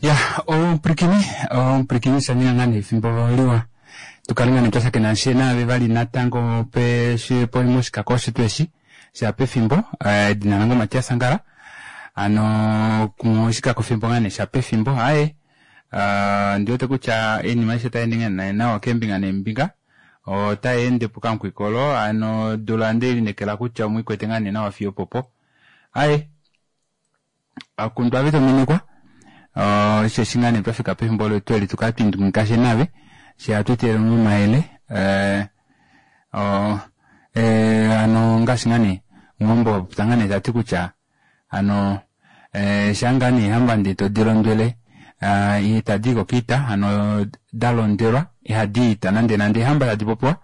Ya omupwilikini, omupwilikini osha ninga ngaa nee efimbo liwa tu kale ngaa nee twa shakena she naave vali natango pe moshikako osho tuu eshi sha pefimbo. Edina lange oMatias Angala hano moshikako fimbo ngaa nee sha pefimbo aaye ondi wete kutya oinima aishe otai ende ngaa nee nawa keembinga neembinga otai ende pokamukwikolo hano odula onde lineekela kutya omwiikwete ngaa nee nawa fiyo opopo aaye Akundwa ave tominikwa osheshi ngaa nee twafika pefimbo letu eli tukale twindungika she nave she hatu etelele omayele hano ngaashi ngaa nee omuwambo apopya ngaa nee tati kutya hano shaa ngaa nee eehamba ndee todi londwele itadi iko kiita hano dalondelwa ihadi iita nande nande eehamba tadi popiwa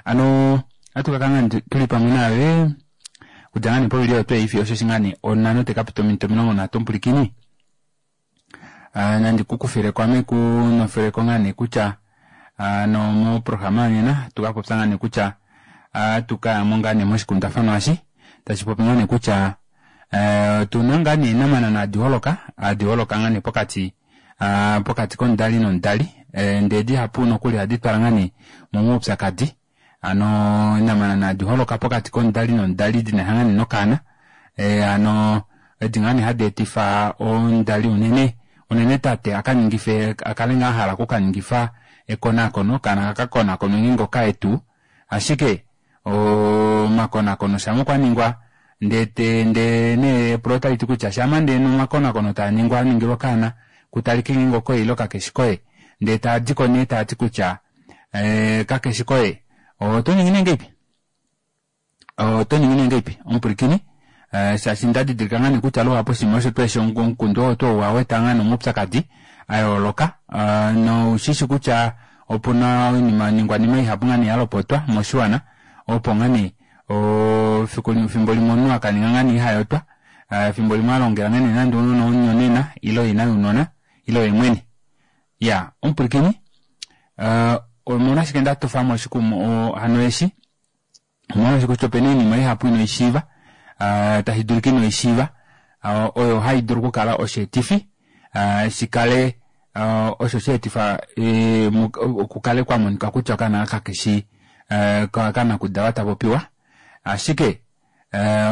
hano ohatu kakala ngaa tuli pamwe naave Okudja ngaa nee povili oyo twei fiyo osheshi ngaa nee onhano tai ka pita ominute 30 omupwilikini. Nandi ku kufileko ame ku nofeleko ngaa nee kutya hano moprograma yonena ohatu ka popya ngaa nee kutya ohatu ka yamo ngaa nee moshikundafanwa eshi tashi popi ngaa nee kutya otuna ngaa nee eenamanana hadi holoka hadi holoka ngaa nee pokati pokati komudali nomudali ndee dihapu nokuli ohadi twala ngaa nee momaupyakadi. Hano eenamanana hadi holoka pokati komudali nomudali dina sha ngaa nee nokaana hano edi ngaa nee hadi etifa omudali unene unene tate akaningife akale ngaa ahala okukaningifa ekonakono okaana kaka konakonwe ngeenge okaye tuu ashike omakonakono shama okwa ningwa ndee ndee nee epulo otaliti kutya shama ndee omakonakono taaningwa aningilwa okaana kutalike ngeenge okoye ile kakeshi koye ndee taadiko nee taati kutya kakeshi koye oto ningi nee ngeipi oto ningi nee ngeipi omupwilikini shaashi nda didilika ngaa nee kutya luhapu oshinima osho tuu eshi omukundu oo tuu owa weta ngaa nee omaupyakadi a yooloka noushishi kutya opuna oinima oiningwanima ihapu ngaa nee yalopotwa moshiwana opo ngaa nee fiku fimbo limwe omunhu akaninga ngaa nee ihayotwa fimbo limwe alongela ngaa nee nande omunhu omunyonena ile ina younona ile oye mwene Iyaa, omupwilikini, omolwashike nda tofa mo hano eshi? Omolwaashi kutya ope na oinima ihapu ino i shiiva, tashi dulika ino i shiiva, oyo hai dulu okukala osheetifi shi kale osho sha etifa kukale kwa monika kutya okaana aka kakeshi kanakudalwa ta popiwa. Ashike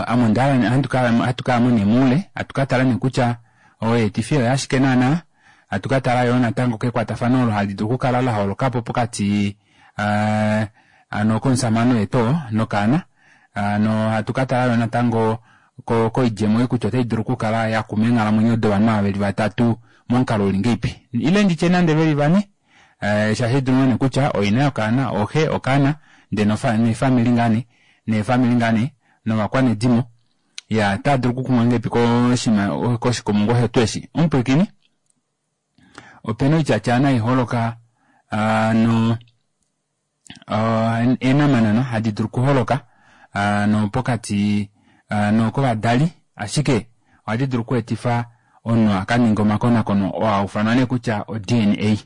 ame onda hala hatu kaya mo nee moule, hatu ka tala nee kutya oyeetifi oyo ashike naana, hatu ka tala yoo natango kekwatafano olo hali dulu okukala la holoka po pokati hano komushamane oye tuu oo nokaana, hano hatu ka tala yoo natango koidjemo ei kutya otai dulu okukala ya kuma eenghalamwenyo dovanhu ava veli vatatu momukalo uli ngeipi ile nditye nande veli vane shaashi oidulu ngoo nee kutya oina yokaana oxe okaana ndee nefamili ngaa nee neefamili ngaa nee novakwanedimo ya otaa dulu okukumwa ngahelipi koshinima koshikumungu osho tuu eshi omupwilikini opena oityatya hai holoka no eenamanana hadi dulu okuholoka nopokati kovadali ashike ohadi dulu okweetifa omunhu akaninge omakonakono oo haufanwa nee kutya o-D_N_A.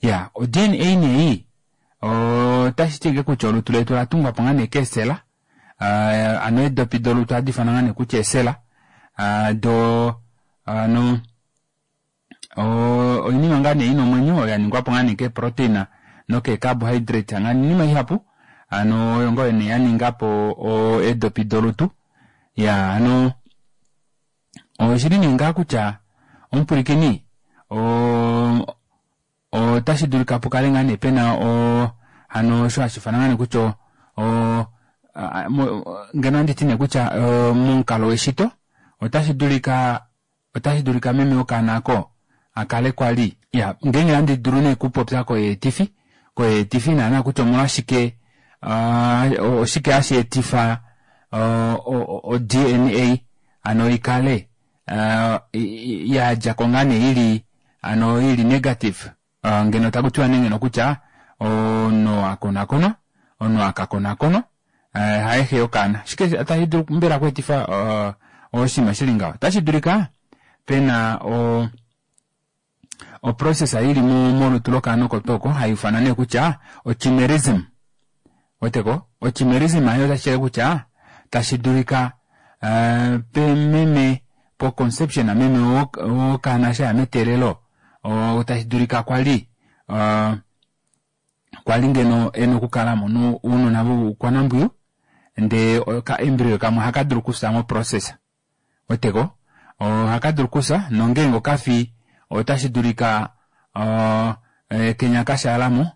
Iyaa o-D_N_A nee ei otashi ti ashike kutya olutu letu ola tungwa po ngaa nee keesela hano eedopi dolutu ohadi ifanwa ngaa nee kutya eesela doo hano oinima ngaa nee ina omwenyo oyo yaningwapo ngaa nee keeprotein nokeecarbohydrate ngaa nee oinima ihapu hano oyo ngoo nee yaningapo eedopi dolutu iyaa hano oshili nee ngaa kutya omupwilikini otashi dulika pukale ngaa nee pena hano osho hashi ifanwa ngaa nee kutya ngeno ohanditi nee kutya momukalo weshito otashi dulika Otashi dulika meme wokaana oko a kale kwa li. Ya, ngeenge handi dulu nee okupopya koyeetifi, koyeetifi naana kutya omolwashike, oshike hashi etifa o-DNA hano i kale ya dja ko ngaa nee i li hano i li negative, ngeno taku tiwa nee ngeno kutya omunhu a konakonwa, omunhu a ka konakonwa haye xe yokaana. Oshike tashi dulu mbela okweetifa oshinima shi li ngaho? Otashi dulika pe na oprocess i li molutu lokaana oko tuu oko hai ifanwa nee kutya ochimerism. Weteko? Ochimerism ayo otashi ti kutya tashi dulika pememe. po-conception meme wokaana eshi aya meteelelo tashi dulika kwali kwali ngeno ena okukala amona ounona voukwanambwiyu ndee oka embryo kamwe ohaka dulu okufya mo process weteko ohaka dulu okufya nongeenge okafi otashi dulika kenya kashaalamo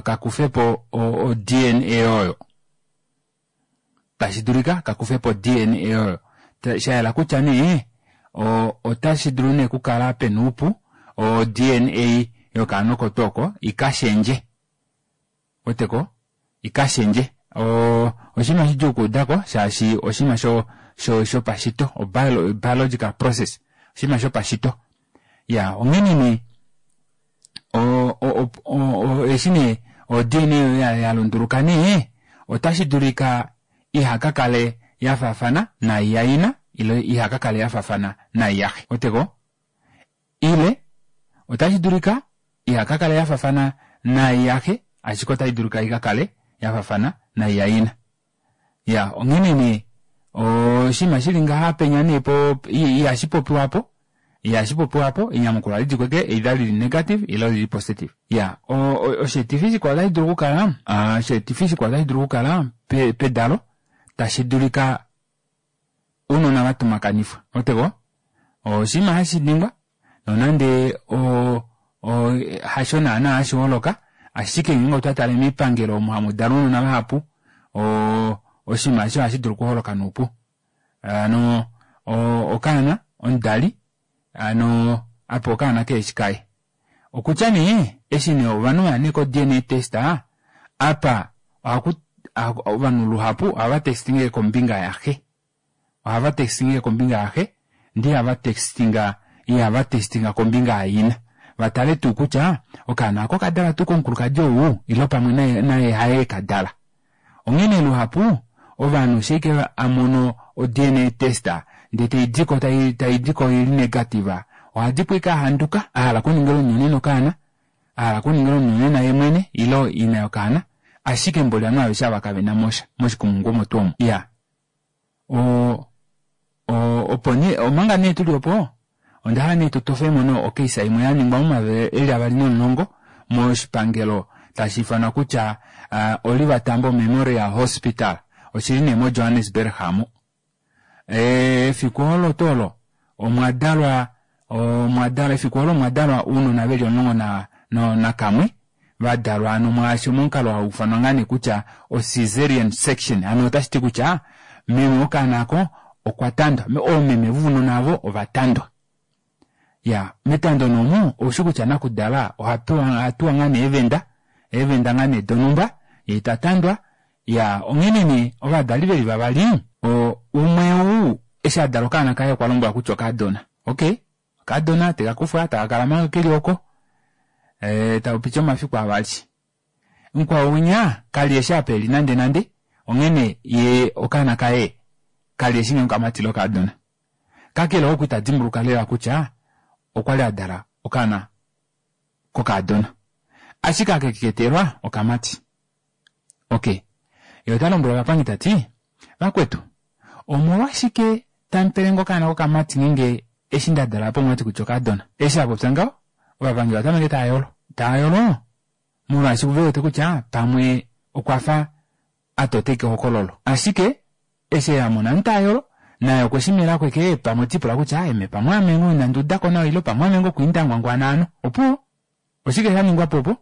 kakufepo o-DNA oyo tashi dulika kakufepo DNA oyo shayela kutya nee otashi dulu nee okukala pena oupu o-DNA yokaana oko tuu oko ikashendje weteko ikashendje oshinima shidjuu okuudako shaashi oshinima shopashito o-biological process oshinima shopashito ya onghene nee eshi nee o-DNA oyo yalunduluka nee otashi dulika ihakakale yafaafana nai yaina ile ihakakale yafaafana nai yaxe weteko ile otashi dulika ihakakale yafaafana nai yaxe ashike otashi dulika ikakale yafaafana nai yaina ya onghene nee oshinima shili ngaha penya nee po ihashi popiwapo ihashi popiwapo enyamukulo ohali di kweke either lili negative ile lili positive ya osheetifi shikwao otashi dulu okukala osheetifi shikwao otashi dulu okukala pedalo tashi dulika ounona vatumakanifwa weteko oshinima hashi ningwa nonande hasho naana hashi holoka ashike ngeenge otwa tale miipangelo omo hamu dalwa ounona vahapu oshinima eshi ohashi dulu okuholoka noupu hano okaana omudali hano apa okaana keheshi kaye okutya nee eshi nee ovanhu vaya nee ko-DNA test apa ohaku ovanhu luhapu ohava testinge kombinga yaxe ohava testinge kombinga yaxe ndee ihava testinga ihava testinga kombinga yaina vatale tuu kutya okaana oko okadalwa tuu komukulukadi ou ile pamwe naye haye kadala onghene luhapu ovanhu shike amono o-DNA test ndee taidiko taidiko ili negative ohadipo ike ahanduka ahala okuningila omunyonena okaana ahala okuningila omunyonena ye mwene ile ina yokaana ashike mboli ovanhu aveshe ava kavena mosha moshikumungu omo tuu omo iya opo nee omanga nee tuli opo ondahala nee tutofemo no okeisa imwe yaningwa momayovi eli 2010 moshipangelo tashi ifanwa kutya Oliver Tambo Memorial Hospital oshili nee mo Johannesburg hamo efiku olo tuu olo omwadalwa omwadalwa efiku olo omwadalwa ounona veli 11 nakamwe vadalwa hano mwaashi momukalo hau ifanwa ngaa nee kutya o-cesarean section hano otashi ti kutya meme wokaana ako okwa tandwa oomeme vounona avo ovatandwa ya metando nomu oushi kutya nakudala ohatuwa ngaa nee eevenda eevenda ngaa nee donhumba yee tatandwa ya onghene nee ovadali veli vavali umwe ou eshi adala okaana kaye okwa lombwelwa kutya okaadona okay okaadona tekakufwa takakala manga keli oko taupiti omafiku avali mukwao winya kali eshi apa eli nande nande onghene ye okaana kaye kali eshi ngee okamati ile okaadona kakele oku ita dimbuluka lela kutya okwali adala okaana kokaadona ashike akeketelwa okamati okay ye ota lombwele ovapangi tati vakwetu omolwashike tamupelenge okaana kokamati ngeenge eshi ndadala po omwati kutya okaadona eshi apopya ngaho ovapangi ovatameke tayolo tayolo molwaashi vewete kutya pamwe okwafa atoteke ehokololo ashike eshi amona ntayolo naye okwe shi mela kweke pamwe tipula kutya eme pamwe ame ngoo inandi udako nawa ile pamwe ame ngoo kwiindangwangwana ano opuwo oshike shaningwa po opo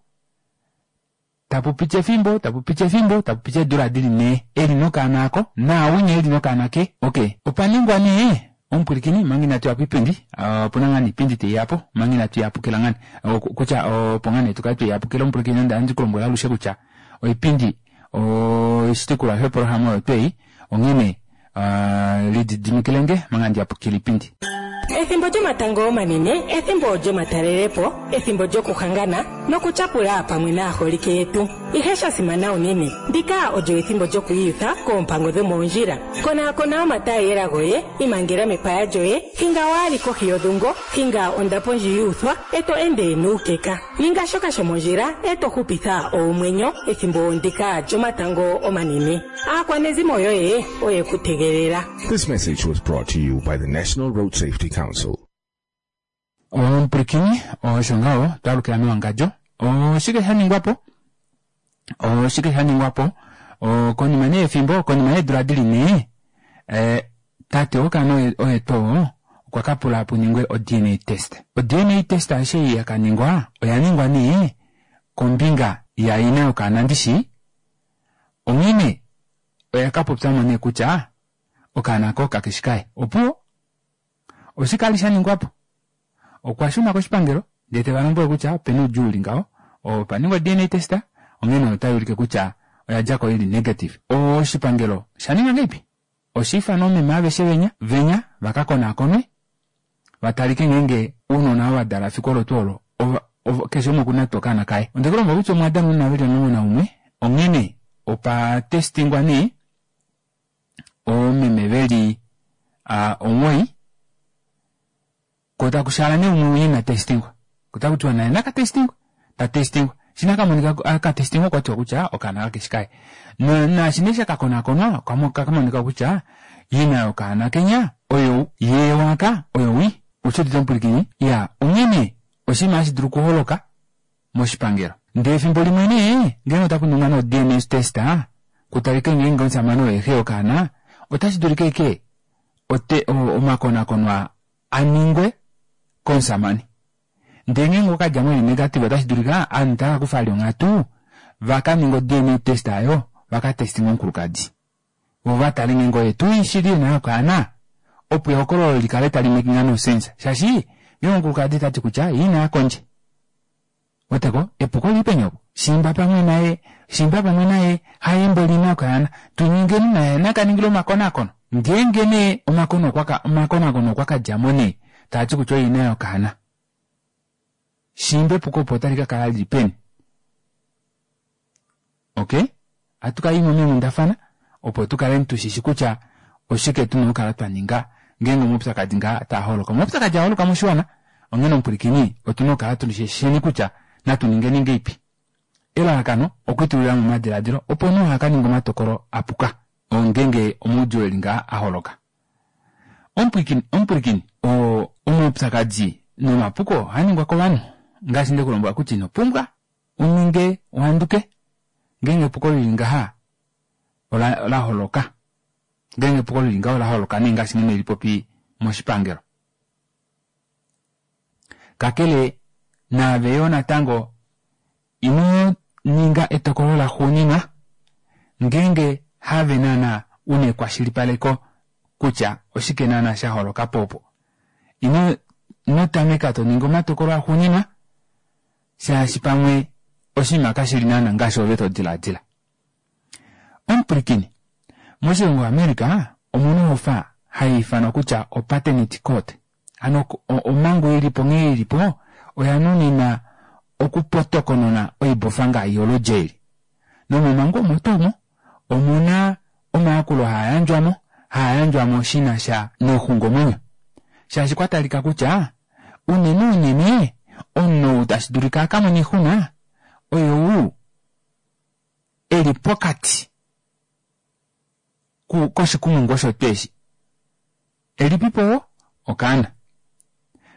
tapupiti efimbo tapupiti efimbo tapupiti eedula dili nhee eli nokaana ako naawinya eli nokaana ke okay opa ningwa nee omupwilikini manga inatu ya koipindi opuna ngaa nee iipindi teiyapo manga inatu yapukila ngaa nee kutya opo ngaa nee tukale tweyapukila omupwilikini onda handi kulombwela alushe kutya oipindi oshitukulwa shoprograma oyo twei onghene lididimikilenge manga ndiyapukila iipindi. Ethimbo lyomatango omanene, ethimbo lyomatalelepo, ethimbo lyokuhangana nokutyapula pamwe naaholike yetu. Ihe sha simana unene, ndika olyo ethimbo lyokwiiyutha koompango dhomoondjila. Konaakona omataayiyela goye, imangela mepaya lyoye, hinga waa li kohi yodhungo, hinga ondapo ndji yu uthwa, e to ende nuukeka. Ninga shoka shomondjila e to hupitha oomwenyo ethimbo ndika lyomatango omanene. Aakwanezimo yoye oye ku tegelela. This message was brought to you by the National Road Safety Council. Omupulakeni osho ngaho twalukila mewangadjo oshike sha ningwa po oshike sha ningwa po konima nee yefimbo konima yeedula dili nee eh, tate wokaana oye tuu okwa ka pula pu ningwe o-dna test o-dna test aishe ya ka ningwa oya ningwa nee kombinga yaina yokaana ndishi onghene oya ka popya mo nee kutya okaana ko kakeshi kaye opuwo oshike ali sha ningwa po okwa shuna koshipangelo ndee te va lombwele kutya opena oudjuu uli ngaho opa ningwa DNA test onghene otai ulike kutya oya djako ili negative oshipangelo osha ninga ngahelipi osha ifana oomeme aveshe venya venya va ka konaakonwe va talike ngeenge ounona ava va dala fiku olo tuu olo keshe umwe okuna tuu okaana kaye onde ku lombwela kutya omwa dala ounona veli 11 onghene opa testingwa nee oomeme veli omuwoi ko taku shaala nee umwe winya ina testingwa ko taku tiwa naye naka testingwe ta testingwa eshi nee akamonika aka testingwa okwa tiwa kutya okaana kakeshi kaye naashi nee shakakonakonwa okamonika kutya ina yokaana kenya oyo yee waka oyo wi osho udite omupwilikini ya onghene oshinima hashi dulu okuholoka moshipangelo. Ndee efimbo limwe nee, ngeenge otaku ningwa nee o-DNA test ku talike ngeenge omushamane oye xe yokaana, otashi dulika ashike ote, omakonakono a ningwe komushamane. Ndee ngeenge okwa ka dja mo eli negative otashi dulika ovanhu tava ka kufa vali onghatu va ka ninge o-DNA test oyo va ka testinge omukulukadi. Vo va tale ngeenge oye tuu shili ina yokaana opo ehokololo li kale tali making no sense shaashi ngeenge omukulukadi ota ti kutya ye ina ya kondje weteko epuko lili peni opo shimba pamwe naye shimba pamwe naye haye mboli ina yokaana tu ningeni naye naka ningile omakonakono ngeenge nee omakonakono okwa ka dja mo nee taa ti kutya oye ina yokaana shimba epuko opo otali ka kala lili peni Ok, ohatu ka imwe meenghundafana opo tu kale tu shishi kutya oshike tuna okukala twa ninga ngeenge omaupyakadi ngaa taa holoka. Omaupyakadi aa holoka moshiwana, onghene omupwilikini otuna okukala tu shisheni kutya natu ningeni ngeipi. Elalakano okwiitulila mo omadilaadilo opo omunhu aha ka ninge omatokolo a puka ngeenge omaudjuu eli ngaa a holoka. Omupwilikini, omupwilikini, omaupyakadi nomapuko ohaa ningwa kovanhu ngaashi nde ku lombwela kutya ino pumbwa u ninge u handuke ngeenge epuko lili ngaha ola ola holoka. Ngeenge epuko lili ngaha ola holoka nee ngaashi nghene lipopi moshipangelo. Kakele naave yoo natango ino ninga etokolo laxuuninwa ngeenge have naana una ekwashilipaleko kutya oshike naana sha holoka po opo. Ino ino tameka to ningi omatokolo axuuninwa shaashi pamwe oshinima kashi li naana ngaashi ove to diladila. Omupwilikini, moshilongo America omuna ohofa hai ifanwa kutya opaternity court. Hano omhangu ili po nghee ili po oya nuninwa okupotokonona oibofa ngaashi yoludji eli. Nomomhangu omo tuu omo omuna omayakulo haa yandjwa mo, haa yandjwa mo shi na sha noxungomwenyo. Shaashi kwa talika kutya unene unene omunhu ou tashi dulika a ka mone oixuna oyou e li pokati koshikumungu osho tuu eshi. Elipipo wo okaana.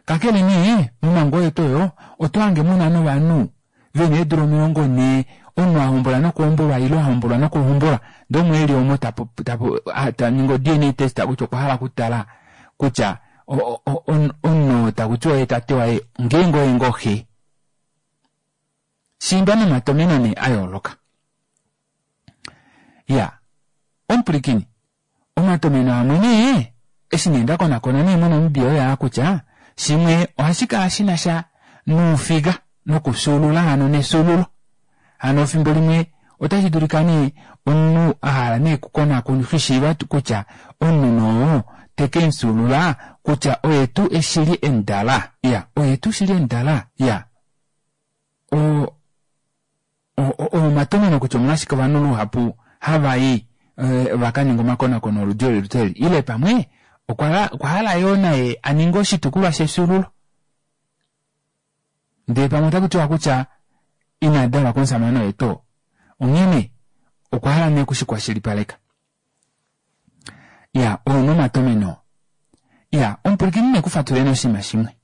Kakele nee, momhangu oyo tuu oyo oto hange mu na novanhu ve na eedula 40, omunhu a hombola nokuhombolwa ile a hombolwa nokuhombolwa, ndee umwe e li omo ta ta ningi o-DNA test kutya okwa hala okutala kutya omunhu oo taku tiwa oye tate waye ngeenge oye ngoo xe. Shiimba nomatomeno nee a yooloka. Ya, omupwilikini, Omatomeno amwe nee eshi nee nda konakona nee moNamibia oyo aa kutya shimwe ohashi kala shi na sha nuufiga nokufyuulula hano nefyuululo. Hano efimbo limwe otashi dulika nee omunhu a hala nee okukonakona okushiiva kutya omunhu nee oo te ke mu fyuulula Kutya oye tuu eshili emudala? Ya, oye tuu shili emudala? Ya. O, o, o, omatomheno kutya omolwashike ovanhu luhapu hava i eh, va ka ninga omakonakono oludi oli lute eli. Ile pamwe okwa, okwa hala yoo naye a ninge oshitukulwa shefyuululo. Ndele pamwe otaku tiwa kutya ina dalwa komusamane oye tuu. Onghene okwa hala nee okushikwashilipaleka. Ya, oo nomatomeno. Ya, omupwilikini ne ku fatuleni oshinima shimwe.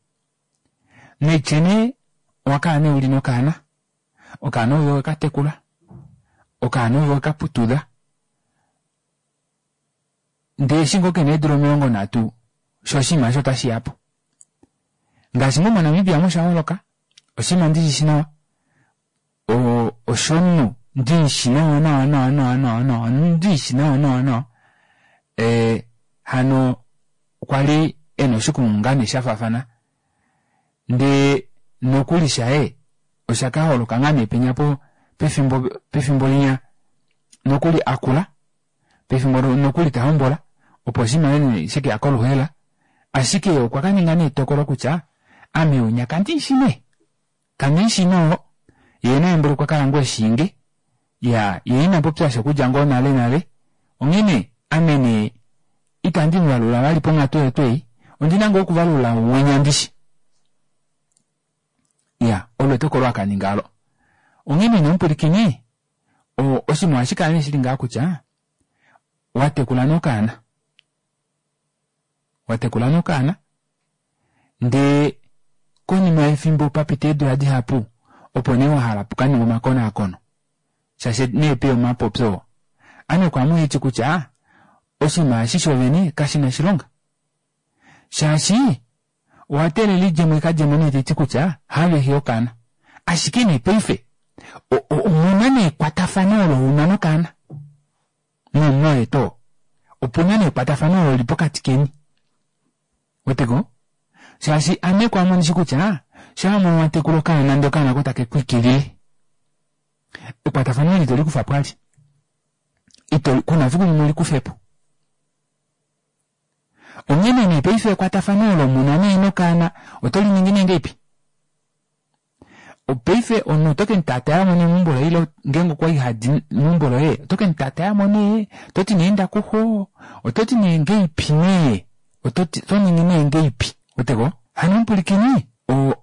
Naitye nee owa kala nee uli nokaana, okaana ove weka tekula, okaana ove weka putudha, ndee eshi ngoo kena eedula 30 sho oshinima osho otashi ya po. Ngaashi ngoo moNamibia omo sha holoka, oshinima ndi shi shi nawa, oshomunhu ndi shi nawa nawa nawa nawa nawa nawa ndi shi nawa nawa nawa e, hano okwa li e na oshikumungu ngaa nee sha faafana ndee nokuli shaye osha ka holoka ngaa nee penya po pefimbo pefimbo linya nokuli a kula pefimbo nokuli ta hombola opo oshinima nee she ke ya koluhela ashike okwa ka ninga nee etokolo kutya ame unya kandi shi nee Kandi shi noo, ye naye mboli okwa kala ngoo eshiinge. Ya, ye ina popya sha okudja ngoo nale nale. Onghene, ame nee, itandi mu valula vali ponghatu oyo tuu ei. Ondi na ngoo okuvalula winya ndishi. Ya, olo etokolo a ka ninga olo. Onghene nee omupwilikini, o, oshinima ohashi kala nee shili ngaha kutya, wa tekula nee okaana. Wa tekula nee okaana. Ndee konima yefimbo pa pita eedula dihapu, opo nee wa hala pu ka ningwe omakonaakono. Shaashi nee pe omapopyo oo. Ame kwaame oheti kutya oshinima eshi shovene kashi na oshilonga. Shaashi owa teelela idjemo i ka dje mo nee tai ti kutya haave xe yokaana. Ashike nee paife omu na nee ekwatafano olo u na nokaana. Nomumwoye too. Opu na nee ekwatafano olo li pokati keni. Weteko? Shaashi ame kwaame ondishi kutya shaa mono wa tekula okaana ndee okaana ko take ku ikilile, ekwatafano eli ito li kufa po ali. Ito, kuna fiku limwe uli kufe po. Onghene nee paife ekwatafano olo muna nee nokaana oto li ningi nee ngeipi? Paife omunhu oto ke mu taataya mo nee meumbo loye ile ngeenge okwa li hadi meumbo loye oto ke mu taataya mo nee oto ti nee inda kuxo oto ti nee ngeipi nee oto ti oto ningi nee ngeipi weteko hano omupwilikini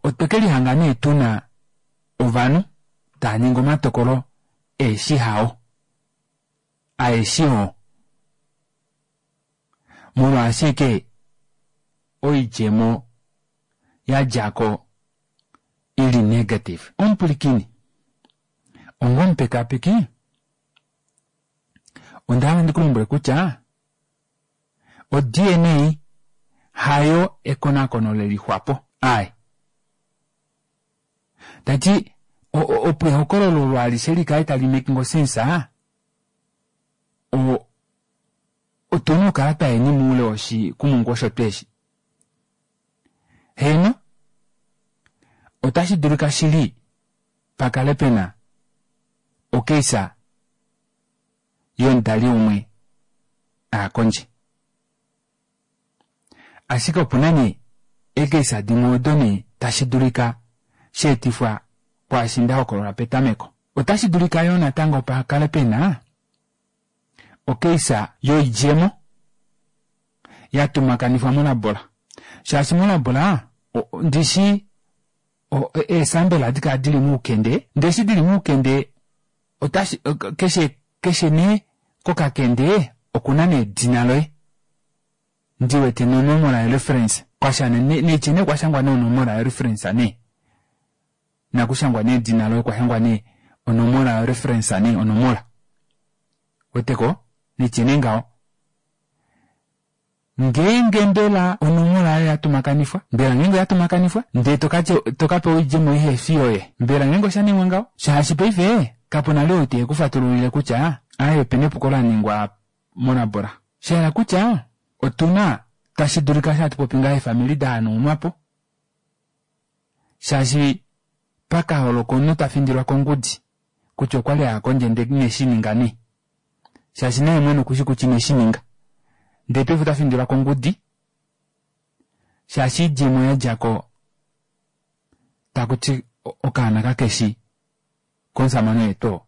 otwe ke lihanga nee tu na ovanhu tava ningi omatokolo eeshi hao aeshi oo molwaashi eke oidjemo ya dja ko i li negative. Omupwilikini, onga omupekapeki, onda hala ndi ku lombwele kutya o-DNA hayo ekonakono le lixwapo. Ae. Ta ti, opo ehokololo olo alishe li kale tali making sense, o, otu na okukala twa yeni moule woshikumungu osho twe shi. Heeno, otashi dulika shili pa kale pe na okeisa yomudali umwe a ya kondje. Ashike opu na nee eekeisa dimwe odo nee tashi dulika sha etifwa kwaashi nda hokolola petameko. Otashi dulika yoo natango pa kale pe na okeisa yoidjemo ya tumakanifwa molabola shaashi molabola ndishi eesambela ohadi kala dili moukende ndee eshi dili moukende otashi keshe keshe nee kokakende okuna nee edina loye ndi wete nonomola yoreference kwasha neitye nee kwashangwa nee onomola yoreference nee nakushangwa nee edina loye kwashangwa nee onomola yoreference nee onomola weteko nitye nee ngaho Ngeenge mbela onomola oyo ya tumakanifwa, mbela ngeenge oya tumakanifwa, ndee to ka pewa oidjemo ihe fi yoye, mbela ngeenge osha ningwa ngaho? Shaashi paife kapu na li ou te ku fatululile kutya aaye ope na epuko la ningwa molabola. Sha hala kutya otu na, tashi dulika eshi hatu popi ngaho eefamili da hanaunwa po, shaashi pa ka holoka omunhu ta findilwa kongudi kutya okwa li a ya kondje ndee ine shi ninga nee. Shaashi naye mwene okushi kutya ine shi ninga. Ndee paife ota findilwa kongudi. Shaashi oidjemo ya dja ko taku ti okaana kakeshi komusamane oye tuu oo.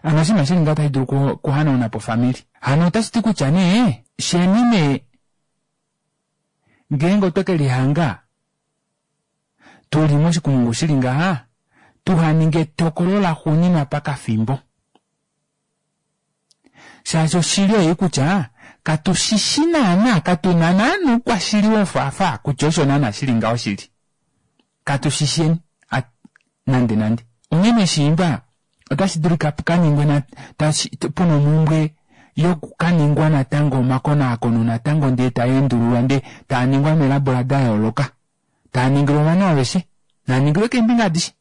Hano oshinima shili ngaho otashi dulu okuhanauna po ofamili. Hano otashi ti kutya nee sheni nee ngeenge otwe ke lihanga tu li moshikumungu shi li ngaha, tuha ninge etokolo laxuuninwa pakafimbo. Shaashi oshili oyo kutya katu shi shi naanaa, katu na naanaa oukwashili wofaafaa kutya osho naanaa shi li ngaho shili. Katu shi sheni nande nande. Onghene shiimba otashi dulika pu ka ningwe na, tashi, pu na omhumbwe yoku ka ningwa natango omakonaakono natango ndee taa endululwa ndee taa ningwa meelabola da yooloka. Taa ningilwa ovanhu aveshe. Naa ningilwe keembinga adishe.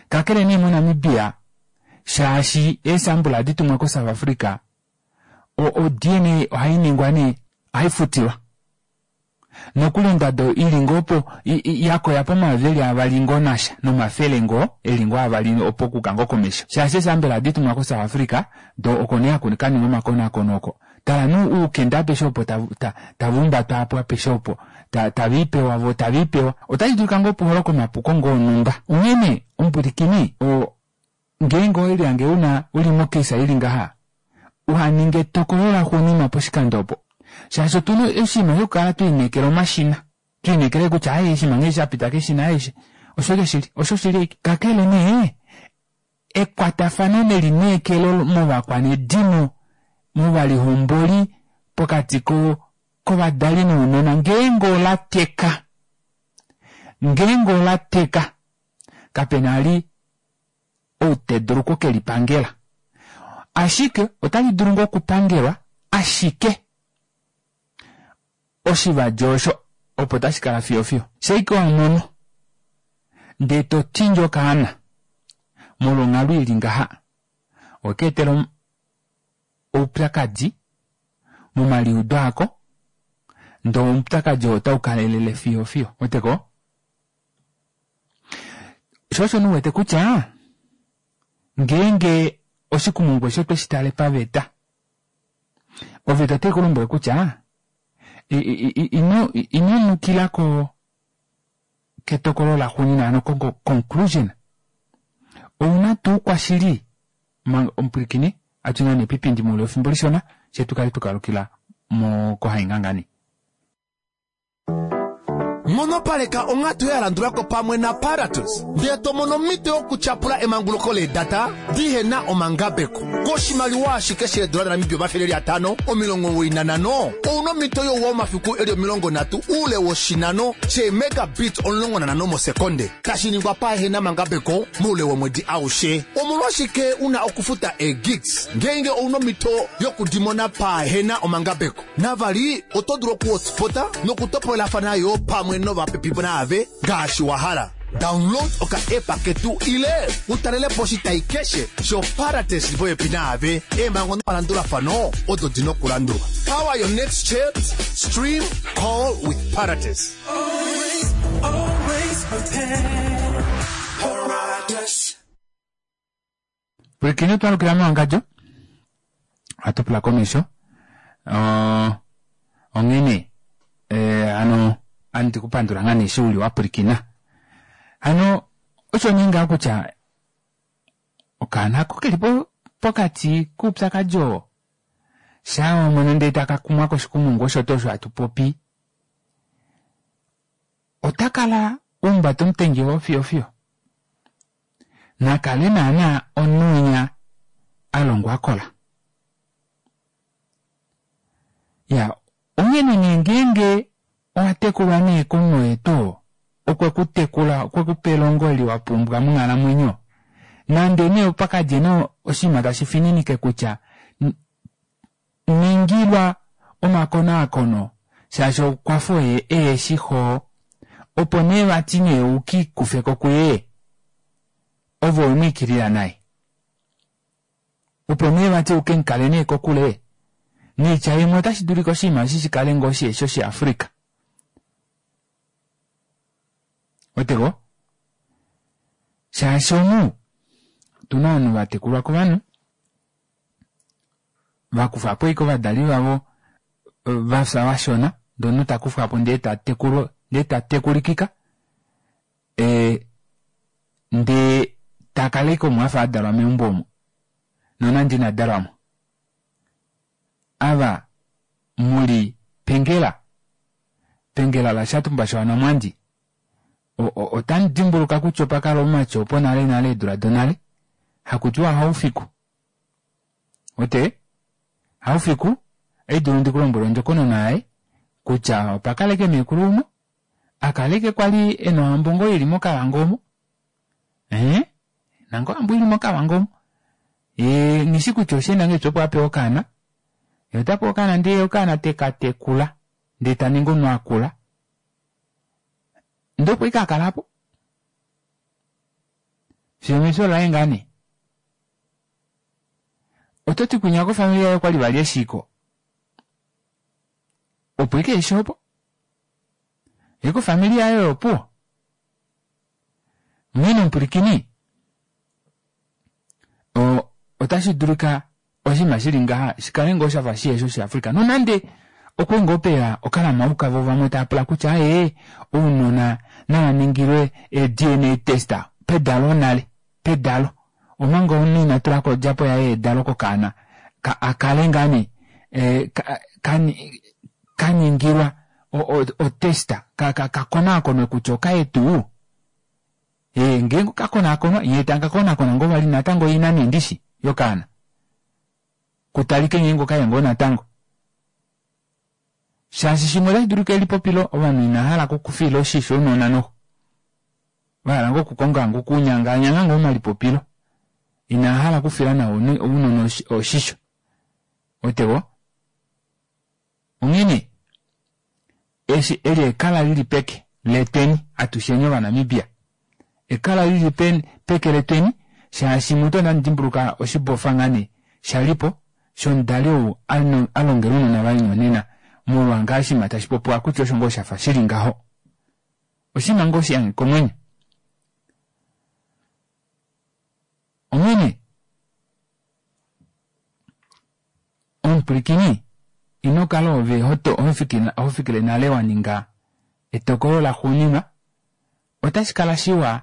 Kakele nee moNamibia shaashi eesambula ohadi tumwa koSouth Africa, o-DNA ohai ningwa nee, ohai futilwa. Nokuli ondado i li ngoo po ya koya pomayovi eli avali ngoo nasha nomafele ngoo eli ngoo avali opo okuka ngoo komesho. Shaashi eesambela ohadi tumwa koSouth Africa, do oko nee haku ka ningwa omakonaakono oko. Tala nee oukende apeshe opo tava umbatwa apo apeshe opo tave i pewa vo tave i pewa. Otashi dulika ngoo pu holoke omapuko ngoo onhumba. Onghee nee omupwilikini oo ngeenge owe lihange u na u li mokesa i li ngaha, uha ninge etokolo laxuuninwa poshikando opo. Shaashi otu na oshinima shokukala twe lineekela omashina, twe lineekela kutya aaye oshinima ngee sha pita keshina aaye osho ashike shili, osho shili ashike. Kakele nee, ekwatafano nelineekelo movakwanedimo, movalihomboli, pokati ko kovadali nounona ngeenge ola teka, ngeenge ola teka, kape na li ou te dulu oku ke li pangela. Ashike otali dulu ngoo okupangelwa, ashike oshivadi osho opo tashi kala fiyo fiyo. Shaike wa mono ndee to tindi okaana molwa onghalo i li ngaha, owe ka etela oupyakadi momaliudo ako, ndee oupyakadi oo otau kalelele fiyo fiyo. Weteko? Sho osho nee u wete kutya ngeenge oshikumungu eshi otwe shi tale paveta, oveta otai ku lombwele kutya ino ino nukila ko ketokolo laxuuninwa ano ko conclusion. Ouna tuu kwashili omupwilikini atu nee pipindi moule wefimbo lishona she tu kale tukalukila mo kohaingangani. Nghonopaleka onghatu ya landula ko pamwe naParatus ndee to mono omhito yokutyapula emanguluko leedata dihe na omangabeko. Koshimaliwa ashike sheedola daNamibia 595, ou na omhito youwa womafiku e li 30 oule woshinano sheemegabits 15 mosekonde, tashi ningwa pahe na mangabeko moule womwedi aushe. Omolwashike u na okufuta eegigs ngeenge ou na omhito yokudimona pahe na omangabeko? Navali, oto dulu okuhotspota nokutopolelafana yo pamwe novapepi naave ngaashi wa hala. Download oka-app ketu ile u talele po oshitai keshe shoParates shi li popepi naave. Eemhango nomalandulafano odo di na okulandulwa. Power your next chat, stream, call with Parates. Always, always prepared. Paratus. Pwilikine twalukila mewangadjo ohatu pula komesho onghene eh, ano andi kupandula ngaa nee eshi uli wa pwilikina hano osho nee ngaa kutya okaana ako keli po pokati koupyakadi oo shaa wamona ndee taka kumwa koshikumungu osho tuu osho hatu popi ota kala umbata omutengi oo fiyo fiyo Na kale naanaa omunhu winya a longwa a kola. Ya, onghene nee ngeenge owa tekulwa nee komunhu oye tuu oo, okwe ku tekula, okwe ku pa elongo eli wa pumbwa monghalamwenyo, nande nee opa ka dje nee oshinima tashi fininike kutya ningilwa omakonaakono shaashi okwafa oye ehe shi xo opo nee vati nee u ki kufe ko kuye ove owe mu ikilila nai opo nee vati u ke mu kale nee kokule noitya imwe otashi dulika oshinima eshi shi kale ngoo shiheshi Oshiafrika. Weteko? Shaashi omu otu na ovanhu va tekulwa kovanhu va kufa po ashike ovadali vavo va fya vashona ndee omunhu takufwapo ndee tatekulwa ndee tatekulikika ee ndee takala ashike omo afa adalwa meumbo omo nonande ina dalwamo. Ava muli pengela pengela laShatumba shaWanamwandi otamu dimbuluka kutya opa kala omumati opo nale nale eedula donale hakutiwa Haufiku. Ote Haufiku oidulu ndi kulombwele ondjokonona yaye kutya opa kala eke meekulu umwe akala eke kwali ena ohambo ngoo ili mokavango omo ee nango ohambo ili mokavango omo ye nghishi kutya osheenda ngahelipi opo apewa okaana ye otapewa okaana ndee okaana teka tekula ndee taningi omunhu akula ndee opo ike akalapo fiyo omefyo laye ngaa nee oto ti kwinya kofamili yaye okwali vali eshiko opo ike eshi opo ye kofamili yaye oyopuwo onghee omupwilikini otashi dulika oshinima shili ngaha shikale ngoo shafa shihe shoshiafrika nonande okwe ngoo peya okalamauka vo vamwe tava pula kutya ee ounona nava ningilwe ee-dna test pedalo nale pedalo omanga omunhu ina tulako odjapo yaye yedalo kokaana akale ngaa nee kaningilwa otest kakonaakonwe kutya okaye tuu ee ngeenge okakonaakonwa yee takakonakona ngoo vali natango ina nee ndishi yokaana kutalike ngeenge okaye ngoo natango shaashi shimwe otashi dulika elipopilo ovanhu ina hala okufiila oshisho ounona noho vahala ngoo okukonga ngoo okunyanganyanga ngoo omalipopilo ina hala okufila nawa ounona oshisho otewo onghene eshi eli ekala lili peke letweni atusheni ovanamibia ekala lili peke letweni shaashi mutu onda dimbuluka oshibofa ngaa nee shalipo shomudali ou alongela ounona vaye nyonena molwa ngaa oshinima tashi popiwa kutya osho ngoo shafa shili ngaho oshinima ngoo shiyange komwenyo onghene omupwilikini ino kala ove hofikile nale wa ninga etokolo laxuuninwa otashi kala shiwa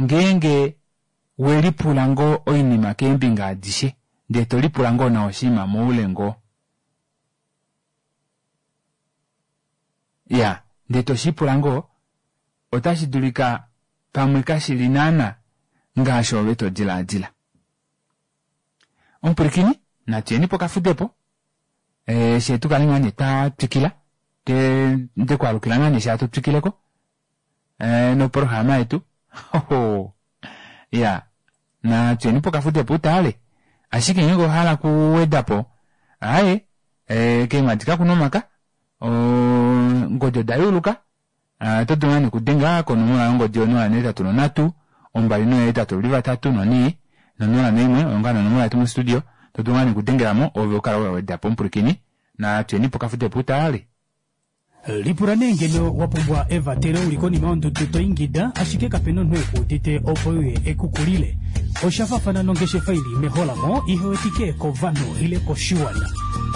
ngeenge we lipula ngoo oinima keembinga adishe ndee to lipula ngoo nawa oshinima moule ngoo ya ndee toshipula ngoo otashi dulika pamwe kashili naana ngaashi ove to dilaadila omupwilikini natuyeni pokafudepo e, she tukale ngaa nee twa twikila ndekwaalukila ngaa nee sha tu twikileko e, noprograma yetu ya natuyeni pokafudepo utale ashike ngeenge ohala kuwedapo aaye e, keemwadi kakuna omaka ongodi oda yuuluka oto dulu ngaa okudenga konomola yongodi yo 083 283 4 041 oyo ngaa nonomola yetu mostudio to dulu ngaa okudengelamo ove ukala wedapo omupwilikini natuyeni pokafudepo utale Lipula nee ngeno wa pumbwa evatelo uli konima yondudu to ingida ashike kapena omunhu ekuudite opo uye ekukulile. Osha faafana nongeshefa ili meholamo ihe wetike kovanhu ile koshiwana.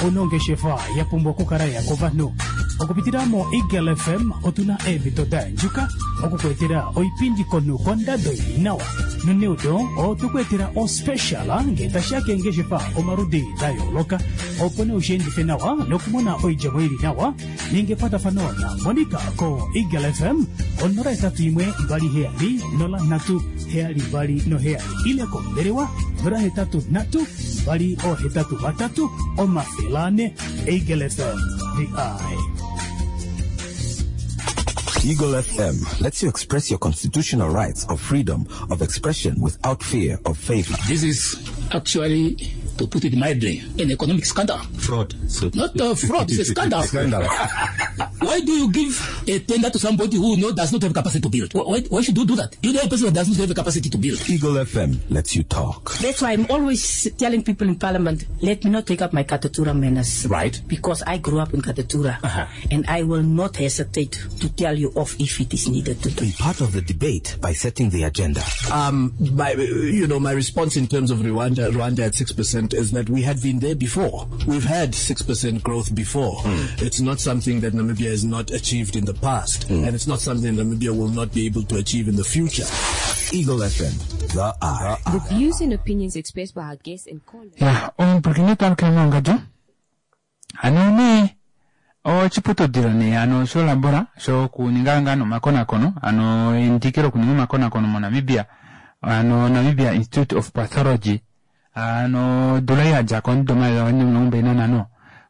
Ouna ongeshefa ya pumbwa okukala ya kovanhu. Okupitila mo Eagle FM otuna eemhito da yandjuka okukuetela oipindi komunhu kondado ili nawa. Noneudo otukuetela ospecial ngee tashiya keengeshefa omaludi da yooloka opo nee ushiendife nawa nokumona oidjemo ili nawa. Ninga ekwatafano na Monica ko Eagle FM 081 27 03 72 ile kombelewa 083 283 400. Eagle FM, the eye. Eagle FM lets you express your constitutional rights of freedom of expression without fear of favor. This is actually, to put it mildly, an economic scandal. Fraud. So Not a fraud, it's a scandal. Scandal. Why do you give a tender to somebody who know does not have capacity to build? Why should you do that? You know a person that does not have the capacity to build. Eagle FM lets you talk. That's why I'm always telling people in Parliament, let me not take up my Katutura manners. Right. Because I grew up in Katutura. And I will not hesitate to tell you off if it is needed to do. Be part of the debate by setting the agenda. My, you know, my response in terms of Rwanda at 6% is that we had been there before. We've had 6% growth before. It's not something that Namibia has not achieved in the past, and it's not something Namibia will not be able to achieve in the future. Eagle FM, the eye. The views and opinions expressed by our guests and callers. Ya omupulakeni twalukile mongadjo ano nee oshiputudhilo nee ano sholabora shokuninga ngaa nomakonakono ano endiki lokuninga omakonakono moNamibia ano Namibia Institute of Pathology ano odula ei yadjako omudo 2025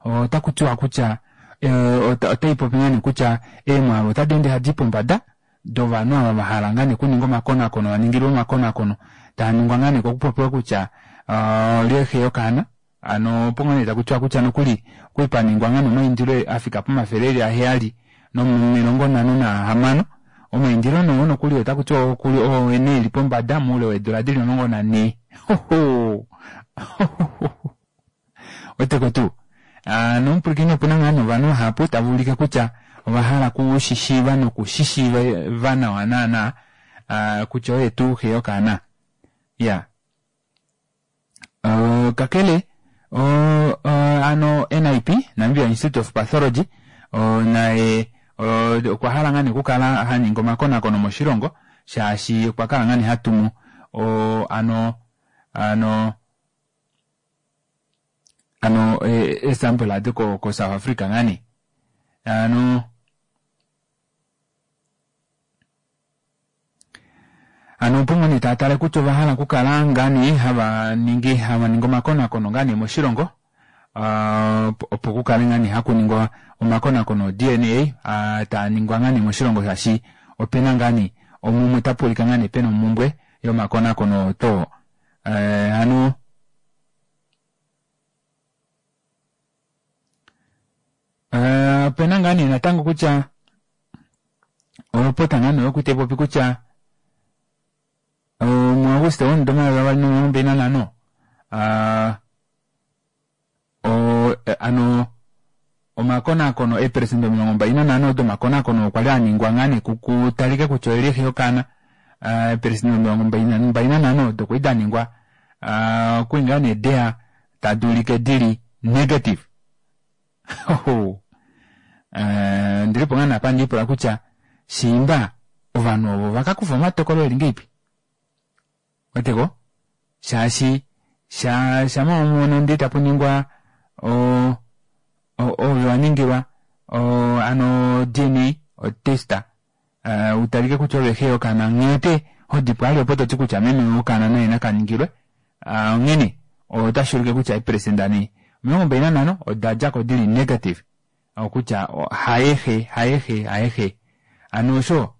otaku tiwa kutya otai popi ngaa nee kutya eemwaalu otadi ende hadi pombada dovanhu ava vahala ngaa nee okuninga omakonakono vaningilwe omakonakono taa ningwa ngaa nee kokupopiwa kutya olye xe yokaana ano opo ngaa nee taku tiwa kutya nokuli okwali paningwa ngaa nee omaindilo afika pomafele eli aheyali nomilongo nhano nahamano omaindilo nee oo nokuli otaku tiwa okuli oo nee eli pombada moule weedula dili 14 hoho weteko tuu nomupwilikini opuna ngaa nee ovanhu vahapu tava ulike kutya ovahala kushishiiva nokushishiiva nawa naana kutya oye tuu xe yokaana ya kakele ano NIP Namibia Institute of Pathology naye okwa hala ngaa nee okukala haningi omakonakono moshilongo shaashi okwa kala ngaa nee hatumu ano ano ano eesample adi ko South Africa ngaa nee ano ano opo ngaa nee taatale kutya ovahala okukala ngaa nee hava ningi hava ningi omakonakono ngaa nee moshilongo opo kukale ngaa nee hakuningwa omakonakono DNA taa ningwa ngaa nee moshilongo shaashi opena ngaa nee omumwe tapuulika ngaa nee pena omumbwe yomakonakono to ano opena ngaa nee natango kutya olopota ngaa nee oyokuti popi kutya muAuguste womudo 2025 ano omakonakono eeperesenda 25 domakonakono okwa li aningwa ngaa nee kutalike kutya oyeli xe yokaana eeperesenda 25 odo kwali daningwa okwali ngaa nee deya tadi ulike dili negative ndilipo ngaa napa ndiipula kutya shiimba ovanhu ovo vakakufa omatokolo eli ngeipi weteko shaashi shama omono ndee tapuningwa ove waningilwa ano DNA otesta utalike kutya ove xe yokaana nghee hodipo ali opo toti kutya meme wokaana naye nakaningilwe onghene otashi ulike kutya eeperesenda nee 25 odadjako dili negative okutya hayexe hayexe hayexe ano osho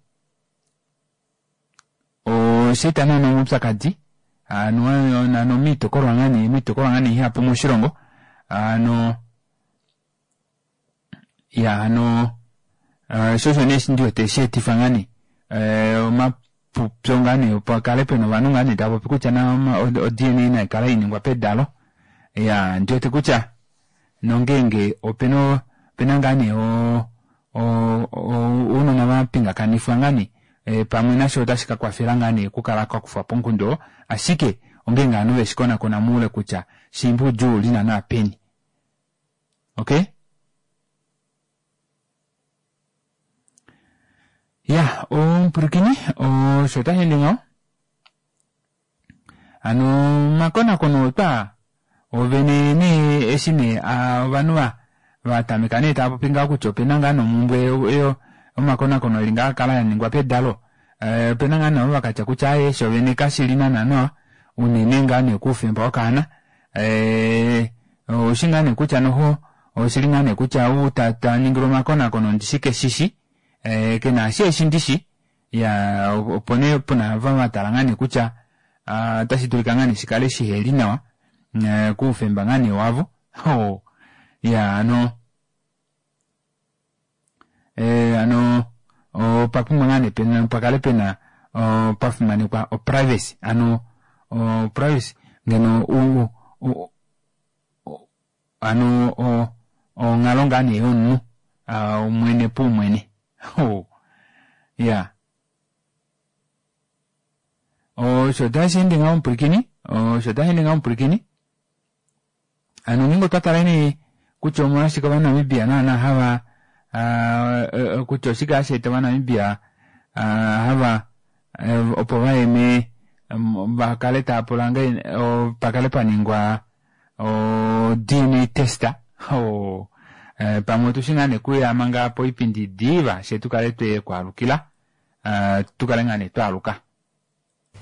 osheeta naana omaupyakadi ano ano miitopolwa ngaa nee miitopolwa ngaa nee ihapu moshilongo ano ya ano sho osho nee ndiwete sheetifa ngaa nee omapupyo ngaa nee opo kale pena ovanhu ngaa nee tava popi kutya na o-DNA naikala iningwa pedalo ya ndiwete kutya nongeenge opena opena ngaa nee ounona vapingakanifwa ngaa nee pamwe nasho otashi kakwafela ngaa nee okukala kakufwa ponkundo oo ashike ongeenge ovanhu veshikonakona moule kutya shiimba oudjuu uli naana peni okay ya omupwilikini osho otashi ende ngaho ano omakonakono otwa ovene nee eshi nee ovanhu vatameka nee tava popi ngaho kutya opena ngaa nomumbwe omakonakono eli ngaa kala yaningwa pedalo opena ngaa navo vakatya kutya aaye shovene kashili naana nawa unene ngaa nee kuufemba wokaana oushi ngaa nee kutya noho oshili ngaa nee kutya ou taningilwa omakonakono ndishi keshishi kena eshi eshi ndishi ya opo nee puna vatala ngaa nee kutya otashi dulika ngaa nee shikale shiheli nawa kuufemba ngaa nee wavo ya ano Hano opa pumbwa ngaa nee pena pakale pena pa fimanekwa o privacy hano o privacy ngeno u, u, hano onghalo ngaa nee yomunhu mwene paumwene. Iya. Osho tashi ende ngaho omupwilikini, osho tashi ende ngaho omupwilikini. Hano ngeenge otwa tala nee kutya omolwashike Ovanamibia naana hava kutya oshike hashi eta Ovanamibia hava opo vaye me va kale tava pula nge pa kale pa ningwa o DNA test o pamwe otushi ngaa nee kuya manga poipindi diva she tu kale twe kwaalukila tu kale ngaa nee twaaluka.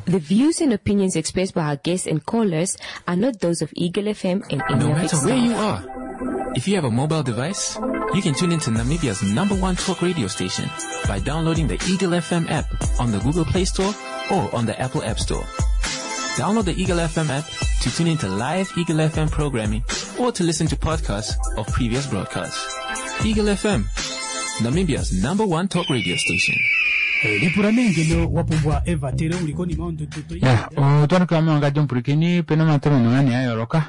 The views and opinions expressed by our guests and callers are not those of Eagle FM and any No of its matter where staff. you are, if you have a mobile device, you can tune into Namibia's number one talk radio station by downloading the Eagle FM app on the Google Play Store or on the Apple App Store. Download the Eagle FM app to tune into live Eagle FM programming or to listen to podcasts of previous broadcasts. Eagle FM, Namibia's number one talk radio station. Lipula nee ngeno wa pumbwa evatelo uli konima yondudu to Ya, otwa mewangandjo omupwilikini pena omatomeno ngaa nee a yooloka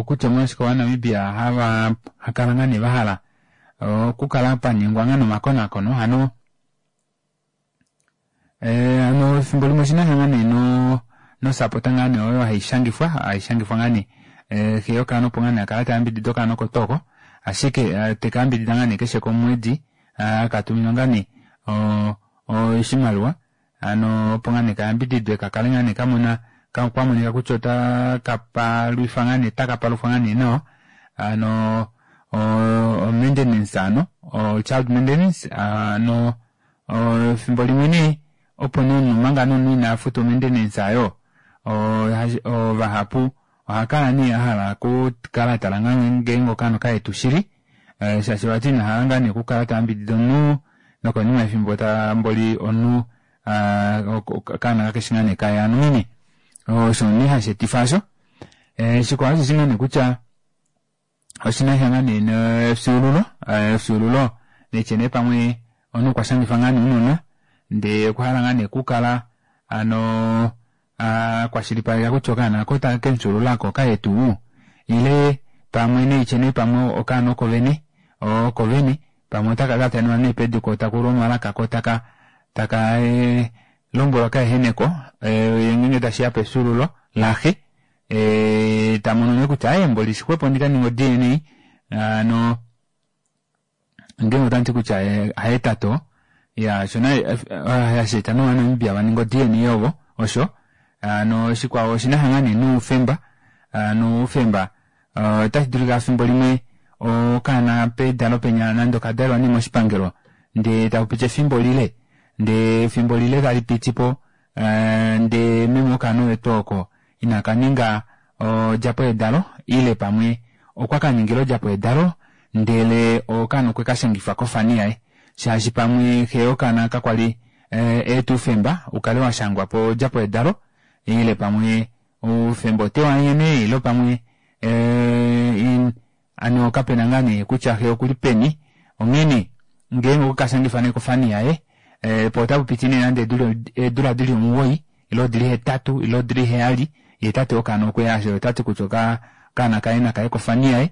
kutya omolwashike Ovanamibia hava kala ngaa nee va hala okukala pa ningwa ngaa nomakonakono hano hano efimbo limwe oshina sha ngaa nee no nosapota ngaa nee oyo haishangifwa haishangifwa ngaa nee xe yokaana opo ngaa nee akala tayambidida okaana oko tuu oko ashike teka yambidida ngaa nee keshe komwedi akatuminwa ngaa nee oshimaliwa hano opo ngaa nee kayambididwe kakale ngaa nee kamona kwamonika kutya ota kapalwifa ngaa nee takapalufwa ngaa nee nawa hano o maintenance hano o child maintenance hano efimbo limwe nee opo nee omunhu omanga nee omunhu ina futa o maintenance ayo vahapu ohakala nee ahala okukala atala ngaa ngeenge okaana okayetu shili shaashi vati inahala ngaa nee okukala tayambidida omunhu nokonima yefimbo tamboli omunhu okaana kakeshi ngaa nee kaye hano onghene osho nee hashi etifa osho. Shikwao osheshi ngaa nee kutya oshinasha ngaa nee nefyuululo efyuululo neitye nee pamwe omunhu okwa shangifa ngaa nee ounona ndee okwa hala ngaa nee okukala hano akwashilipaleka kutya okaana ako takemufyuululako okaye tuu ile pamwe neitye nee pamwe okaana oko vene oko vene pamwe otaka katenwa nee pedu ko takulu omalaka ko taka taka lombwelwa kaeheneko ngeenge tashiya pefyuululo laxe tamono nee kutya aye mboli shixwepo ndikaninge o DNA hano ngeenge otandi kutya haye tato ya shona hashi eta nOvanamibia vaninge o DNA ovo osho hano shikwao oshina ngaa nee noufemba noufemba otashi dulika efimbo limwe okaana pedalo penya nande okadalelwa nee moshipangelo ndee takupiti efimbo lile ndee efimbo lile tali pitipo ndee meme okaana oye tuu oko inaka ninga odjapo yedalo ile pamwe okwa kaningila odjapo yedalo ndele okaana okwe kashangifa kofani yaye shaashi pamwe xe yokaana kakwali eeta oufemba ukale washangwa po odjapo yedalo ile pamwe oufemba otewanyene ile pamwe ano kapena ngaa nee kutya xe okuli peni onghene ngeenge okwekashangifa nee kofani yaye po otapupiti nee nande eedula dili 9 ile dili 8 ile dili 7 ye tate wokaana okweya ashike otati kutya okaana kaye nakaye kofani yaye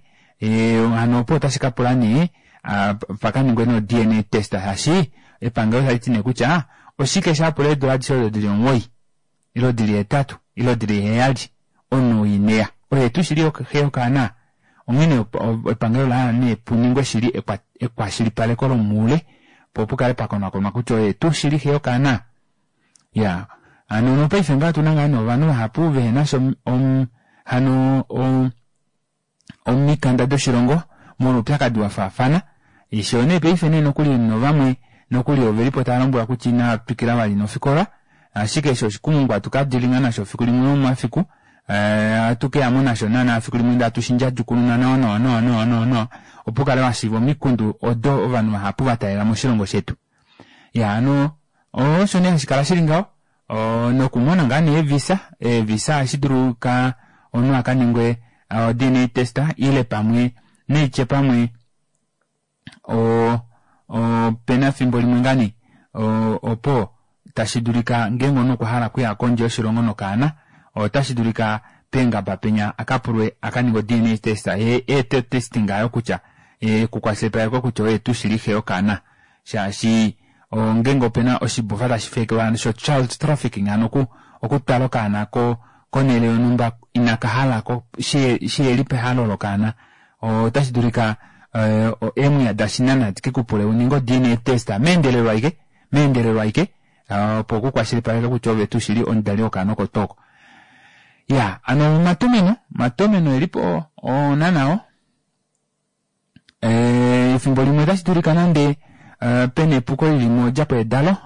hano opo otashi kapula nee pakaningwe no DNA test shaashi epangelo taliti nee kutya oshike shapula eedula adishe odo dili 9 ile dili 8 ile dili 7 omunhu ineya oye tuu shili xe yokaana onghene epangelo lahala nee puningwe shili ekwashilipaleko lomuule po pukale pakonakonwa kutya oye tuu shili xe yokaana ya hano nopaife ngaa otuna ngaa nee ovanhu vahapu vehenasha hano omikanda doshilongo molwa oupyakadi wafaafana isho nee paife nee nokuli novamwe nokuli ovelipo tava lombwelwa kutya inava twikila vali nofikola ashike eshi oshikumungu hatukadilinga nasho fiku limwe momafiku ohatu keyamo nasho naana fiku limwe ndee hatu shindjadjukununa nawa nawa nawa nawa nawa nawa opo ukale washiiva omikundu odo ovanhu vahapu vataalela moshilongo shetu. Ya hano osho nee hashi kala shili ngaho nokumona ngaa nee eevisa eevisa ohashi dulu ka omunhu akaningwe o DNA test ile pamwe neitye pamwe Opena efimbo limwe ngaa nee opo tashi dulika ngeenge omunhu okwa hala okuya kondje yoshilongo nokaana, otashi dulika peengaba penya a ka pulwe a ka ninge o-DNA test ye eete otesting aayo kutya kukwashilipalekwe kutya oye tuu shili xe yokaana shaashi ngeenge opena oshibofa tashi feekelwa sho child trafficking hano oku okutwala okaana ko konhele yonhumba inaka halako shiheli pehalo lokaana otashi dulika eemwiya dashinana di ke ku pule u ninge o-DNA test meendelelo aike meendelelo aike opo ku kwashilipaleke kutya ove tuu shili omudali wokaana oko tuu oko. Ya, ano omatomeno, omatomeno elipo oona nao. Efimbo limwe otashi dulika nande pena epuko lili modjapo yedalo,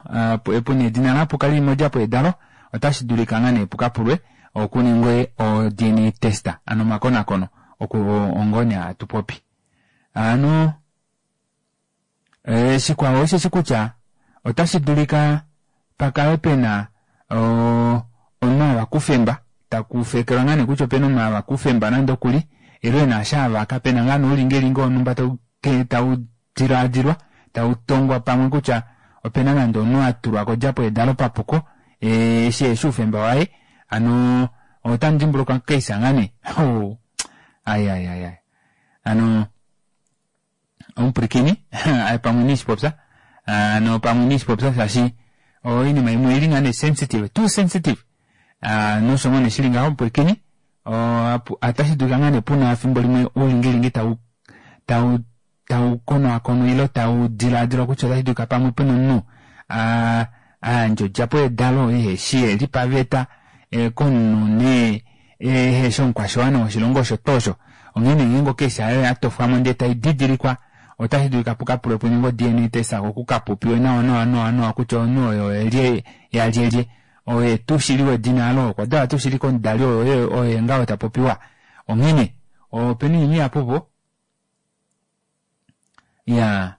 puna edina lapuka lili modjapo yedalo, otashi dulika ngaa nee pukapulwe okuningwe o DNA test, ano omakonakono oku ongo nee hatu popi. Ano Shikwao osheshi kutya otashi dulika pa kale pe na omunhu a vaka oufemba, taku feekelwa ngaa nee kutya ope na omunhu a vaka oufemba nande okuli, ile e na eshi a vaka, pe na ngaa nee oulingilingi wonhumba tau tau dilaadilwa, tau tongwa pamwe kutya ope na nande omunhu a tulwa kodjapo yedalo papuko eshi eheshi oufemba waye. Hano otamu dimbuluka okaisa ngaa nee? Hoo! Ai ai ai ai. Hano. Omupwilikini aye pamwe niishipopya ano pamwe niishipopya shaashi oinima imwe oili ngaa nee sensitive too sensitive nosho ngoo nee shili ngaho omupwilikini otashi dulika ngaa nee puna efimbo limwe oulingilingi tau tau tau konakonwa ile tau dilaadilwa kutya otashi dulika pamwe pena omunhu a yandja odjapo yedalo iheshi ye li paveta komunhu nee ehe shi omukwashiwana woshilongo osho tuu osho. Onghee nee ngeenge okesi ayo ya tofwa mo ndee tai didilikwa, otashi dulika pu ka pulwe pu ningwe o-DNA test ko ku ka popiwe nawa nawa nawa nawa kutya omunhu oyo oye lye yalyelye, oye tuu shili wedina alo, okwa dalwa tuu shili komudali oyo oye ngaho ta popiwa. Onghee nee, opena oinima ihapu opo. Iyaa.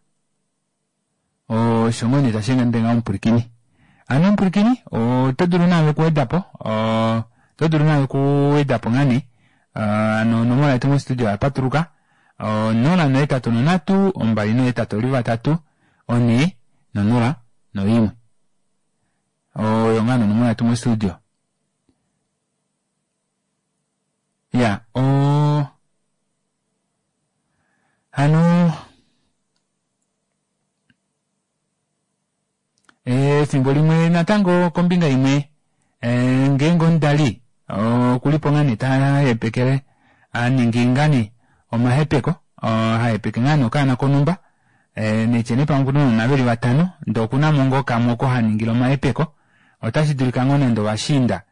Osho ngoo nee tashi ende ngaho omupwilikini. Ano omupwilikini, oto dulu naave okuweda po, oto dulu naave okuweda po ngaa nee. Ano onomola yetu mostudio oya patuluka, 083 283 4 0 no1. Oyo ngaa nee onomola yetu mostudio. Ya, o hano Efimbo limwe natango kombinga imwe ngeenge omudali okuli po ngaa nee ta hepekele a ningi ngaa nee omahepeko ha hepeke ngaa nee okaana konhumba netye nee pamwe okuna ounona veli vatano ndee okuna mo ngoo kamwe oko ha ningile omahepeko otashi dulika ngoo nande ovashiinda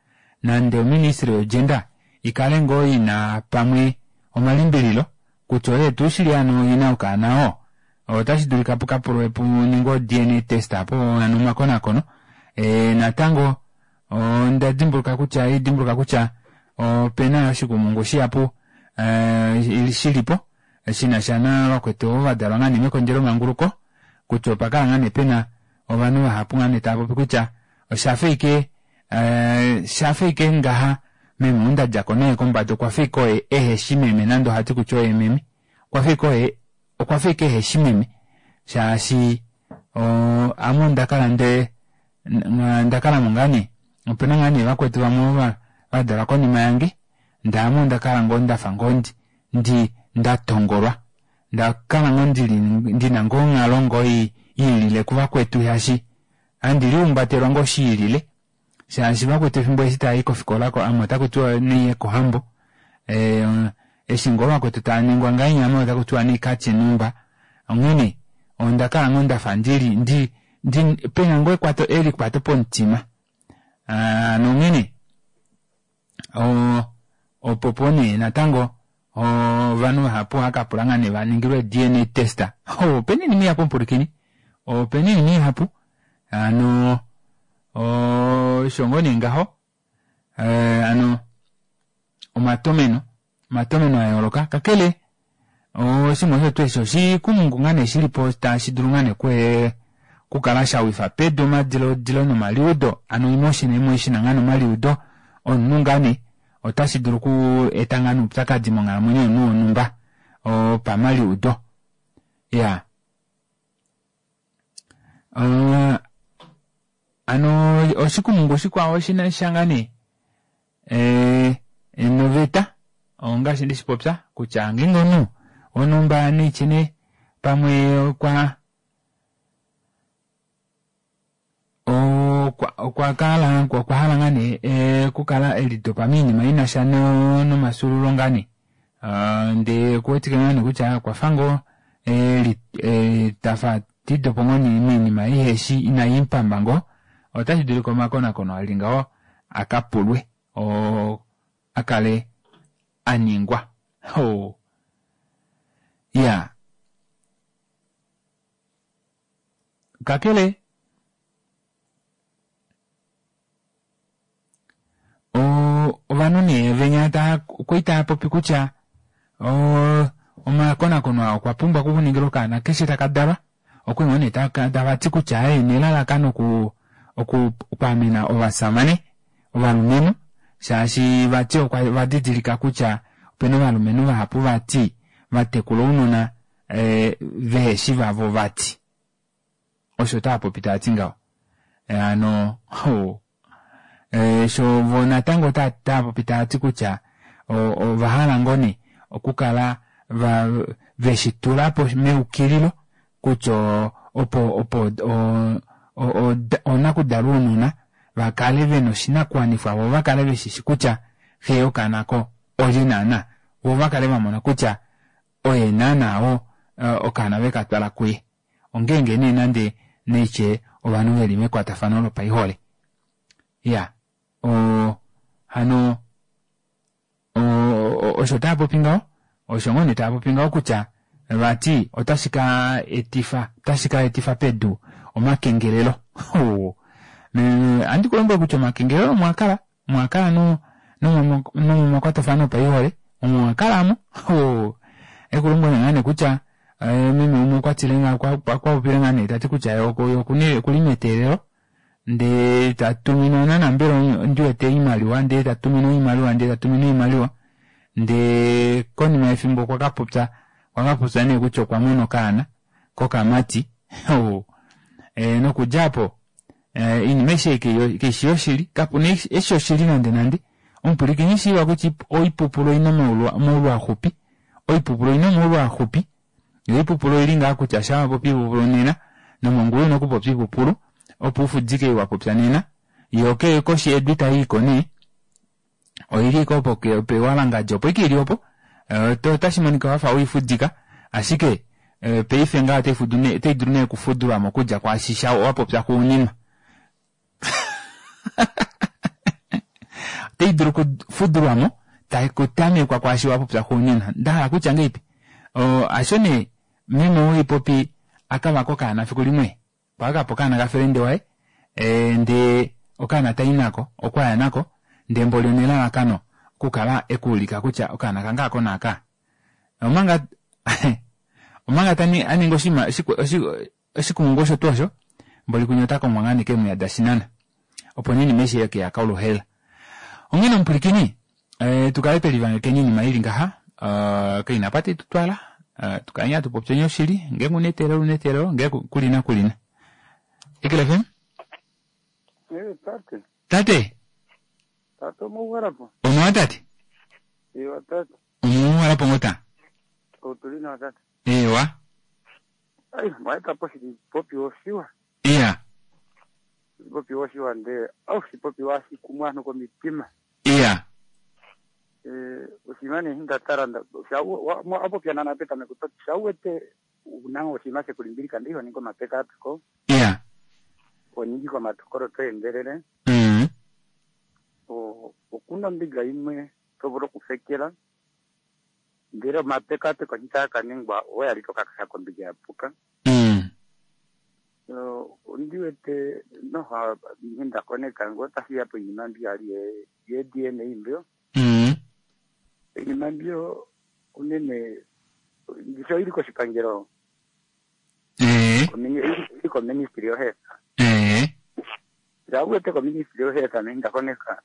nande oministry yogender i kale ngoo ina pamwe omalimbililo kutya oye tuu shili ano ina okaana oo, otashi dulika pu ka pulwe pu ningwe o-DNA test apo ano omakonakono. E, natango onda dimbuluka kutya dimbuluka kutya ope na oshikumungu shihapu e, shi li po shi na sha navakwetu ovo va dalwa ngaa nee mekondjelomanguluko kutya opa kala ngaa nee pe na ovanhu vahapu ngaa nee tava popi kutya osha fa ike Eh, shafa ike ngaha meme ou nda dja ko naye kombada okwa fa ike oye ehe shi meme nande ohati kutya oye meme okwa fa ike oye okwa fa ike ehe shi meme shaashi ame onda kala nde nda kala mo ngaa nee opena ngaa nee vakwetu vamwe ovo va dalwa konima yange ndee ame onda kala ngoo ndafa ngoo ndi ndi nda tongolwa nda kala ngoo ndili ndina ngoo onghalo ngoo i ilile kuvakwetu shaashi Handi lihumbatelwa ngoo shi ilile shaashi vakwetu efimbo eshi tava i kofikola ko ame otaku tiwa naiye kohambo. Eshi ngoo vakwetu tava ningwa ngahenya ame otaku tiwa naikatye nhumba. Onghene onda kala ngoo ndafa ndili ndi ndi pena ngoo ekwato elikwato pomutima. Hano onghene opo po nee natango ovanhu vahapu ohava ka pula ngaa nee va ningilwe DNA test. Opena oinima ihapu omupwilikini, opena oinima ihapu hano osho ngoo nee ngaho hano omatomeno omatomeno a yooloka kakele oshinima osho tuu eshi oshikumungu ngaa nee shili po tashi dulu ngaa nee okukala sha wifa pedu omadiladilo nomaliudo hano emotion emotion ngaa nee omaliudo omunhu ngaa nee otashi dulu oku eta ngaa nee oupyakadi monghalamwenyo yomunhu wonhumba opamaliudo. Iyaa. Hano oshikumungu shikwao oshina sha ngaa nee noveta ongaashi ndeshi popya kutya ngeenge omunhu wonhumba neitye pamwe okwa okwa kala okwa hala ngaa nee okukala elidopa moinima inasha nomafyuululo ngaa nee ndee okuwetike ngaa nee kutya okwafa ngoo tafa tidopo ngoo nee moinima iheshi inaimupamba ngoo otashi dulika omakonakono ali ngaho akapulwe oo akale aningwa iyaa kakele ovanhu nee venya okwali taapopi kutya omakonakono aa okwa pumbwa okuningilwa okaana keshe taka dalwa okwali ngoo nee tavati kutya aaye nelalakano okwaamena ovasamane ovalumenhu shaashi vati ovadidilika kutya opena ovalumenhu vahapu vati vatekula ounona veheshi vavo vati osho taapopi taati ngaho hano sho vo natango taapopi taati kutya ovahala ngoo nee okukala veshitulapo meukililo kutya opo opo oonakudala ounona vakale vena oshinakuwanifwa vo vakale veshishi kutya xe yokaana ko olye naana vo vakale vamona kutya oye naana oo okaana vekatwala kuye ongeenge nee nande neitye ovanhu veli mekwatafano lopaihole iya hano osho taapopi ngaho osho ngoo nee taapopi ngaho kutya vati otashi ka etifa otashi ka etifa pedu omakengelelo ohandi kulombwele kutya omakengelelo omwakala omwakala nomomakwatafano opaihole omwakala amo ekulombwele ngaa nee kutya meme umwe okwatile okwapopile ngaa nee tati kutya okuli meteelelo ndee tatuminwa naana mbela ndiwete oimaliwa ndee tatuminwa oimaliwa ndee tatuminwa oimaliwa ndee konima yefimbo okwakapopya okwakapopya nee kutya okwa mona okaana kokamati nokudja aapo oinima aishe ei kaishi yoshili kapuna eshi oshili nande nande omupwilikini shiiva kutya oipupulu oina omaulu axupi oipupulu oina omaulu axupi yo oipupulu oili ngaa kutya shaa wapopi oipupulu nena nomongula ouna okupopya oipupulu opo ufudike ei wapopya nena yo koshi yedu itaiiko nee oili ashike opo pewalangandja opo ashike ili opo otashi monika wafa weifudika ashike paife ngaha otai dulu nee okufudulwamo okudja kwaashi wapopya xuuninwa otai dulu okufudulwamo takutamekwa kwaashi wapopya xuuninwa ndahala kutya ngahelipi hasho nee meme ou haipopi akavaka okaana fiku limwe okwavakapo okaana kafelende waye ndee okaana tai nako okwaya nako ndee mboli onelalakano okukala ekuulika kutya okaana kange ako naaka omanga omanga aninga oshinima oshikumungu osho tuu osho mboli kunya ota kongwa ngaa nee keemwiya dashinana opo nee oinima aishe keya koluhaela onghene omupwilikini tukale twelivangekeni oinima ili ngaha kaina apa taitutwala tukaleni hatu popyeni oshili ngeenge una eteelelo una eteelelo ngee kulina kulina Eagle FM tate tate tate omouhalapo omuwa tate ewa tate omuuhalapo ngoo ta otuli nawa tate ewa ai mwaetapo oshipopiwa oshiwa iya oshipopiwa oshiwa ndee oshipopiwa hashi kumu ovanhu komitima iya oshinima nee eshi ndatala wapopya naana petameko toti shauwete una oshinima shekulimbilika ndee ihoningi omapekapeko iya honingi komatokolo toendelele okuna ombinga imwe tovulu okufekela ndele omapekapeko eshi taakaningwa oyali tokakasha kombinga yapuka ondiwete noha ndakoneka ngoo otashiya poinima mbi yali ye DNA mbyo oinima mbyo unene ndishi oili koshipangelo oili koministry of health shauwete koministry of health ndakoneka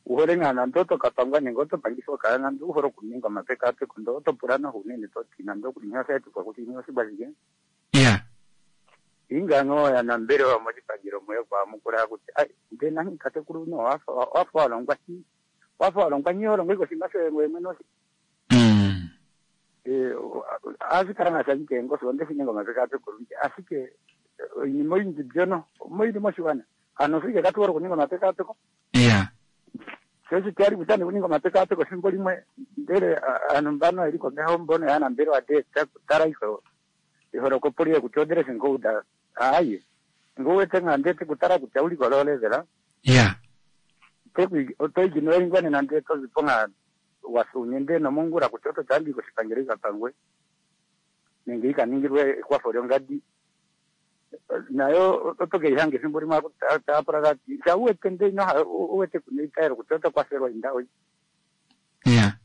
uhole ngaa nande otokapangwa nenge otopangifwa okaana nande uhole okuninga omapekapeko ndee otopula noho unene toti nande okuli nghee oshaetifwa kutya nghee oshikwa shike iya Inga ngoo yanambelewa moshipangelo moye kwamukula kutya ai ndee nani tatekulu no wafa wafa walongwa shi wafa walongwa nyi holongo iko shima shoye ngoye mwene oshi. Eh, ashikala nga shanyike ngosi onde shininga omapekapeko olundji ashike oinima oyindji mbyono moili moshiwana ano fike katuwora okuninga omapekapeko iya sho shitiyali kutya nikuninga omapekapeko ethimbo limwe ndele aantu mbano yeli komeho mbono yaanambelewa de tala iho iholokopo liye kutya odeleshe ngouda aye ngouwete nga ndete kutala kutya uli kololevela iya otoijinoelingwa nena nde tozipo nga wasunye nde nomongula kutya oto tambi koshipangelo ikapangwe nenge ikaningilwe ekwafo lyongadi nayo oto keihanga ethimbo limwe taapula kati shauwete nde inoha uwete kuna itaelo kutya oto kwafelwa indawo iya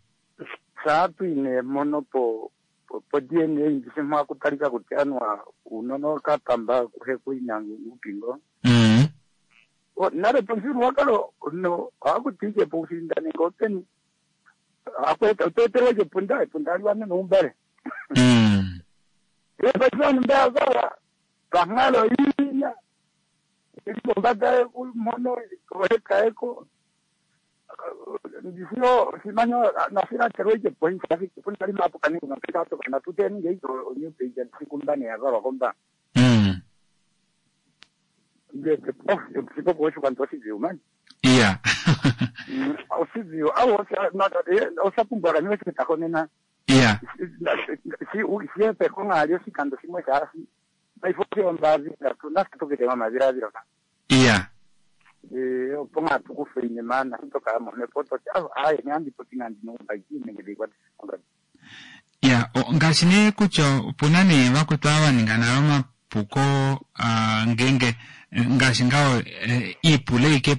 saatwine mono po po- po DNA ndisi mwakutalika kutya anwa unono kapamba kuhe kuina upingo O, nale pamufyuululwakalo no ohakutiike po ushinda nenge openi otoetelwa epunda epunda aliwane noumbale epaife mbeavala panghalo inya ili pombada mono ohekaeko ndisio simanyo nasilaterwa ike poinsa punda limapo kaninga mapekato kana tuteninge iko onyupeija ndisikumbane yavalwa komba ndete sikopo oshikwanta oshiziu mani iya oshiziu au osapumbwa kaniwe chitako nena iya siepeko ng'ali oshikando shimwe shasi paifo siombazinga nasitukitema mazilavilo ka iya opo ng'atukufa inima nasitoka momepo toti aye nyandipoti ng'andinoumbaiki nenge ndikwati ya ngaashi nee kutya opuna nee vakwetu ava vaninga nale omapuko ah, ngenge ngaashi ngaho eh, iipule ike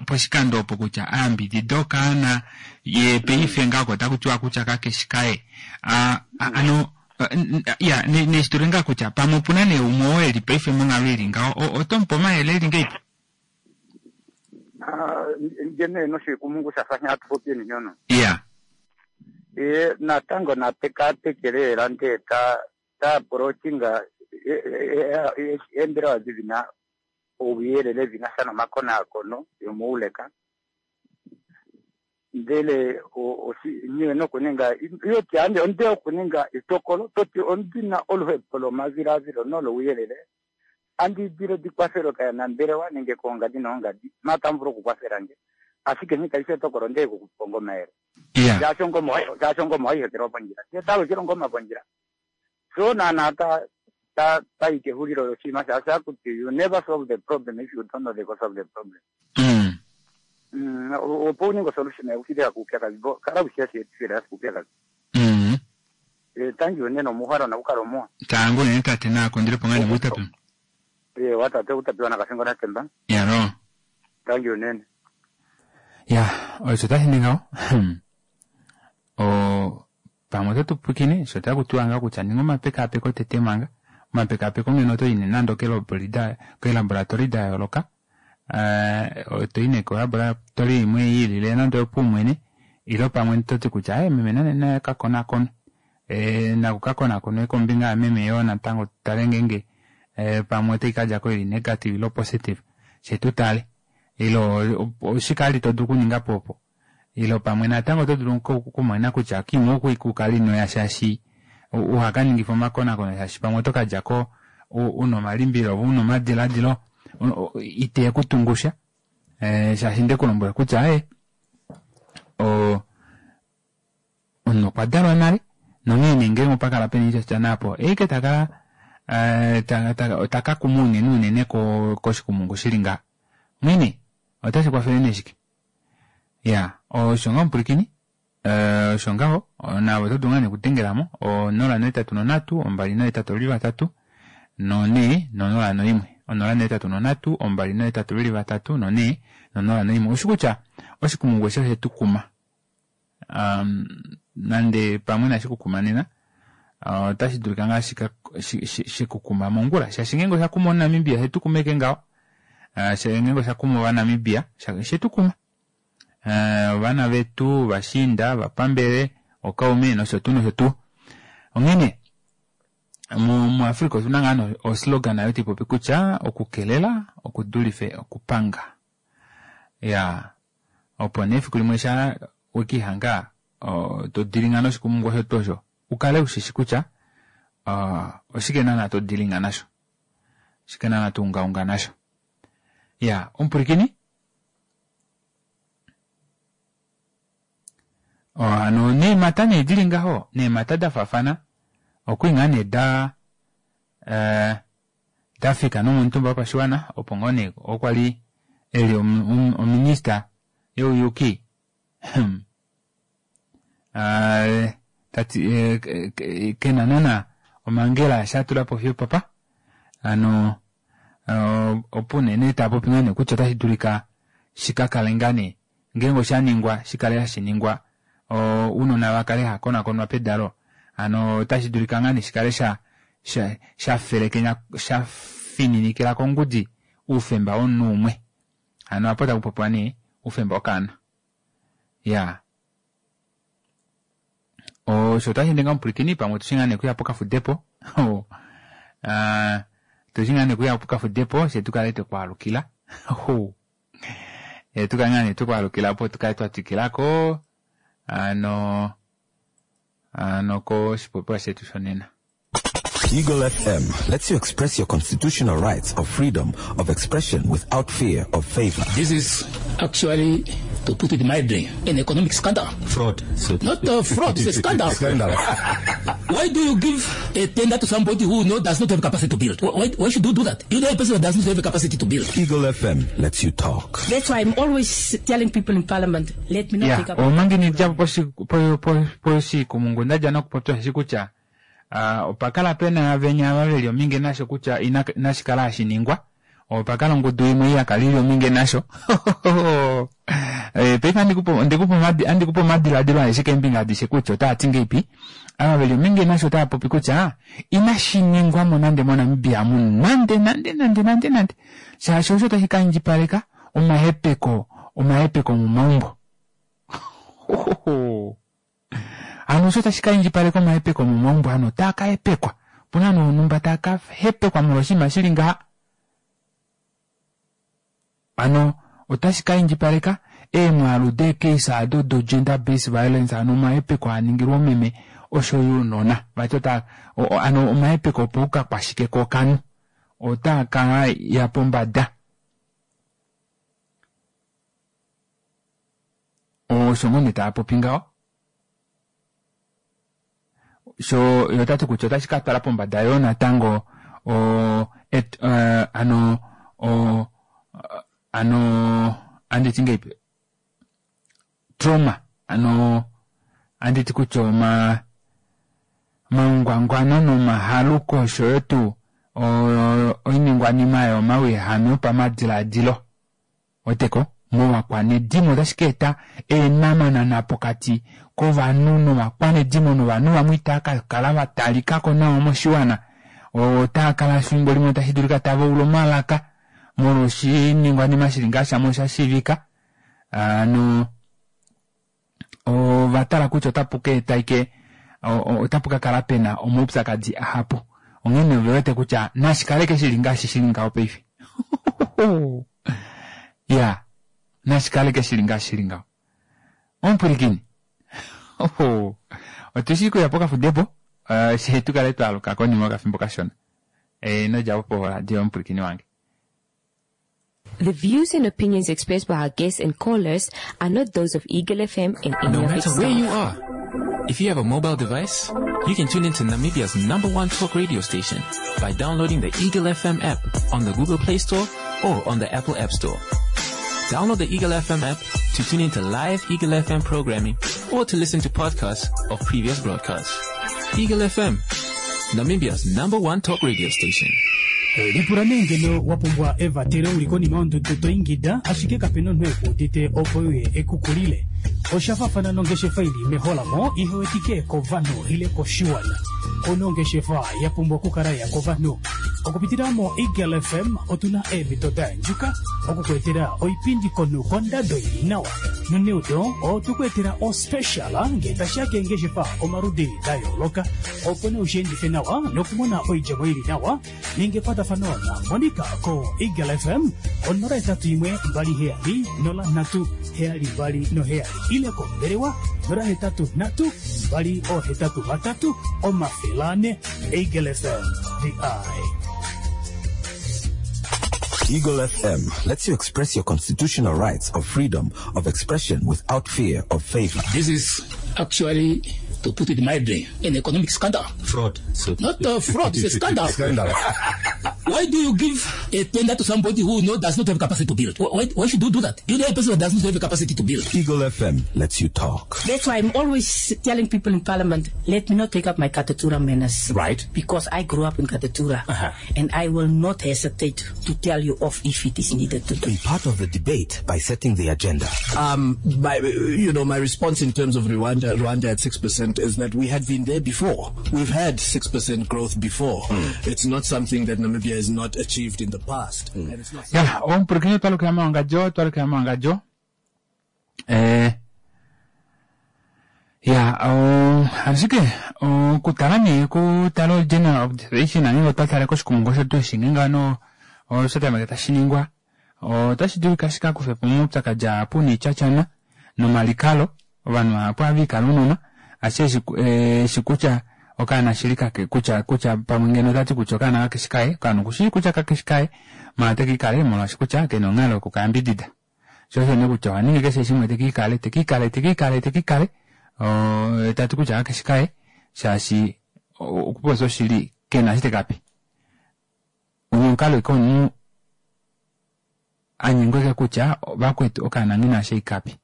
poshikando opo kutya ayambidida okaana ye paife ngako otaku tiwa kutya kakeshi kaye Ah, ah, ano eh, ya neshitule ngaa kutya pamwe opuna nee umwe oo eli paife monghalo ili ngaho oto mupe omayele eli ngeipi ngene noshikumungu shafa nyatupopi ninyono iya e natango napekapeke lela nde ta ta approachinga eembelewa dhi ouyelele dhina sha nomakonakono yomuuleka ndele nyiwe nokuninga yoti ande onde okuninga etokolo toti ondina oluhepo lomavilavilo nolouyelele andidile dikwafelo kayanambelewa nenge koongadi noongadi matamvulu okukwafela nge ashike nghikaife etokolo ndee kukuponga omayele shaashi ongoma waihekelwa pondjila tetalukila ongoma pondjila so naana ta ta tayi kehulilo loshinima shaashi akuti you never solve the problem if you don't know the cause of the problem. Opo uninga osolution yakushileka kuupyakadhi bo kala ushiyashiyetifila yasi kuupyakadhi. Tangi unene omuhwalo nakukala omuwa. Tangu nene tate naakondelepo ngaa nemuutapi watate utapiwa nakasingo natemba. Yalo tangi unene. Ya osho tashi ningaho o pamwe oto tupwikine sho taku tiwa ngaa kutya ninga omapekapeko tete manga omapekapeko ngeno oto yi nee nande keelaboratori da yooloka eh, to yi nee kolaboratori imwe yiilile nande oyopaumwene ilo pamwe toti kutya aye meme nane naye kakonakonwe eh, naku kakonakonwe kombinga yameme yoo natango tutale ngenge eh, pamwe otai kadjako ili negative ilo positive she tutale ilo oshike ali to dulu okuninga po opo ilo pamwe natango oto dulu okumona kutya kimwe oku kukala inoya shaashi uhakaningifa omakonakono shaashi pamwe oto kadjako una omalimbililo una omadiladilo ite kutungusha eh, shaashi ndekulombwela kutya aye omunhu okwa dalwa nale nonghee nee ngeenge opa kala pena oitya naapo eike takala eh, taka kuma unene unene koshikumungu shili ngaha onghene otashi kwafele nee shike ya osho ngaho mupwilikini eh, osho ngaho navo oto dulu ngaa nekudengelamo 083 283 4 001 083 283 4 001 oshi kutya oshikumungu eshi oshe tu kuma nande pamwe inashi kukuma nena otashi dulika ngaa shikukuma mongula shaashi ngeenge osha kuma omunamibia shetukumeke ngaho ngeenge osha kuma ovanamibia shetukuma ovana vetu ovashiinda ovapambele okaume nosho tuu nosho tuu onghene. Muafrika otuna ngaa nee oslogan ayo taipopi kutya okukelela okudulife okupanga. Ya opo nee efiku limwe sha wekiihanga to dilinga noshikumungu osho tuu osho ukale ushishi kutya oshike naana to dilinga nasho, oshike naana to ungaunga nasho. Ya omupwilikini hano neemhata nee dili ngaho neemhata da faafana okwi ngaa nee da eh, da fika nomomutumba wopashiwana opo ngoo nee okwa li eli ominista youyuki hmm. Ah, tati eh, kena nana omangela sha tula po fiyo papa ano opo unene taa popi ngaa nee kutya otashi dulika shi ka kale ngaa nee ngeenge osha ningwa shi kale hashi ningwa ounona va kale ha konakonwa pedalo ano otashi dulika ngaa nee shi kale sha sha sha felekenya sha fininikila kongudi oufemba womunhu umwe ano apo taku popiwa nee oufemba wokaana ya osho otashi ende ngaa omupwilikini pamwe otushi ngaa nee kuya pokafudepo tushi ngaa nee kuya pokafudepo she tukale twekwaalukila e, tukale ngaa nee twekwaalukila opo tukale twa twikilako ano ano koshipopiwa shetu shonena. Eagle FM lets you express your constitutional rights of freedom of expression without fear of favor. This is actually, to put it mildly, an economic scandal. Fraud. So Not a fraud, it's a scandal. Scandal. Why do you give a tender to somebody who does not have capacity to build? Why should you do that? You know a person that does not have capacity to build. Eagle FM lets you talk. That's why I'm always telling people in parliament, let me not ya take up... omangi nidja poshikumungu ndadja nokupopya shi kutya opa kala pena venya ava veli ominge nasho kutya inashi kala hashi ningwa. Opa kala ongudu imwe ya kala ili ominge nasho. Paife andikupa omadiladilo aeshe keembinga adishe kutya otaa ti ngeipi. Ava veli ominge nasho otava popi kutya inashi ningwa mo nande moNamibia mu nande nande nande nande nande. Shaashi osho tashi ka indjipaleka omahepeko omahepeko momaumbo. Hano osho tashi ka indjipaleka omahepeko momaumbo hano otaa ka hepekwa. Opuna nee onhumba taa ka hepekwa molwa oshinima shili ngaha. Hano otashi ka indjipaleka eemwaalu deecase ado do gender based violence hano omahepeko aa ningilwa omeme osho yo ounona. Vati ota hano omahepeko opaukakwashike kookanhu otaa ka ya pombada. Osho ngoo nee tava popi ngaho. Sho yo ota ti kutya otashi ka twala pombada yoo natango o et, uh, ano o ano anditi ngeipi trauma ano anditi kutya oma omaungwangwano nomahaluko osho yo tuu oiningwanima yomawehame opamadiladilo Weteko, movakwanedimo otashi ka eta eenhamanana pokati kovanhu novakwanedimo novanhu vamwe itava ka kala va talika ko nawa moshiwana. Otava kala efimbo limwe tashi dulika tava ula omalaka molwoshiningwanima shi li ngaa shamwe osha shiivika. Hano ova tala kutya otapu ka eta ike otapu ka kala pe na omaupyakadi ahapu. Onghee ove wete kutya nashi kaleke shi li ngaashi shi li ngaho paife. Ya, nashi kaleke shi li ngaashi shi li ngaho. Omupwilikini, otu shii kuya pokafudepo, eh, she tu kale twa aluka konima yokafimbo kashona. Eh, ino dja po poradio omupwilikini wange. The views and opinions expressed by our guests and callers are not those of Eagle FM and any No of its matter where staff. you are, if you have a mobile device, you can tune into Namibia's number one talk radio station by downloading the Eagle FM app on the Google Play Store or on the Apple App Store. Download the Eagle FM app to tune into live Eagle FM programming or to listen to podcasts of previous broadcasts. Eagle FM, Namibia's number one talk radio station. Lipula nee ngeno wa pumbwa evatelo u li konima yondudu to ingida ashike kape na omunhu e ku udite opo e uye e ku kulile. Osha faafana nongeshefa i li meholamo ihe wetike kovanhu ile koshiwana. Ouna ongeshefa ya pumbwa okukala ya kovanhu. Okupitila moEagle FM otu na eemhito da yandjuka oku ku etela oipindi komunhu kondado ili nawa. Noneudo otwe ku etela ospecial ngee tashiya keengeshefa omaludi da yooloka opo nee ushiendife nawa nokumona oidjemo ili nawa. Ninga ekwatafano na Monica ko Eagle FM ko 081 27 03 72 ile kombelewa 083 283 400. Eagle FM, the eye. Eagle FM lets you express your constitutional rights of freedom of expression without fear of favor. This is actually, to put it mildly, an economic scandal. Fraud. So Not a fraud, it's a scandal. Scandal. Why do you give a tender to somebody who does not have capacity to build? Why should you do that? You know a person that does not have capacity to build. Eagle FM lets you talk. That's why I'm always telling people in Parliament, let me not take up my Katutura manners. Right. Because I grew up in Katutura. And I will not hesitate to tell you off if it is needed to do. Be part of the debate by setting the agenda. My response in terms of Rwanda at 6% is that we had been there before. We've had 6% growth before. It's not something that Namibia has not achieved in the past. And it's not Ya, omupulakeni twalukila mowangadjo, twalukila mowangadjo. Ya, ashike okutala nee kutala o-general observation nenge otwa tale koshikumungu osho tuu shinge ngano osho tameke tashi ningwa otashi dulika shi ka kufe po omaupyakadi ahapu niityatyana nomalikalo ovanhu vahapu ohava ikala unona ashike eshi kutya okaana shili kake kutya kutya pamwe ngeno otati kutya okaana kakeshi kaye okaana okushii kutya kakeshi kaye maala otekiikale molwaashi kutya kena onghalo yokukayambidida sho osho nee kutya oha ningi keshe shimwe tekiikale tekiikale tekiikale tekiikale tati kutya kakeshi kaye shaashi okupopya oshili kena eshi tekape omukalo ike omunhu anyengweke kutya vakwetu okaana nghina sheikape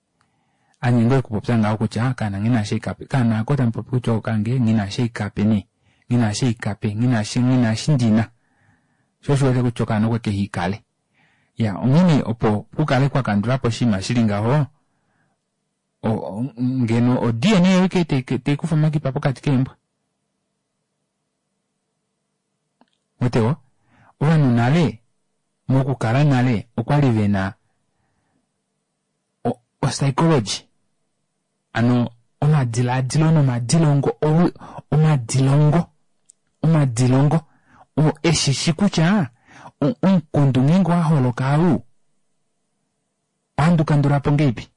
anyengwe okupopya ngaho kutya okaana nghina sheikape okaana ako tamupopi kutya okange nghina sheikape nee nghina sheikape nghina nghina shindina sho osho wete kutya okaana okwe kehiikale ya onghene opo kukale kwa kandulapo oshinima shili ngaho ngeno o DNA yoike teikufa omakipa pokati keembwa otewo ovanhu nale mokukala nale okwali vena o-psychology ano omadiladilo nomadilongo omadilongo omadilongo eshishi kutya omukundu ngeenge waholoka au ohandu kandulapo ngeipi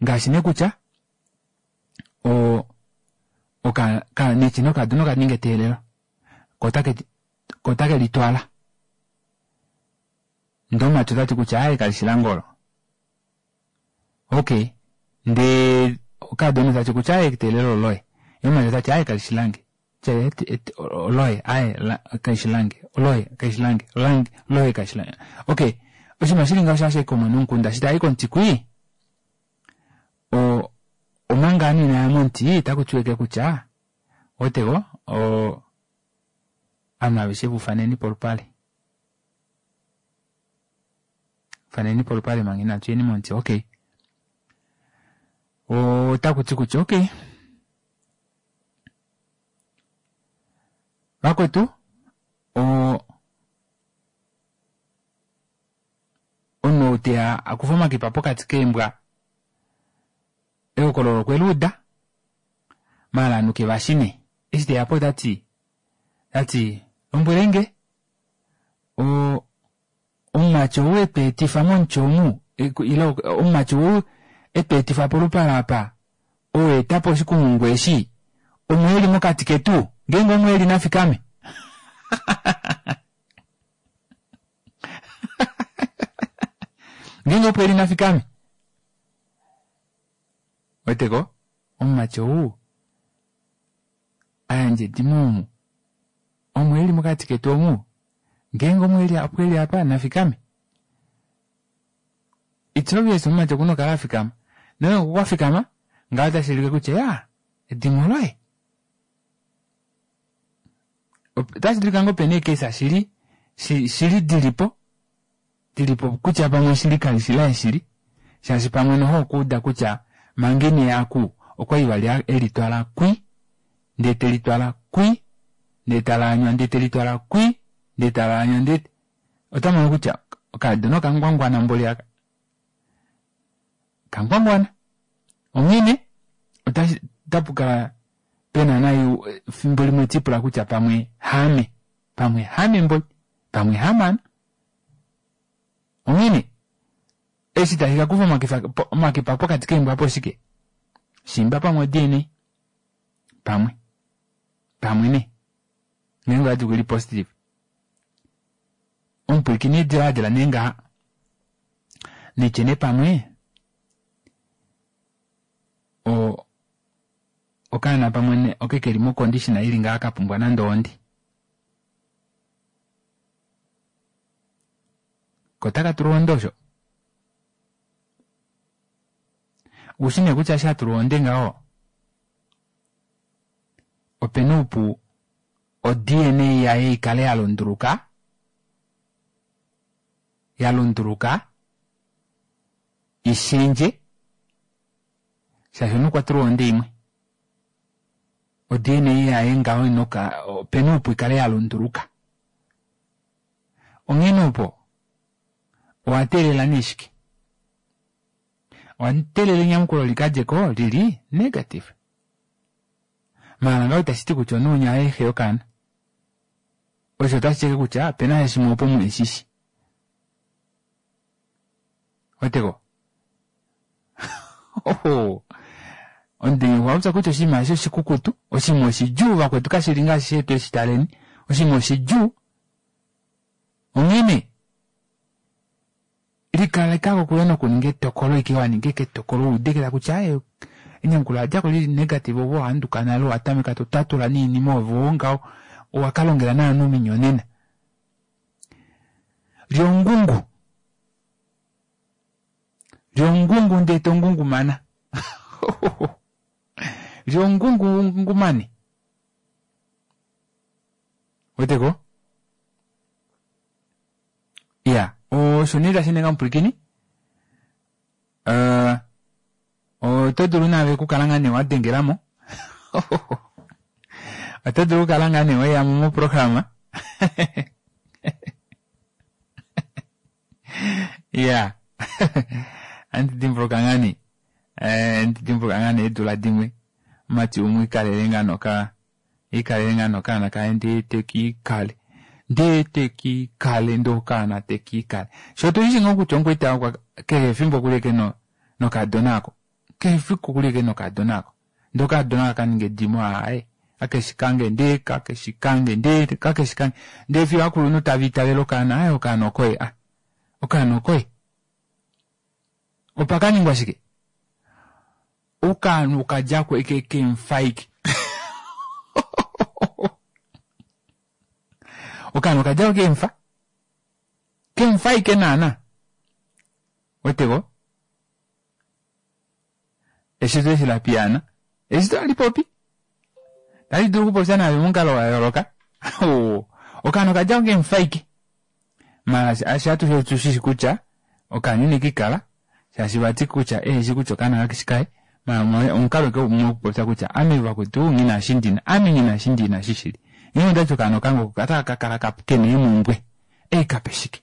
ngaashi nee kutya nechi nokadona okaninga eteelelo kotake litwala ndee omumati otati kutya aaye kalishi lange olo okay ndee okadona otati kutya aaye eteelelo oloye yee omumati otati aaye kalishi lange oloye aaye kalishi lange oloye kalishi lange lange oloye kalishi lange okay oshinima shili ngaho shaashi komwe nomukunda shi tayi komuti kwii omanga ovanhu inaya momuti otaku tiweke kutya otego ovanhu aveshe vufaneni polupale faneni polupale manga inatu yeni momuti okay otakuti kutya okay vakwetu omunhu ou teya akufa omakipa pokati keembwa ehokololo okwe luuda maala ovanhu kevashi nee eshi teyapo otati tati lombwelenge omumati ou etweetifa momuti omu ile omumati ou etweetifa polupale apa ou etapo oshikumungu eshi omo eli mokati ketu ngeenge omo eli nafikame ngeenge opo eli nafikame weteko omumati ou ayandje edimo omu omo eli mokati ketu omu ngeenge omo eli opo eli apa nafikame it's obvious omumati okuna okukala afikama nongeenge okwa fikama ngaho otashi ulike kutya ya edimo loye otashi dulika ngoo pena eekesa shili shili dilipo dilipo kutya pamwe shili kalishi laye shili shaashi pamwe noho okuuda kutya manga ine yaku okwali vali elitwala kwi ndee telitwala kwi ndee talaanywa ndee telitwala kwi Ndee tavaanya ndee ota mono kutya okaadona okangwangwana mboli aka. Kangwangwana. Onghene otashi otapu kala pena nai fimbo limwe tipula kutya pamwe haame. Pamwe haame mboli. Pamwe haamana. Onghene eshi tashi ka kufa omakifa omakipa pokati keembwa poshike? Shimba pamwe o-DNA. Pamwe. Pamwe nee. Ngeenge oyati okuli positive. Omupwilikini dilaadila nee ngaha. Nitye nee pamwe o okaana pamwe ne oke keli mo condition ili ngaha ka pumbwa nande ondi. Ko otaka tulwa onde osho? Ushi nee kutya eshi a tulwa onde ngaho opena oupu o DNA yaye ikale ya lunduluka, ya lunduluka ishendje shaashi omunhu okwa tulwa onde imwe. O DNA yaye ngaho inoka opena oupu ikale ya lunduluka. Onghene opo owa teelela nee shike? Owa teelela enyamukulo li ka dje ko lili negative. Maala ngaho itashi ti kutya omunhu winya oye xe yokaana. Osho otashi ti kutya opena sha shimwe opo muheshishi. Weteko? Oho. Omutenya okwa popya kutya oshinima eshi oshikukutu, oshinima oshidjuu vakwetu kashi li ngaashi shetu eshi taleni. Oshinima oshidjuu. Onghene likaleka kokule nokuninga etokolo ike wa ninga eke etokolo wu udekela kutya aye enyamukulo la djako lili negative ove owa handuka nale owa tameka to tatula niinima ove oo ngaho owa ka longela naanhu ominyonena. Lyongungu. Lyongungu ndee to ngungumana. Lyongungu ngungumane. Weteko? Ya, osho nee tashi ninga omupwilikini. Uh, oto dulu naave okukala ngaa nee wa dengela mo. Oto dulu okukala ngaa nee weya mo moprograma. Ya. Andi dimbuluka ngaa nee. Eh, andi dimbuluka ngaa nee eedula dimwe. Omumati umwe ikalele ngaa noka ikalele ngaa nokaana kaye ndee tekiikale ndee tekiikale ndee okaana tekiikale sho otu shishi ngoo kutya omukwaita okwa kehe efimbo okuli eke no nokadona ako kehe efiku okuli eke nokadona ako ndee okadona aka kaninga edimo aaye kakeshi kange ndee kakeshi kange ndee kakeshi kange ndee fiyo ovakulunhu tava itavele okaana aaye okaana okoye a okaana okoye opa kaningwa shike Okaana okadjako eke keemfaike. Okaana okadjako keemfa. Keemfaike naana. Weteko? Eshito eshi la piyaana. Eshito hali popi. Tali dulu okupopya naave momukalo wa yooloka. Okaana okadjako keemfaike. Mara ashe atushe otu shi shi kutya okaana ineke kala shaashi vati kutya eheshi kutya okaana kakeshi kaye mara omukalo ke umwe wokupopya kutya ame vakwetu nghi na eshi ndina ame nghi na eshi ndina shi shili nghee ondati okaana okange oko otaka ka kala kena eemumbwe ei kape shike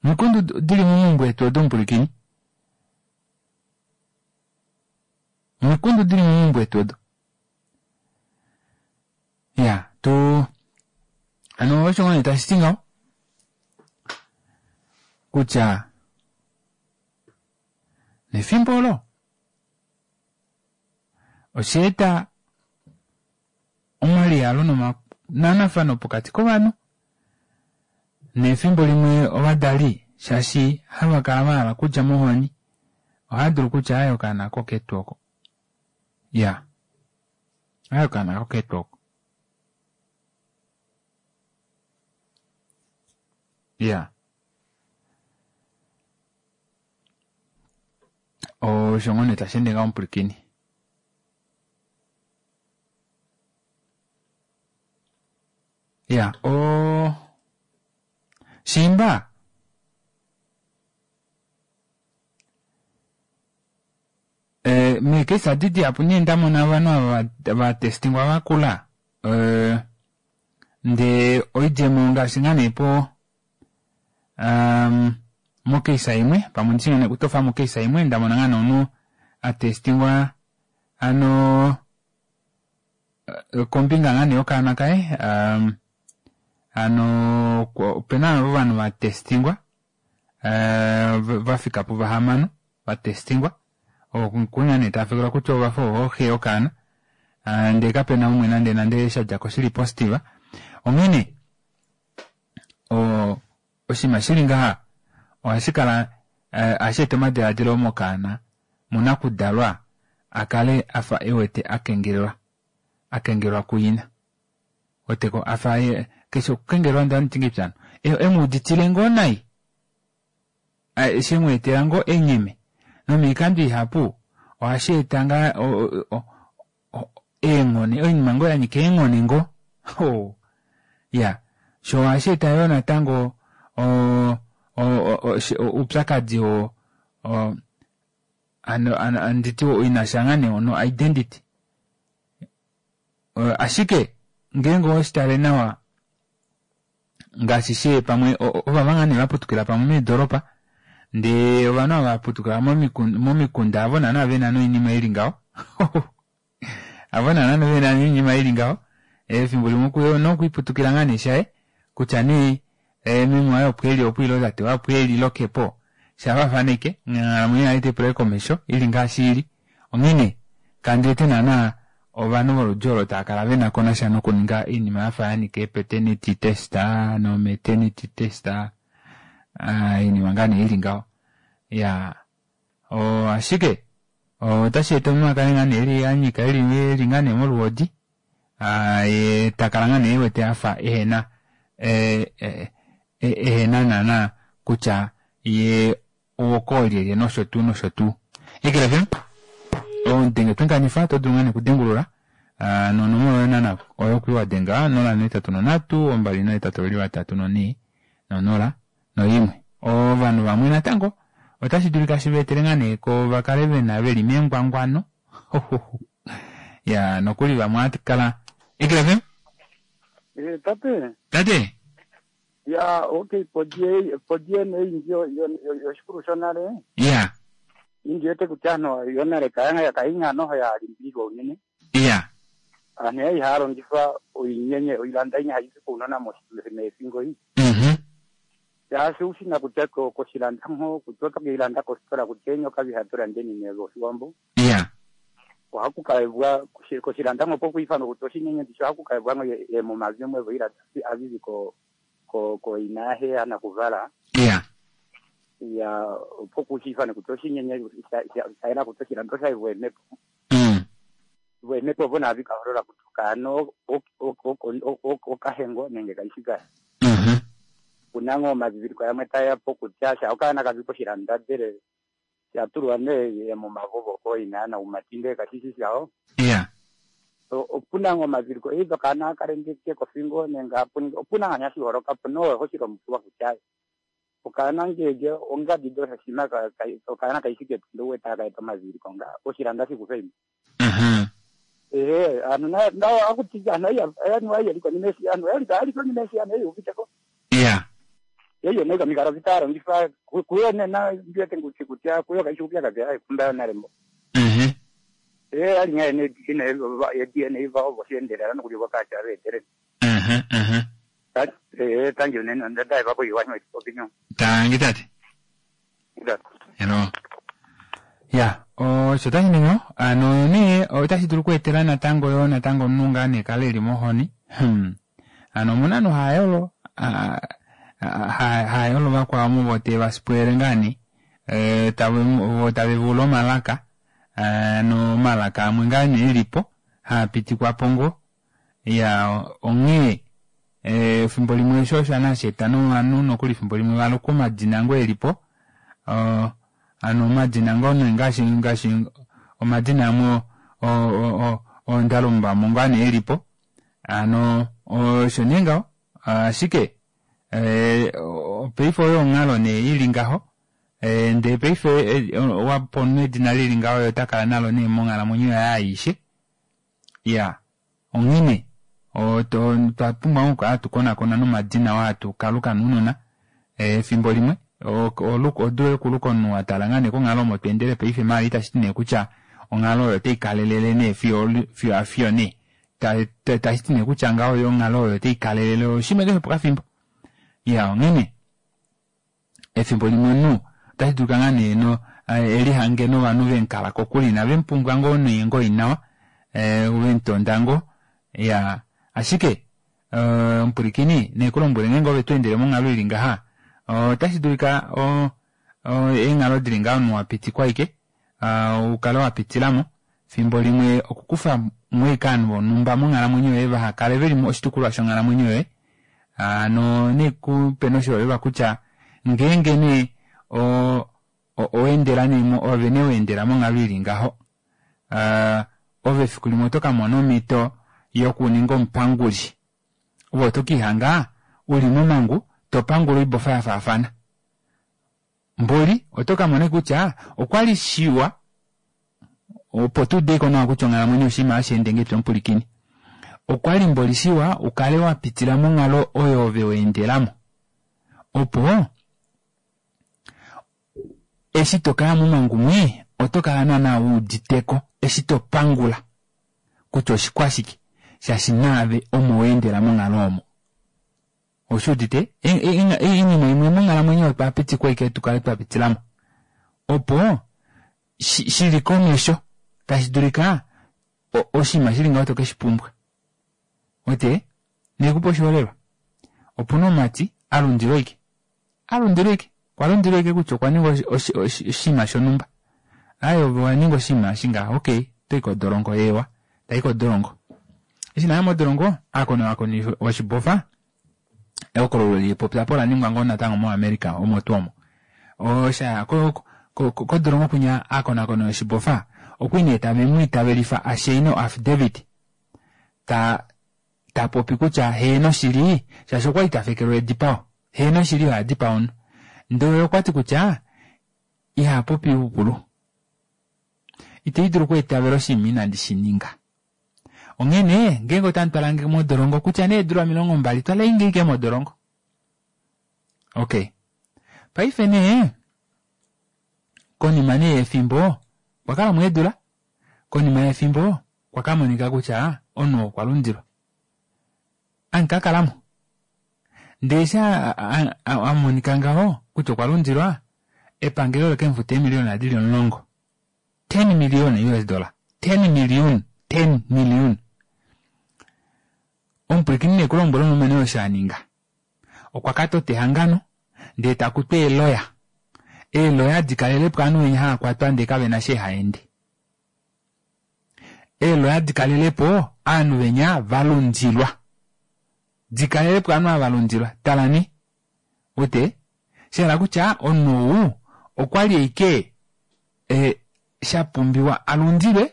omikundu dili momaumbo etu odo mupwilikini omikundu dili momaumbo etu odo Ya, tu ano osho ngoo nee tashi ti ngaho kutya nefimbo olo osha eta omaliyalo nomananafano pokati kovanhu nefimbo limwe ovadali shaashi hava kala va hala okudja mohoni ohava dulu kutya aye okaana koketu oko ya Aye okaana koketu oko. Ya. Osho ngoo nee tashi ende ngaho omupwilikini. Ya, o Shimba. Eh, meekesa adi dihapu nee nda mona ovanhu ava va testingwa va kula eh, Ndee oidjemo ngaashi ngaa nee po um, mokeisa imwe pamwe ndishi ngaa nee kutofa mokeisa imwe ndamona ngaa nee omunhu a testingwa ano eh, kombinga ngaa nee yokaana kaye um, ano opena ovanhu va testingwa eh, va fika puvahamano va testingwa okunya nee tava fekelwa kutya ovafa ovo xe yokaana Ah, ndee kapena umwe nande nande sha dja ko shili positive onghene oshinima shili ngaha ohashi kala eh, ohashi eta omadiladilo mokaana munakudalwa a kale afa e wete a kengelelwa a kengelelwa kuyina weteko afa ye keshe okukengelelwa ndani ngipyano emuuditile ngoo nai she mu etela ngoo enyeme nomiikando ihapu ohashi eta ngaa eenghone oinima ngoo ya nyika eenghone ngoo oh. Ya sho ohashi eta yoo natango oupyakadi o, o ano ano anditi inasha ngaa nee no identity ashike ngeenge oweshi nawa ngaashi she pamwe ovava ngaa nee vaputukila pamwe meedoropa ndee ovanhu ava vaputukila momikunda avo naana vena noinima ili ngaho avo naana vena noinima ili ngaho efimbo limwe okuyo nokwiputukila ngaa nee shaye kutya nee meme waye opo eli opo ile tate waye opo eli lokepo shafafaneke onghalamwenyo yaye taipula komesho ili ngaashi ili onghene kandi wete naana ovanhu voludi olo tava kala vena ko nasha nokuninga oinima yafa ya nyika ee-paternity test no-maternity test oinima ngaa nee ili ngaho ya ashike otashi eta omunhu a kale ngaa nee eli anyika eli eli ngaa nee moluhodi ye takala ngaa nee ewete afa ehena ehena naana kutya ye owokoolyelye nosho tuu nosho tuu. Eagle FM omudenge twenkanifa oto dulu ngaa nee okudengulula nonomola oyo naana oyo kuli wadenga 083 283 4 0 01. Ovanhu vamwe natango otashi dulika shi va etele ngaa nee ko vakale vena veli mengwangwano ya nokuli vamwe ohatu kala Eagle FM. Tate. Tate. Ya okay po DNA ndjo yoshikulu shonale. Ya. Indi wete kutya anhu yonale kaya kainga noho ya limbililwa unene. Ya. Aanhu yali haya longitha oinyenye oilanda inya hayi zi kuunona meefingo iyi. Shaashi ushina kutya koshilanda mho kutya otokeilanda kositola kutya eenyoka vihatulande nine voshiwambo. Ya. Ohaku kaebwa koshilanda mho pokuifanwa kutya oshinyenye ndisho ohaku kaebwa emumavi mwe voilanda avivi ko ko ko ina yaxe anakuvala. Ya. Ya opo kushifane kutya oshinyenye shaela kutya oshilando oshaivwa emepo. Emepo opo navi kaholola kutya okaana okahengo nenge kaishi kaye. Kuna ngoo omadhidhiliko yamwe tayeya po kutya sha okaana kavi koshilanda ndele shatulwa nee momavovo kooina naumati ndele kashishi shawo. Ya. Opuna ngoo omadhiliko either okaana hakalendeke kofingo nenge hapuninge opuna ngaa hashi holokapo nowe hoshilombukiwa kutya okaana ngenge ongadi doshoshima okaana kaishi ketu uwete haka eta omadhiliko nga oshilanda shikufe imwe. Ehe anhu na akuti anhu anhu ayeli konima eshi anhu ayali ayali konima eshi anhu eyuviteko. Ya. Eyo neka mikalo vitaro ngifa kuyo nena ndiwete nguti kutya kuyo kaishi upyakadhi ayi kumba yonale mbo. Ali ngaa ene ine DNA va ovo shiendelela nokuli vakacha veetelele. Tangi unene ndaiva kuiwanywa opinion. Tangi tate. Hello. Ya, osho tashi ningi ano nee otashi dulu okweetela natango yo natango omunhu ngaa nee kale eli mohoni. Ano omuna ovanhu haayolo haayolo vakwao muvo te vasipwele ngaa nee vo tave vula omalaka ano omalaka amwe ngaa nee elipo haapitikwapo ngoo ya onghee efimbo limwe sho osho nashi eta novanhu nokuli efimbo limwe valukwa omadina ngoo elipo ano omadina ngoo nee ngaashi ngaashi omadina amwe oondalumbamo ngaa nee elipo ano osho nee ngaho ashike paife oyo onghalo nee ili ngaho ndee paife wapa omunhu edina lili ngaho ye ota kala nalo nee monghalamwenyo yaye aishe ya onghene. Otwa pumbwa okukala hatu konakona nomadina oo hatu kaluka nounona efimbo limwe odule okuluka omunhu wa tala ngaa nee konghalo omo to endele paife maala itashi ti nee kutya onghalo oyo otai kalelele nee fiyo fiyo afiyo nee tashi ti nee kutya ngaho oyo onghalo oyo otai kalelele oshinima keshe pokafimbo ya onghene efimbo limwe omunhu otashi dulika ngaa nee no eh, elihange novanhu vemukala kokule inave mupumbwa ngoo nee ngoo inawa eh, vemutonda ngoo ya ashike eh, omupwilikini nekulombwele ngeenge ove to endele monghalo ili ngaha otashi dulika eenghalo dili ngaho omunhu wa pitikwa ashike ukale wa pitilamo fimbo limwe okukufa mo ashike ovanhu vonhumba monghalamwenyo yoye vaha kale veli oshitukulwa shonghalamwenyo yoye hano nekupe noshiholelwa kutya ngeenge nee oweendela nee ove nee weendela monghalo ili ngaho ove efiku limwe oto kamona omhito yokuninga omupanguli ove oto kiihanga uli momangu topangula oibofa yafaafana Mboli oto ka mona kutya okwali shiwa opo tu udeko nawa kutya onghalamwenyo oshinima hashi ende ngahelipi omupulikini. Okwali mboli shiwa ukale wa pitila monghalo oyo ove wa endelamo opo eshi to kaya momangu mwii oto kala naana wu uditeko eshi to pangula kutya oshikwashike shaashi naave omo wa endela monghalo omo. Oshi udite? Oinima imwe monghalamwenyo otwa pitikwa ashike tu kale twa pitilamo opo shi li komesho tashi dulika oshinima shi li ngaho to ke shi pumbwa. Wete? Nekupe oshiholelwa. Opuna omumati a lundilwa ashike. A lundilwa ashike. Okwa lundilwa ashike kutya okwa ninga oshinima shonhumba. Aaye ove owa ninga oshinima eshi ngaha, okay, oto i kodolongo, eewa, tai kodolongo. Eshi naya modolongo, aakonakoni voshibofa, ehokololo lipopya po ola ningwa ngoo natango moAmerica omo tuu omo. Osha kodolongo kwinya aakonakoni yoshibofa okwi nee tave mu itavelifa a shaine o affidavit ta ta popi kutya heeno shili shaashi okwali ta fekelwa edipao heeno shili oye a dipaa omunhu ndele okwati kutya iha popi oipupulu ite dulu okweetavela oshinima inandi shi ninga. Onghene ngeenge otamu twala nge modolongo kutya nee eedula 20 twalei nge ike modolongo. Okay. Paife nee konima nee yefimbo okwa kala mo eedula konima yefimbo okwa ka monika kutya omunhu okwa lundilwa. Anka kalamo. Ndele eshi a monika ngaho kutya okwa lundilwa epangelo ole ke mu futa eemiliyona dili 10. 10 million US dollar 10 million 10 million omupwilikini ne kulombwela omulumenhu osho a ninga okwa ka tota ehangano ndee ta kutu eeloya eeloya di kalelepo ovanhu venya hava kwatwa ndee kavena sha ehaende eeloya di kalelepo ovanhu venya va lundilwa di kalelepo ovanhu ava va lundilwa talani wete shahala kutya omunhu ou okwali ashike e, sha pumbiwa a lundilwe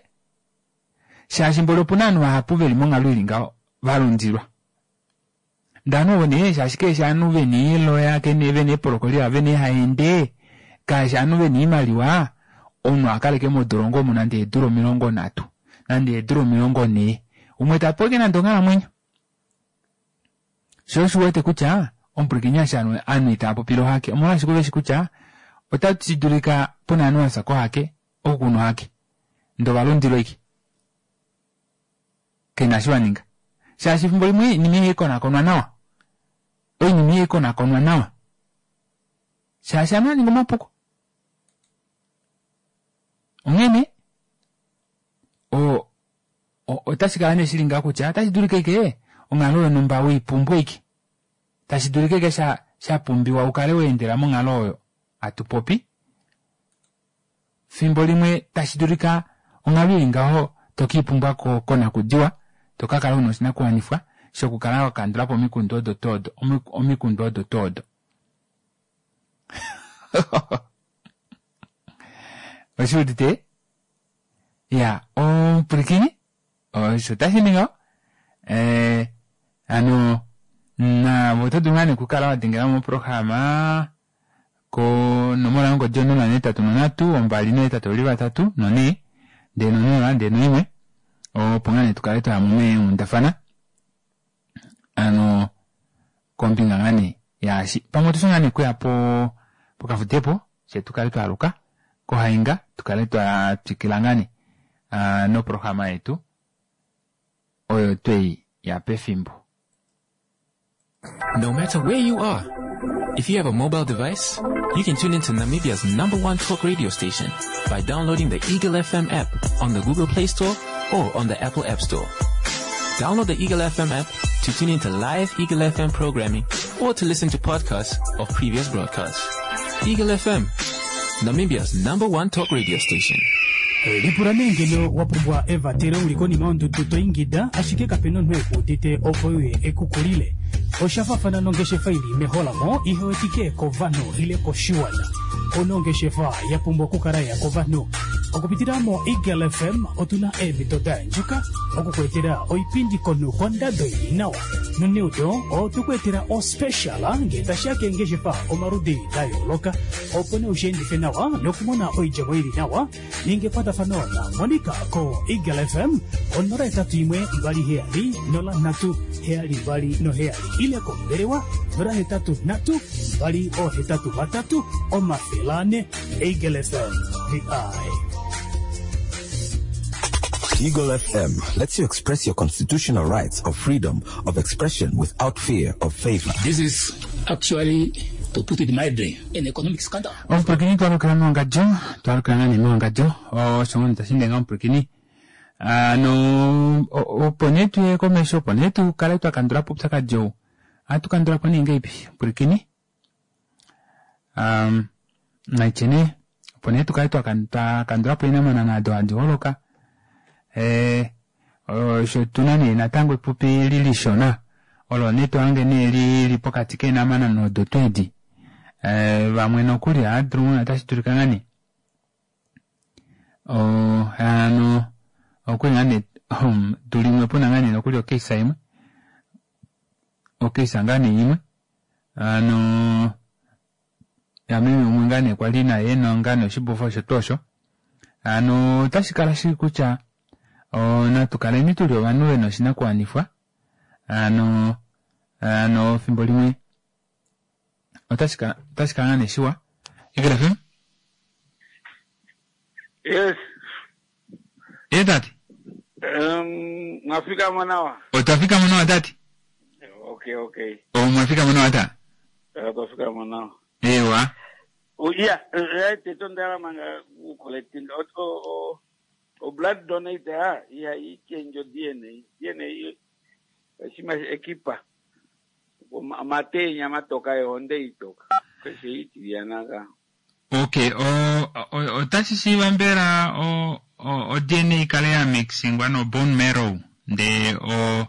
shaashi mboli opuna ovanhu vahapu veli monghalo ili ngaho va lundilwa ndee ovanhu ovo nee shaashi keeshi ovanhu vena eeloya vena eepolokolia vena eehaende kaashi ovanhu vena oimaliwa omunhu a kaleke modolongo omu nande eedula 30 nande eedula 40 umwe tapewa ashike nande onghalamwenyo Sho osho u wete kutya omupwilikini eshi ovanhu itava popile ohake omolwashike oveshi kutya otashi dulika puna ovanhu vafya kohake oku kuna ohake ndee ovalundilwa ashike kena eshi vaninga shaashi efimbo limwe oinima ihai konakonwa nawa oinima ihai konakonwa nawa shaashi ovanhu vaninga omapuko onghene o Otashi kala nee shili ngaho kutya otashi dulika ike onghalo yonhumba we i pumbwa ike. Tashi dulika ike sha, sha pumbiwa u kale wa endela monghalo oyo hatu popi. Fimbo limwe tashi dulika onghalo ili ngaho to ke i pumbwa ko, konakudiwa, to ka kala u na oshinakuwanifwa shokukala wa kandula po omikundu odo tuu odo, omikundu odo tuu odo. Oshi udite? Ya, omupwilikini, osho tashi ningi ngaho. Eh, hano naave oto dulu ngaa nee okukala wa dengela moprograma konomola yongodi yo 083 283 4 ndee no 0 ndee no 1 opo ngaa nee tu kale twaya mo meenghundafana. Ano kombinga ngaa nee yaashi pamwe otushi ngaa nee kuya po pokafudepo fye tu kale twaaluka kohainga tu kale twa twikila ngaa nee noprograma yetu oyo twei ya pefimbo. No matter where you are, if you have a mobile device, you can tune into Namibia's number one talk radio station by downloading the Eagle FM app on the Google Play Store or on the Apple App Store. Download the Eagle FM app to tune into live Eagle FM programming or to listen to podcasts of previous broadcasts. Eagle FM, Namibia's number one talk radio station. Lipula nee ngeno wa pumbwa evatelo uli konima yondudu to ingida ashike kape na omunhu eku udite opo euye eku kulile. Osha faafana nongeshefa ili meholamo ihe wetike kovanhu ile koshiwana. Ouna ongeshefa ya pumbwa okukala ya kovanhu. Okupitila moEagle FM otu na eemhito da yandjuka oku ku etela oipindi komunhu kondado ili nawa. Noneudo otwe ku etela ospecial ngee tashi ya keengeshefa omaludi da yooloka opo nee ushi endife nawa nokumona oidjemo ili nawa. Ninga ekwatafano na Monica ko Eagle FM 081 27 03 72 7 ile kombelewa 083 283 400. Eagle FM, the eye. Eagle FM lets you express your constitutional rights of freedom of expression without fear of favor. This is actually, to put it mildly, an economic scandal. Omupulakeni twalukila mewangadjo, twalukila ngaa nee mewangadjo, osho ngoo nee tashi ende ngaho omupulakeni. Ano opo nee tuye komesho, opo nee tu kale twa kandula po oupyakadi ou, ohatu kandula po nee ngahelipi omupulakeni? Um, naitye nee opo nee tu kale twa kandula po eenhamanana odo hadi holoka eh, osho tu na nee natango epupi li lishona olo nee to hange nee li li pokati keenhamanana odo tuu edi eh, vamwe nokuli ohava dulu otashi dulika ngaa nee hano okuli ngaa nee tu limwe puna ngaa nee nokuli okeisa imwe okeisa ngaa nee imwe hano yameme umwe ngaa nee kwali naye ena ngaa nee oshibofa osho tuu osho hano otashi kala shili kutya natu kaleni tuli ovanhu vena oshinakuwanifwa hano hano fimbo limwe otashi kala otashi kala ngaa nee shiwa Eagle FM Yes. Ye tate Um, mwafika mo nawa. Otwa fika mo nawa tate. Okay, okay. Omwa fika mo nawa ta. Otwa fika mo nawa. Ewa. Oh, yeah, right, eto ndala manga u collecting o o o blood donate ha iha i change DNA. DNA shima ekipa. Omatenya matoka yohonde itoka. Keshe itilyana Ok, otashi shiiva mbela o-DNA i kale ya mixingwa no-bone marrow ndee o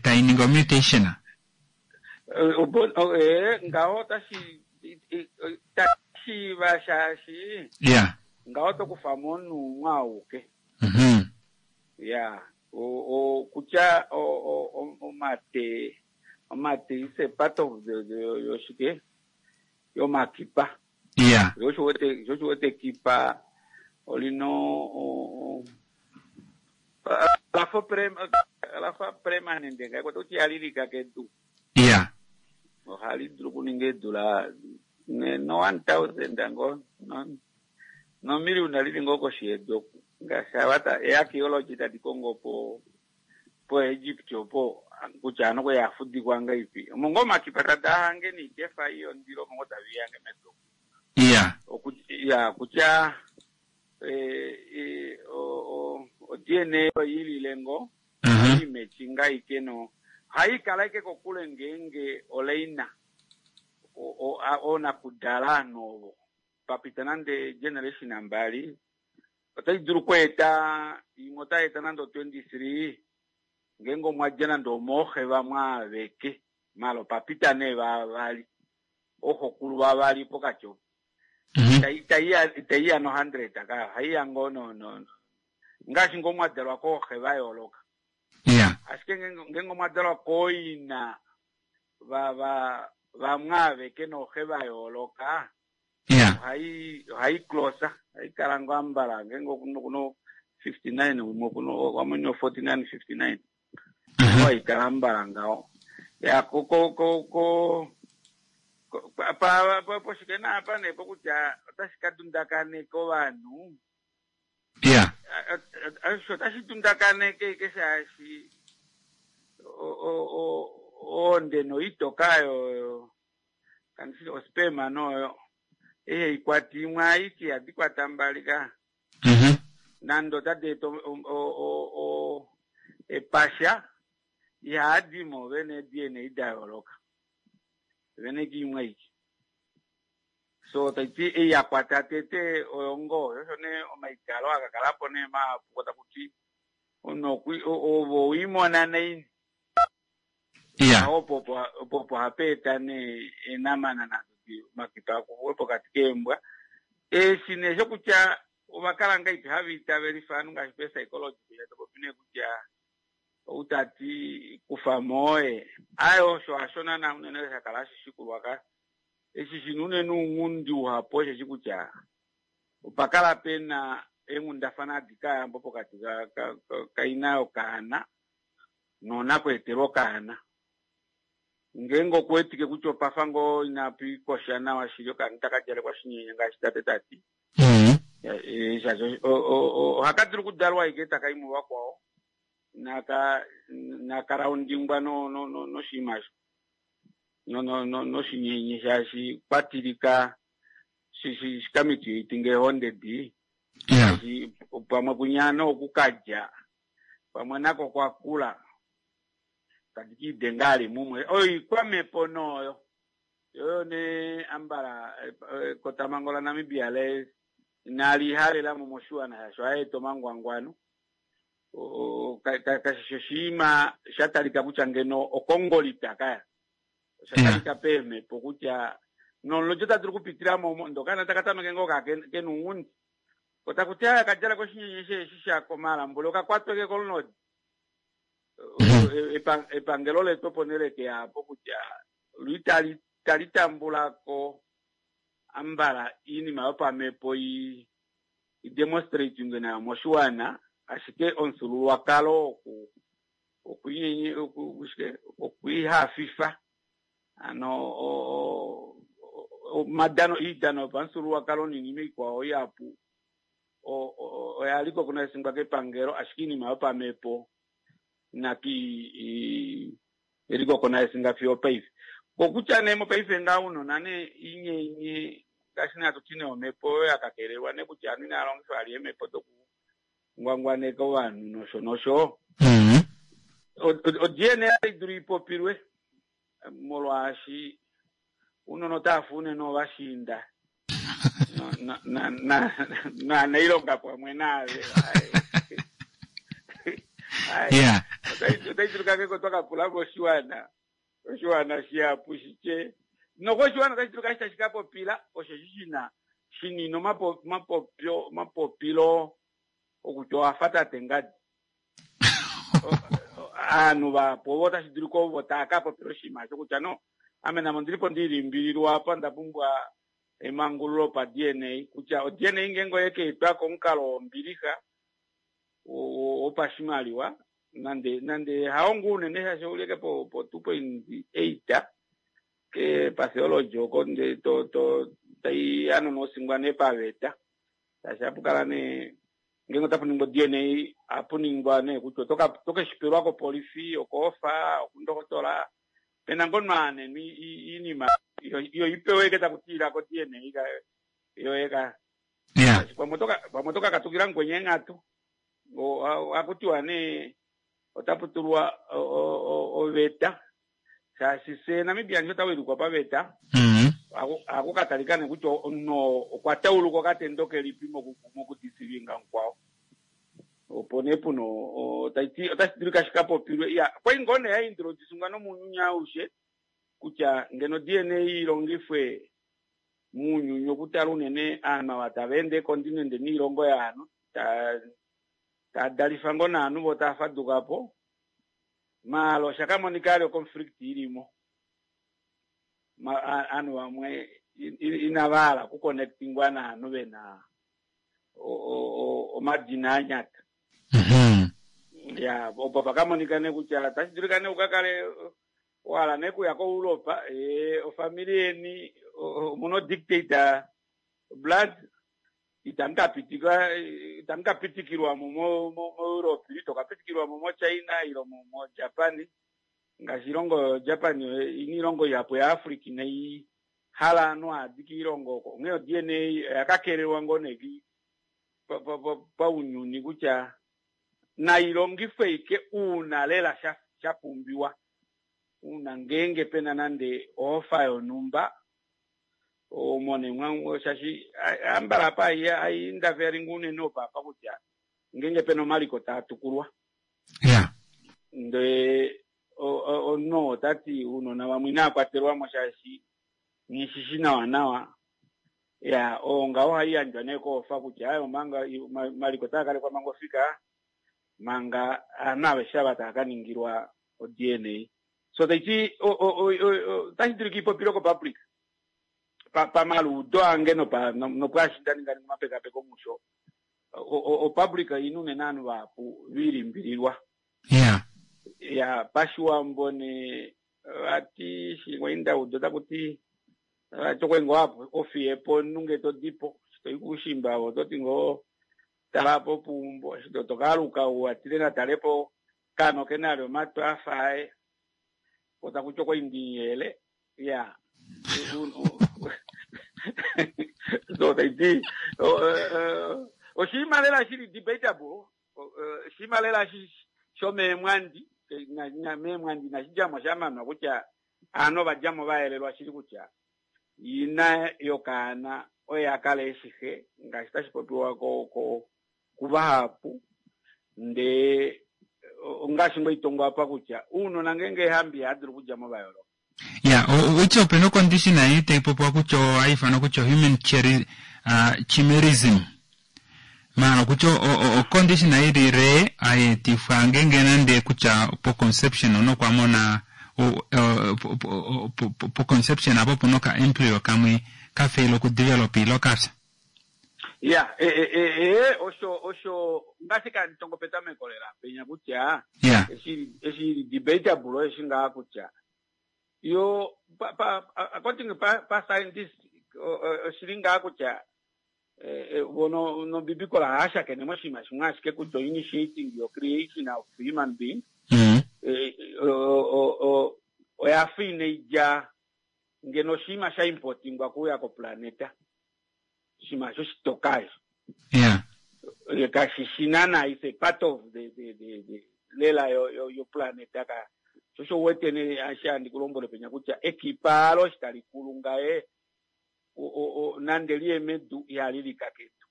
tai ningi o-mutation? Eh, ngaho otashi shiiva shaashi Ya. ngaho oto kufa mo omunhu umwe auke. Ya, kutya omate, omate is a part of the, the yoshike yomakipa. Iya. Sho osho wete sho osho wete ekipa olina o- o- lafa prem lafa permanent ngaiko kutya ihali lika kedu. Iya. Ohali dulu okuninga eedula ne- no 1000 ngo no no million lili ngoo koshi yedu oku. Ngaashi ava ta eearchaeology tadi kongo po po Egypt opo kutya ano okwali afudikwa ngaipi. Omo ngoo omakipa tadaa hange niikefa ei yondilo omo ngoo tave i hange medu omu. Iya. Oku, ya, kutya eh, eh, o, o, o DNA oi lile ngoo, ohai matchinga aike no, ohai kala aike kokule ngeenge oleina o, o, a, oonakudala ovanhu ovo papita nande generation mbali otai dulu okweeta imwe otai eta nande o 23 ngeenge omwa dja nande omooxe vamwe aveke maala opa pita nee vavali ooxokulu vavali pokati opo itai ya itai ya no 100 ka ohai ya ngoo no no ngaashi ngoo mwa dalwa kooxe va yooloka ashike ngeenge omwa dalwa kooina va va vamwe aveke nooxe va yooloka ohai ohai closer ohai kala ngoo ambala ngeenge okuno kuno 59 umwe okuno wamwe 49 59 ohai kala ambala ngaho. Ya ko ko ko ko ko- pa pa pa- poshike naapa nee pokutya otashi ka dundakaneka ovanhu. Ya. Osho otashi dundakaneke ike shaashi o- o- o- oonde noitoka yo kandishi ospema noyo ihe ikwati imwe aiki ihadi kwata mbali ka nande otadi eta o- o- o- o- epasha ihadi mo vene DNA da yooloka vene kiimwe aiki so taiti ei ya kwata tete oyo ngoo osho nee omaitalo aka kala po nee mahapu taku ti omunhu ove owiimona naini Ya. opo opo opo hapa eta nee eenamana nado omakipa akuwe pokati keembwa eshi nee shokutya ovakala ngaipi hava itavelifa ovanhu ngaashi pe-psychology kutya topopi nee kutya ou tati kufa mooye aye osho hasho naana unene sha kala hashi shikulwa ka eshi shina unene ounghundi uhapu osheshi kutya opa kala pena eenghundafana adikayambo pokati kaina yokaana noonakweetelwa okaana ngeenge okuwetike kutya opafa ngoo inapu ikosha nawa shili okaana itaka djalekwa shinyenye ngaashi tate tati shaashi ohaka dulu okudalwa ashike taka i muvakwao naka nakaraundingwa no no no noshinima osho no no no noshinyenye shaashi kwatilika shikamitiitinga eehonde di shaashi pamwe kunyana okukalya pamwe nako kwakula tadi kiidenga ali mumwe oyo ikwamhepo nooyo yoyo ne ambala ekotamango laNamibia le inalihalelamo moshiwana shasho aeta omangwangwano kashishi oshinima sha talika kutya ngeno okongolita kaya osha talika peemhepo kutya nolodjo ta dulu okupitila mo ndokana taka tameke ngoo ka kena ounghundi otakuti aya kadjala koshinyenye sheeshi shakomalambule okakwatweke kolunodi epangelo letu opo neleke yapo kutya lwi tali tambulako ambala iinima yopamhepo i demonstrating nayo moshiwana ashike omufyuululwakalo okwiihafifa ano omadano iidano yopamufyuululwakalo niinima ikwao ihapu oya liko kunasingwa kepangelo ashike iinima yopamhepo inatu erikokonaesinga fiyo paife kokutya nee mopaife ngaa unona nee inyenye ngaashi nee hatuti nee omhepo oyo yakakelelwa nee kutya ovanhu inava longifa vali eemhepo dokungwangwaneka ovanhu nosho nosho o-DNA dulu ipopilwe molwaashi unona otava unene ovashiinda naanailonga pamwe naave Yeah. otai dulu kakeko twakapula moshiwana oshiwana shihapu shitye nokoshiwana otashi dulu kashi tashi ka popila osheshi shina shinina omapopyo omapopilo okutya owafa tate ngadi aanhu vahapu ovo otashi dulika ovo tava ka popila oshinima osho kutya no ame namo ndilipo ndilimbililwa apa nda pumbwa emangululo pa DNA kutya o-DNA ngeenge oyekeetwa komukalo wombilixa wopashimaliwa nande nande haongo unene shaashi ouleke po po 2.8 ke patheology oko nde to to tai anona osingwa nee paveta shaashi apu kala nee ngeenge otapu ningwa DNA apu ningwa nee kutya otoke shipelwa kopolifi okoofa okundokotola pena ngoo nwaanenwa iinima iyo ipewe ike taku tiila ko DNA yoye ka pamwe otoka katukila mukwenye eenghatu hakutiwa nee otapu tulwa oveta shaashi fye Namibia nge otawilikwa paveta ohaku katalika nee kutya omunhu okwa tauluka okatendo kelipi mokudisivinga mukwao opo nee puna taiti otashi dulika shikapopilwe iya kwai ngoo nee yaintroducingwa nomunyuni aushe kutya ngeno DNA ilongifwe muunyuni okutala unene aanhu ava tava ende ekontinente niilongo yaanhu tava dalifa ngoo naanhu vo tava fadukapo maala osha kamonika ali oconflict ilimo aanhu vamwe inava hala okuconnectingwa naanhu vena omadina anyata ya opo pakamonika nee kutya otashi dulika nee ukakale. Owahala nee okuya koEurope, ee, ofamili yeni omuna odictator blood, itamu ka pitika, itamu ka pitikilwa mo moEurope, ito ka pitikilwa mo moChina ile moJapan. Ngaashi oilongo Japan ina oilongo ihapu yaAfrica inai hala ovanhu haadi koilongo oko. Onghee o-DNA oya ka kelelwa ngoo nee paunyuni kutya nai longifwe ashike uuna lela sha pumbiwa. Uuna ngeenge pena nande ohofa yonhumba, omo nee mwa shaashi ambala apa hai interfering unene opo apa kutya ngeenge pena omaliko taa tukulwa. Ndee omunhu ota ti ounona vamwe inava kwatelwa mo shaashi nghishishi nawa nawa. Ya, oo ngaho ohai yandjwa nee koofa kutya aye omanga omaliko otaa kalekwa manga ofika manga aanhu aveshe ava tava ka ningilwa o-DNA. So taiti otashi dulika ipopilwe ko-public pamaluudo ange nopwaashi nda ninga omapekapeko musho. O-public oina unene ovanhu vahapu ve ilimbililwa. Ya, pashiwambo nee vati shimwe indaudo otaku ti vati okwe ngoo ofiye po omunhu ngee to di po, eshi to i koushimba ove oto ti ngoo tala po puumbo, eshi to ka aluka ou atile natale po kaana oke na ali omatwi afa aye, po taku ti okwa indiyele. Ya, so taiti oshinima lela shili debatable, oshinima lela shomeemwandi, meemwandi inashi dja mo sha manwa kutya aanhu ova dja mo va yelelwa shili kutya ina yokaana oye a kala eshi xe, ngaashi tashi popiwa kuvahapu. Ndee ongaashi ngoo itongwa apa kutya ounona ngeenge eehambi ihava dulu okudja mo va yooloka. Ya, utya ope na ocondition ei tai popiwa kutya ohai ifanwa kutya human chimerism. Maala kutya ocondition ei li rare hai etifwa ngeenge nande kutya po conception omunhu okwa mona po conception apo opuna oka embryo kamwe ka fail oku develop ile okafya. Ya, ee, osho, osho ngaashi kanditongo petameko lela penya kutya eshi, eshi ili debatable eshi ngaa kutya yo pa, pa, according pa, pa scientist oshili ngaa kutya vono nobibikola ohaya shakene moshinima shimwe ashike kutya initiating your creation of human being oya fa inai dja ngeno oshinima sha importingwa kuuya koplaneta. Oshinima osho shitoka eshi. Ye kashi shi naana, it's a part of the, the, the, the lela yo, yo, yo planeta ka. Sho osho u wete nee eshi handi ku lombwele penya kutya ekipa alo eshi tali kulu ngaye, o, o, o, nande liye medu ihali lika kedu.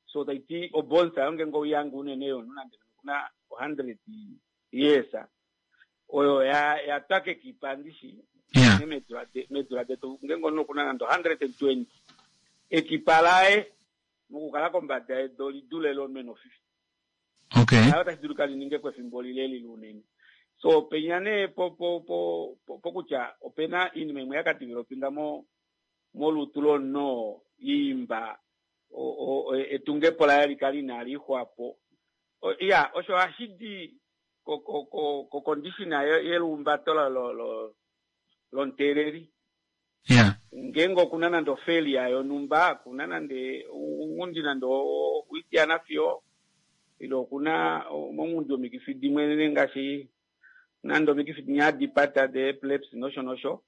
So tai ti obonsa yo ngeenge oiyange unene yomunhu nande okuna 100 years, oyo ya, ya twa kekipa ndishi, unene meedula de, meedula detu ngeenge omunhu okuna nande 120, ekipa laye mokukala kombada yedu oli dule lomunhu e na 50. Laye otashi dulika li ninge ko efimbo lile lile unene. So penya nee po, po, po, po, pokutya opena oinima imwe ya ka developinga mo, molutu lomunhu oo ya imba o, o, etungepo laye li kale inali ixwa po. Ya, osho ohashi di ko, ko, ko, ko condition yelihumbato lomuteeleli. Ngeenge okuna nande ofailure yonhumba, kuna nande ounghundi nande oitiyana fiyo, ile okuna omaunghundi omikifi dimwe ngaashi nande omikifi dinya hadi pata de epilepsy nosho nosho.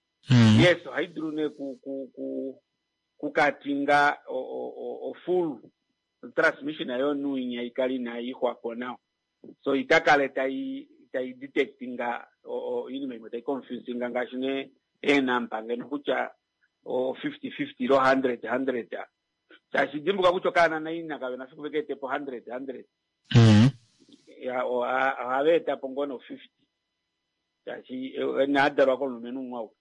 Yes, ohai dulu nee ku, ku, ku, kukatinga o, o, o full transmission yomunhu inya ikale inai ixwa po nawa. So ita kale tai, tai detectinga oinima imwe tai confusinga ngaashi nee eenamba ngeno kutya o 50-50 ilo 100-100. Shaashi dimbuka kutya okaana naina kave na fiku veke ete po 100-100. Ya, ohava eta po ngoo no 50. Shaashi inaa dalwa komulumenhu umwe auke.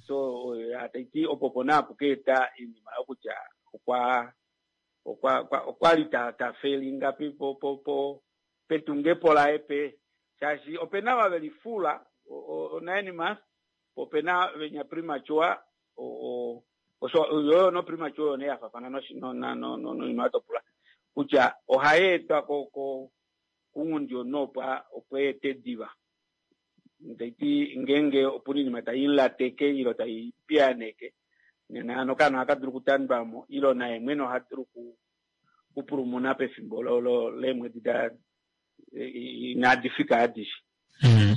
So, ya, tai ti opo po naa puka eta oinima yokutya okwa, okwa, okwa, okwa li ta, ta failinga pi, po, po, po, petungepo laye pe, shaashi opena ava veli fula, o, o, o 9 months, po opena venya premature, o, o, osho, yo no premature oyo nee ya faafana noshi, no, na, no, no, noinima oyo to pula, kutya ohai etwa ko, ko, kunghundi omunhu opo a, opo e ete diva. Taiti ngeenge opuna oinima tai lateke ilo tai piyaaneke nena hano okaana ohaka dulu okutandwamo ilo naye mwene oha dulu okupulumuna pefimbo leemwedi da inadi fika adishe.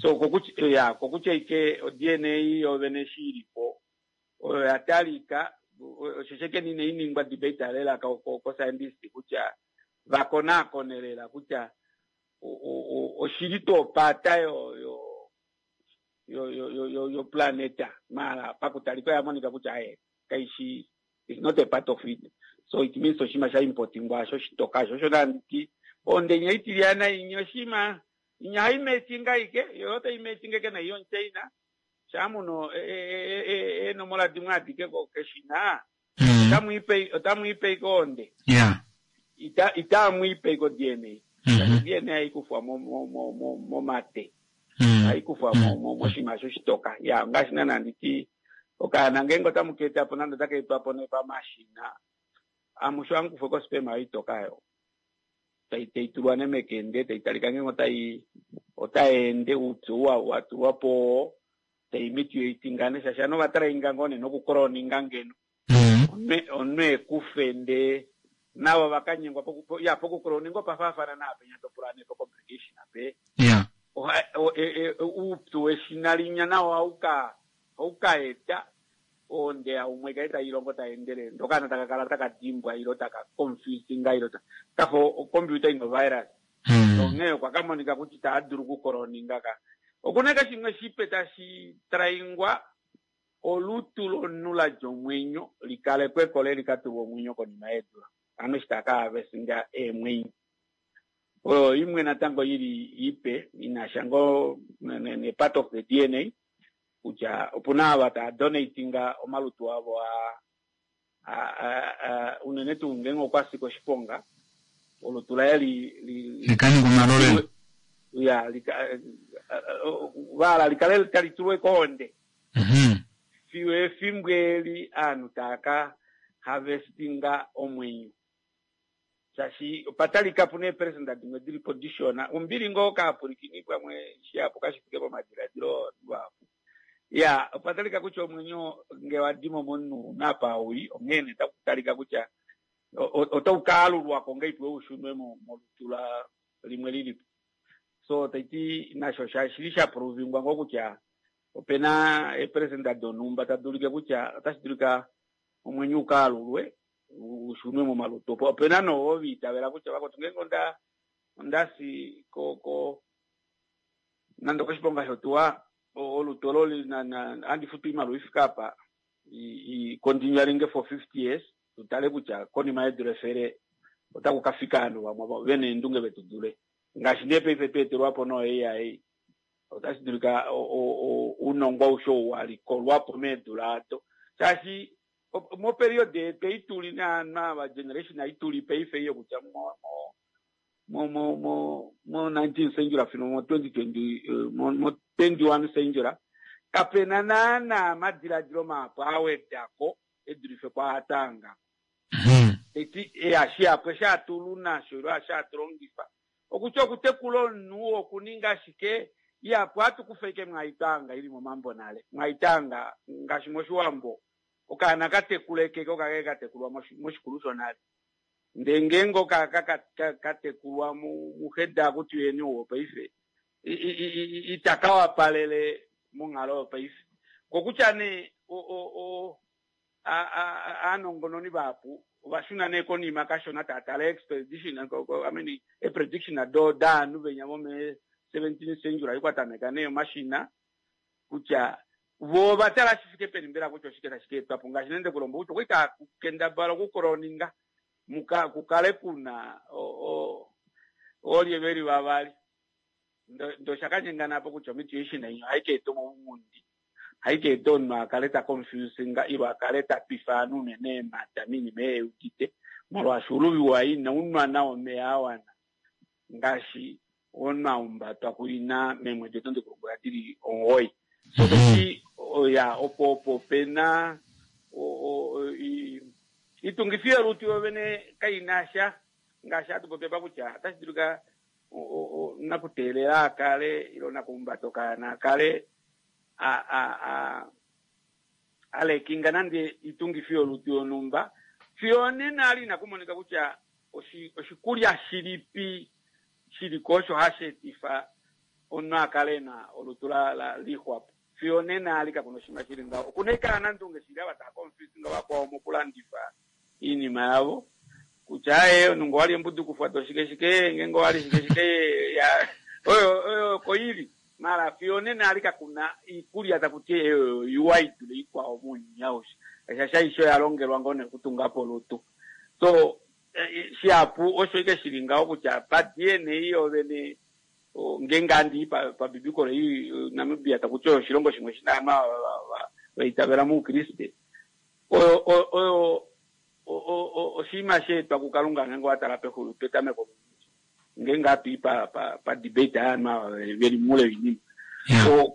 So kokutya ya kokutya ike o-DNA yovene eshi ilipo oyo ya talika osho sheke inai ningwa debate lela ko scientist kutya vakonaakone lela kutya oshili tuu opata yo planeta mara pakutalika oya monika kutya aye kaishi, is not a part of it. So it means oshinima sha importingwa asho shitoka asho osho nanditi ondenya itilyana inya oshima inya haimetinga ike yo otaimetinga ike naiyo China shamuno eenomola dimwe adike keshina otamwiipe ike onde itaamwiipe iko DNA. DNA haikufwa momate, haikufwa moshinima asho shitoka ya ngaashi nana nditi okaana ngeenge otamu ka etapo nande otaka etwapo nee pamashina amusho amukufwe kosperma yoitoka yo taitulwa nee mekende taitalika ngeenge otayeende uupyu watulwapo taimiti yoitingane shaashi ano ovatalainga ngoo nee nokucloninga ngeno omunhu ekufe ndee navo vakanyengwa ya pokucloninga opafaafana naapenya topula nee po complication ape uupyu weshina linya nawo ohauka eta onde umwe kale tailongo taendelele ndokana taka kala taka dimbwa ilo taka confusinga ilo kafa ocomputer ino virus. Onghee okwa kamonika kutya itaa dulu okucloninga ka okuna ka shimwe shipe tashi traingwa olutu lomunhu ladja omwenyo likalekwe le likatulwa omwenyo konima yeedula ano eshi taka harvestinga eemwenyo oyo imwe natango ili ipe inasha ngoo ne part of the DNA kutya opuna ava taa donatinga omalutu avo unene tuu ngeenge okwa si koshiponga olutu laye likaninga omalolelo ya vala likale tali tulwe kohonde fiyo efimbo eli aanhu taaka harvestinga omwenyo shaashi opatalika puna eeperesenda dimwe dilipo dishona ombili ngoo kaapulikini pamwe shihapu kashifike pomadiladilo vahapu ya opatalika kutya omwenyo nge wadimo momunhu unapa uli onghee nee takutalika kutya otau kaalulwako ngeipi ushunwe molutu la limwe lilipo. So taiti nasho shili sha provingwa ngoo kutya opena eeperesenda donhumba tadi ulike kutya otashi dulika omwenyo ukaalulwe ushunwe momalutu opo opena noo viitavela kutya vakotu ngeenge ondasi ko nande okoshiponga shotuwa olutu olo handi futu iimaliwa ifike apa i continualinge for 50 years tutale kutya konima yeedula 100 otaku ka fika ovanhu vamwe vena eendunge vetu dule ngaashi nee paife tweetelwapo no AI otashi dulika ounongo aushe ou walikolwapo meedula ado shaashi moperiod yetu ei tuli naava generation ei tuli paife iyo kutya mo 19th century fino mo 2020 mo 21 century kapena naana amadiladilo mahapu awedako edulife kwaatanga eti shihapu eshi hatulu nasho ilo eshi hatulongifa okutya okutekula omunhu okuninga ashike ihapu hatukufa ike mwaitanga ili momambo nale mwaitanga ngaashi moshiwambo okaana katekulekeke okake katekulwa moshikulu shonale ndee ngeenge okaka katekulwa muheda kutuyeni ouwo paife itaka wapalele monghalo yopaife kokutya nee aanongononi vahapu ovashuna nee konima kashona taatala expedition I mean eprediction do daanhu venya vome 17th century aikwatameka nee omashina kutya vo ovatala shifike peni mbela kutya oshike tashi ka etwapo ngaashi nende kulombo kutya okwali takukendabala okucloninga kukale kuna oolye veli vavali ndo shakanyenganapo kutya omutation inyo haika eta omaunghundi haika eta omunhu akale ta confusinga ilo akale ta twifa ovanhu unene eemhata minima eyeudite molwaashi uluvi waye inaunwa nawa omeya awana ngaashi omunhu aumbatwa kuina meemwedi odo ndikulombwela dili 9. So taiti ya opo pena itungifi yolutu yovene kaina sha ngaashi hatu popi apa kutya otashi dulika. Nakuteelela a kale ile nakuhumbata okaana a kale a a a a lekinga nande itungifi yolutu yonhumba fiyo onena ali inaku monika kutya oshikulya shilipi shili ko osho hashi etifa omunhu a kale e na olutu la la lixwapo. Fiyo onena ali kakuna oshinima shili ngaho. Okuna ashike ovanandunge shili ava tava confuse nga vakwao mokulandifa iinima yavo kutya aye omunhu ngee owali embudukufwa to shike shike ngeenge owali shike shike ya oyo oyo oko ili mara fiyo onena ali kakuna iikulya taku ti oyo iwa i dule ikwao mounyuni aushe shaashi aishe oya longelwa ngoo nee okutunga po olutu so shihapu osho ike shili ngaho kutya pa DNA yovene ngeenge handi i pabibikolo ei Namibia taku ti oyo oshilongo shimwe shina ovanhu va itavela moukriste oyo oyo oshinima sha etwa kuKalunga ngeenge owa tala pexulu petameko ngeenge hatu i pa pa pa debate yaanhu ava veli moule woinima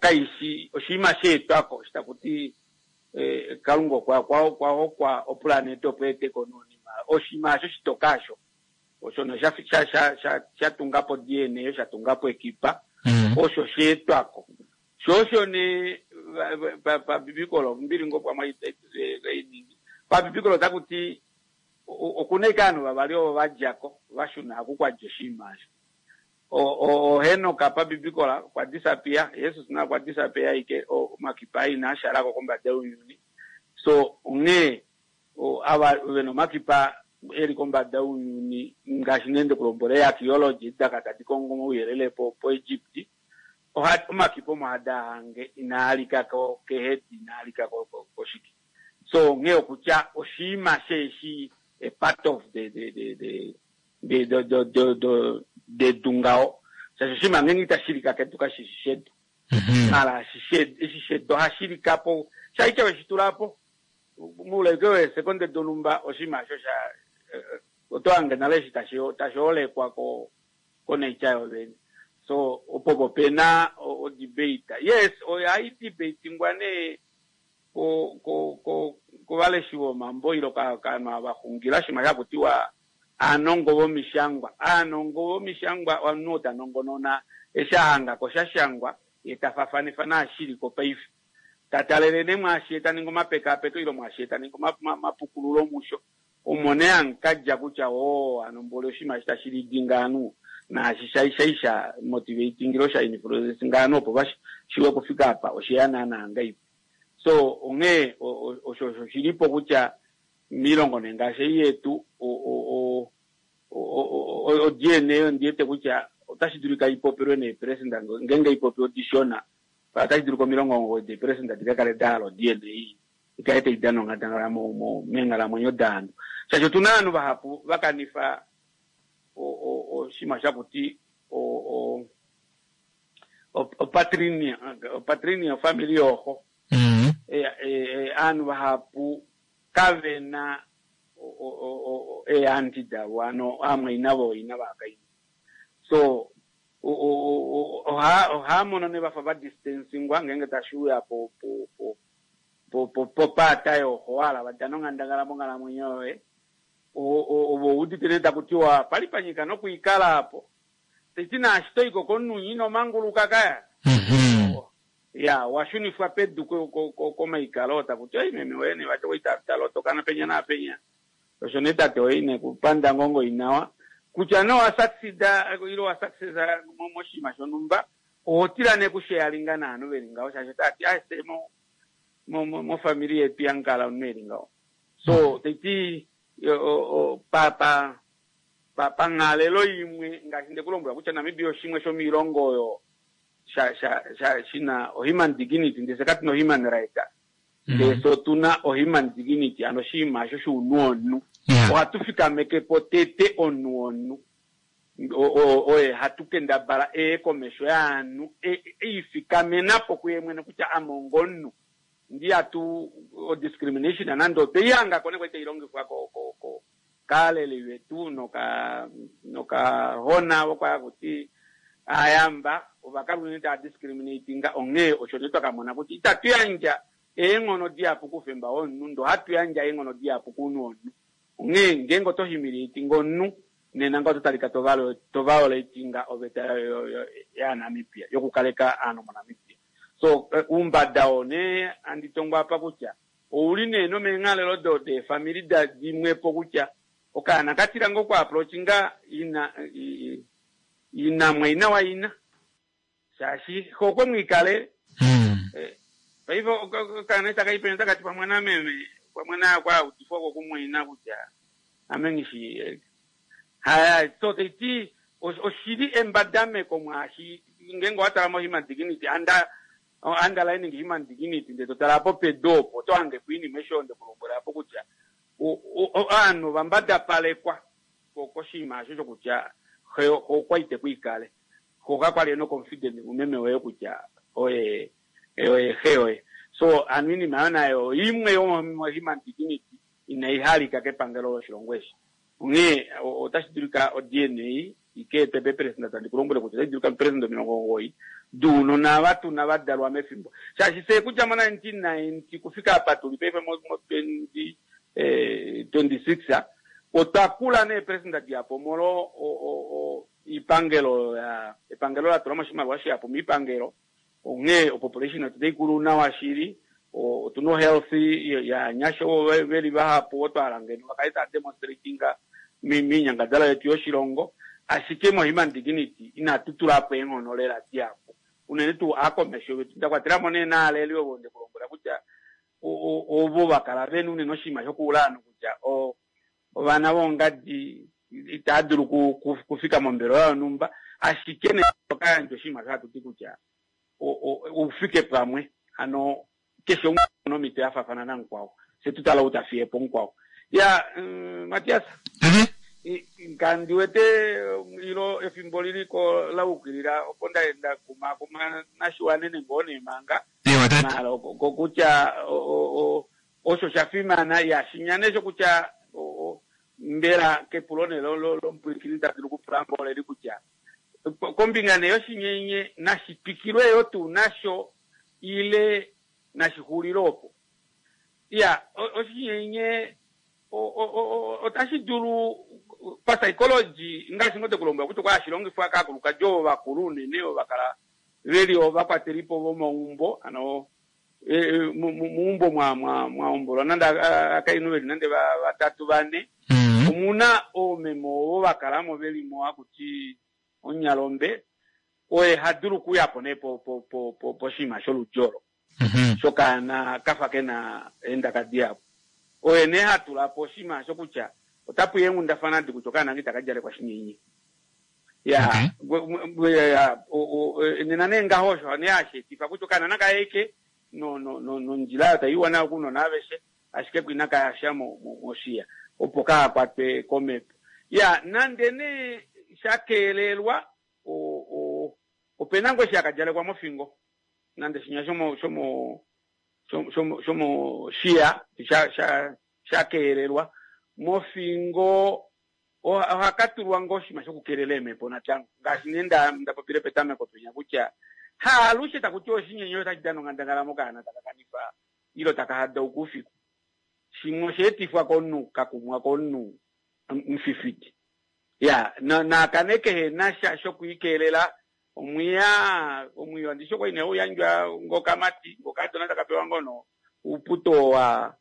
kaishi oshinima sha etwako taku ti Kalunga okwa okwa hokwa opulanete opo eeteko nonima oshinima asho shitoka asho osho no sha sha sha sha sha tungapo DNA sha tungapo ekipa osho sha etwako sho osho nee pabibikolo mbili ngoo pamwe iningi pabibikolo otaku ti okuna ashike ovanhu vavali ovo va djako va shuna oku kwadja oshinima osho Henok pabibikola okwa disappear, Jesus naye okwa disappear ashike omakipa aa inaa shalako kombada younyuni so onghee ava vena omakipa eli kombada younyuni ngaashi nee ndekulombwela ee archaeology daka tadi kongo omauyelele po po Egypt omakipa omo hada hange inaa lika kehedi inaa lika koshike so onghee okutya oshiima sheeshi a part of the the the the de do do do do dedu ngaho shaashi oshinima ngeenge itashi lika kedu kashi shi shedu mala eshi shedu ohashi lika po shaike weshi tula po moule ashike weesekonde donhumba oshinima osho sha oto hange nale eshi tashi tashi holekwa ko ko nature yovene so opo po pena o debate yes ohai debatingwa nee ko ko ko kovaleshi vomambo ile kovanhu ava xungila oshinima shaku tiwa aanongo vomishangwa. Aanongo vomishangwa omunhu oo ta nongonona eshi a hanga ko sha shangwa ye ta fafanifa naashi shi li ko paife. Ta talele nee mwaashi ye ta ningi omapekaapeko ile mwaashi ye ta ningi omapukululo musho. Omo nee hamu ka dja kutya oo hano mboli oshinima eshi tashi lidi ngaanhu naashi sha sha sha motivating ile sha influencing ovanhu opo va shiwe okufika apa osheya naana ngahelipi. So onghee osho osho shilipo kutya miilongo nee ngaashi ei yetu o-DNA ondi wete kutya otashi dulika i popilwe neeperesenda ngeenge ipopi odishona otashi dulika 90 deeperesenda di ka kale da hala o-DNA i kale tai dana onghandangala meenghalamwenyo daanhu shaashi otuna ovanhu vahapu va kanifa oshinima shakuti opatrinia ofamili yooxo aanhu vahapu kave na eeanti davo ano aamwaina vooina vaakainhu so ohaa mono nee vafa va distancingwa ngeenge tashi uya po po po po po popaata yooxo wahala va dana onghandangala monghalamwenyo yoye ovo udite nee taku tiwa pali pa nyika nokwiikala apo teti naashi toiko komunhu ino manguluka kaya ya wa shunifwa pedu komaikalo taku ti oi meme woye nee vati oitalotoka penya naapenya osho nee tate woye ine kupanda ngoo ngoinawa kutya nee owa succeeda ile owa successa moshinima shonhumba oho tila nee kusharinga naanhu veli ngaho shaashi otavati aise mofamili yetu yamukala omunhu eli ngaho so taiti pa pa panghalelo imwe ngaashi ndekulombwela kutya Namibia oshimwe shomiilongo oyo sha sha sha shina o-human dignity ndele katu na o-human right ndele so otuna o-human dignity ano oshinima osho shounhu womunhu ohatu fikameke po tete omunhu womunhu oye hatu kendabala eye komesho yaanhu eifikamena po kuye mwene kutya ame ongomunhu ndi hatu o-discrimination nande otweihangako nee kwali tailongifwa kaaleli vetu noka nokahona vokwakuti aayamba ovakala unene taa discriminatinga onghee osho nee twakamona kutya itatu yandja eenghono dihapu koufemba womunhu ndoo hatu yandja eenghono dihapu kounhu womunhu onghee ngeenge oto humiliatinga omunhu. Nena nga oto talika to violatinga oveta yaNamibia yokukaleka aanhu moNamibia. So uumbada oo nee handi tongo apa kutya ouli nee nomeenghalelo do deefamili da dimwepo kutya okaana ka tila ngoo oku approachinga ina ina mwaina waina shaashi xe okwe mwiikale. Paife okaana eshi taka i penya otaka ti pamwe nameme pamwe naye okwa udifwa ko kumwaina kutya ame nghishi haya. So taiti oshili embadameko mwaashi ngeenge owa tala mo human dignity under underlining human dignity ndee to tala apo pedu opo oto hange po iinima eshi oyo nde ku lombwela apo kutya ovanhu ova mbadapalekwa koshinima osho shokutya xe okwa ite ku ikale xe okakwali ena confidence mumeme woye kutya oye oye xe yoye. So hano iinima oyo nayo imwe yomo human dignity inai halika kepangelo loshilongo eshi. Onghee otashi dulika o-DNA ika etwe peeperesenda tandi ku lombwele kutya otashi dulika peeperesenda 90 dounona ava tuna va dalwa mefimbo. Shaashi fye kudja mo 1990 kufika apa tuli paife mo 2026 otwa kula neeperesenda dihapu omolwo oipangelo ya epangelo la tula mo oshimaliwa shihapu moipangelo. Onghee opopulation yetu otai kulu nawa shili. Otuna ohealth yaanyasha ovo veli vahapu ovo twa hala ngeno va kale tava demonstratinga moinyangadalwa yetu yoshilongo. Ashike mo human dignity inatu tula po eenghono lela dihapu. Unene tuu aakomesho vetu nda kwatela mo nee naaleli ovo nde ku lombwela kutya ovo va kala vena unene oshinima shokuula ovanhu kutya ovana voongadi itava dulu kufika mombelewa yonhumba. Ashike nee oka yandja oshinima osho hatu ti kutya oufike pamwe. Hano keshe umwe okuna omhito ya faafana namukwao. Fye tu tale ou ta fiye po mukwao. Ya Matias. Kandi wete ilo efimbo lili ko la ukilila opo nda nda kumaakuma nashiwanene ngoo nee manga. Maala kokutya osho sha fimana ya shinya nee shokutya mbela kepulo nee lomupwilikini ta dulu okupula ngoo oleli kutya kombinga nee yoshinyenye nashi twikilwe yoo tuu nasho ile nashi xulile opo. Ya oshinyenye otashi dulu papsychology ngaashi ngoo tekulombwela kutya okwa hashi longifwa kaakulukadi ovo vakulu unene ovo vakala veli ovakwatelipo vomaumbo hano meumbo mwa hombolwa nande akainhu veli nande vatatu vane omuna oomeme ovo vakalamo velimo hakuti omunyalombe oye hadulu okuyapo nee poshinima sholudi olo shokaana kafa kena eendaka dihapu. Oye nee hatula po oshinima osho kutya otapuya eenghundafana adi kutya okaana aka itaka djalekwa shinyenye. Ya nena nee ngaho osho nee hashi etifa kutya okaana nakaeke nondjila oyo taiwa nayo kounona aveshe ashike ko inaka yasha moshiya opo kahakwatwe komhepo. Ya nande nee sha keelelwa opena ngoo eshi haka djalekwa mofingo nande shinya shomoshiya sha keelelwa mofingo ohaka tulwa ngoo oshinima shokukeelela eemhepo natango ngaashi nee nda popile petameko penya kutya haalushe taku tiwa oshinyenye otashi dana onghandangala mokaana taka kanifa ilo taka hadauka oufiku. Shimwe osha etifwa komunhu kakumwa komunhu mufifiti. Ya naakane kehe na sha shokwiikeelela omwiya omwiyo ndishi okwali nee hauyandjwa ngokamati ngokadona taka pewa ngoo no uuputo wa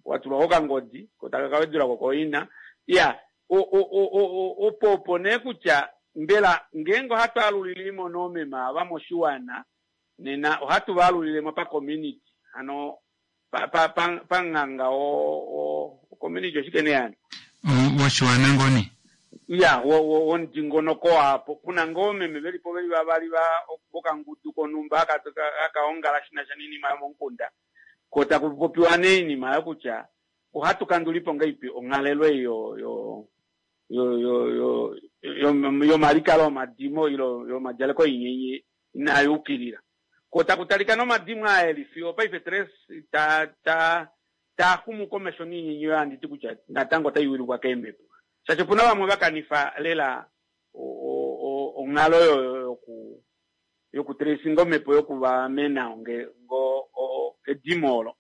watulwa kokangodi ko taka kawedulako koina. Ya opo opo nee kutya mbela ngeenge ohatu alulilemo noomeme ava moshiwana nena ohatu va alulilemo pa community hano pamunganga community oshike nee hano woshiwana ngoo nee ya womudingonoko waapo puna ngoo meme velipo veli vavali vokangudu konhumba hakaongala shinasha noinima yomomukunda ko taku popiwa nee oinima oyo kutya ohatu kandulipo ngahelipi onghalelo ei yomalikalo omadimo ilo yomadjaleko oinyenye inaa yukilila. Ko taku talika nomadimo aa eli fiyo paife Tres taa xumu komesho noinyenye oyo handi ti kutya natango otai wilikwa keemhepo. Shaashi opuna vamwe va kanifa lela onghalo oyo yoku tracinga omhepo yokuvaamena edimo olo.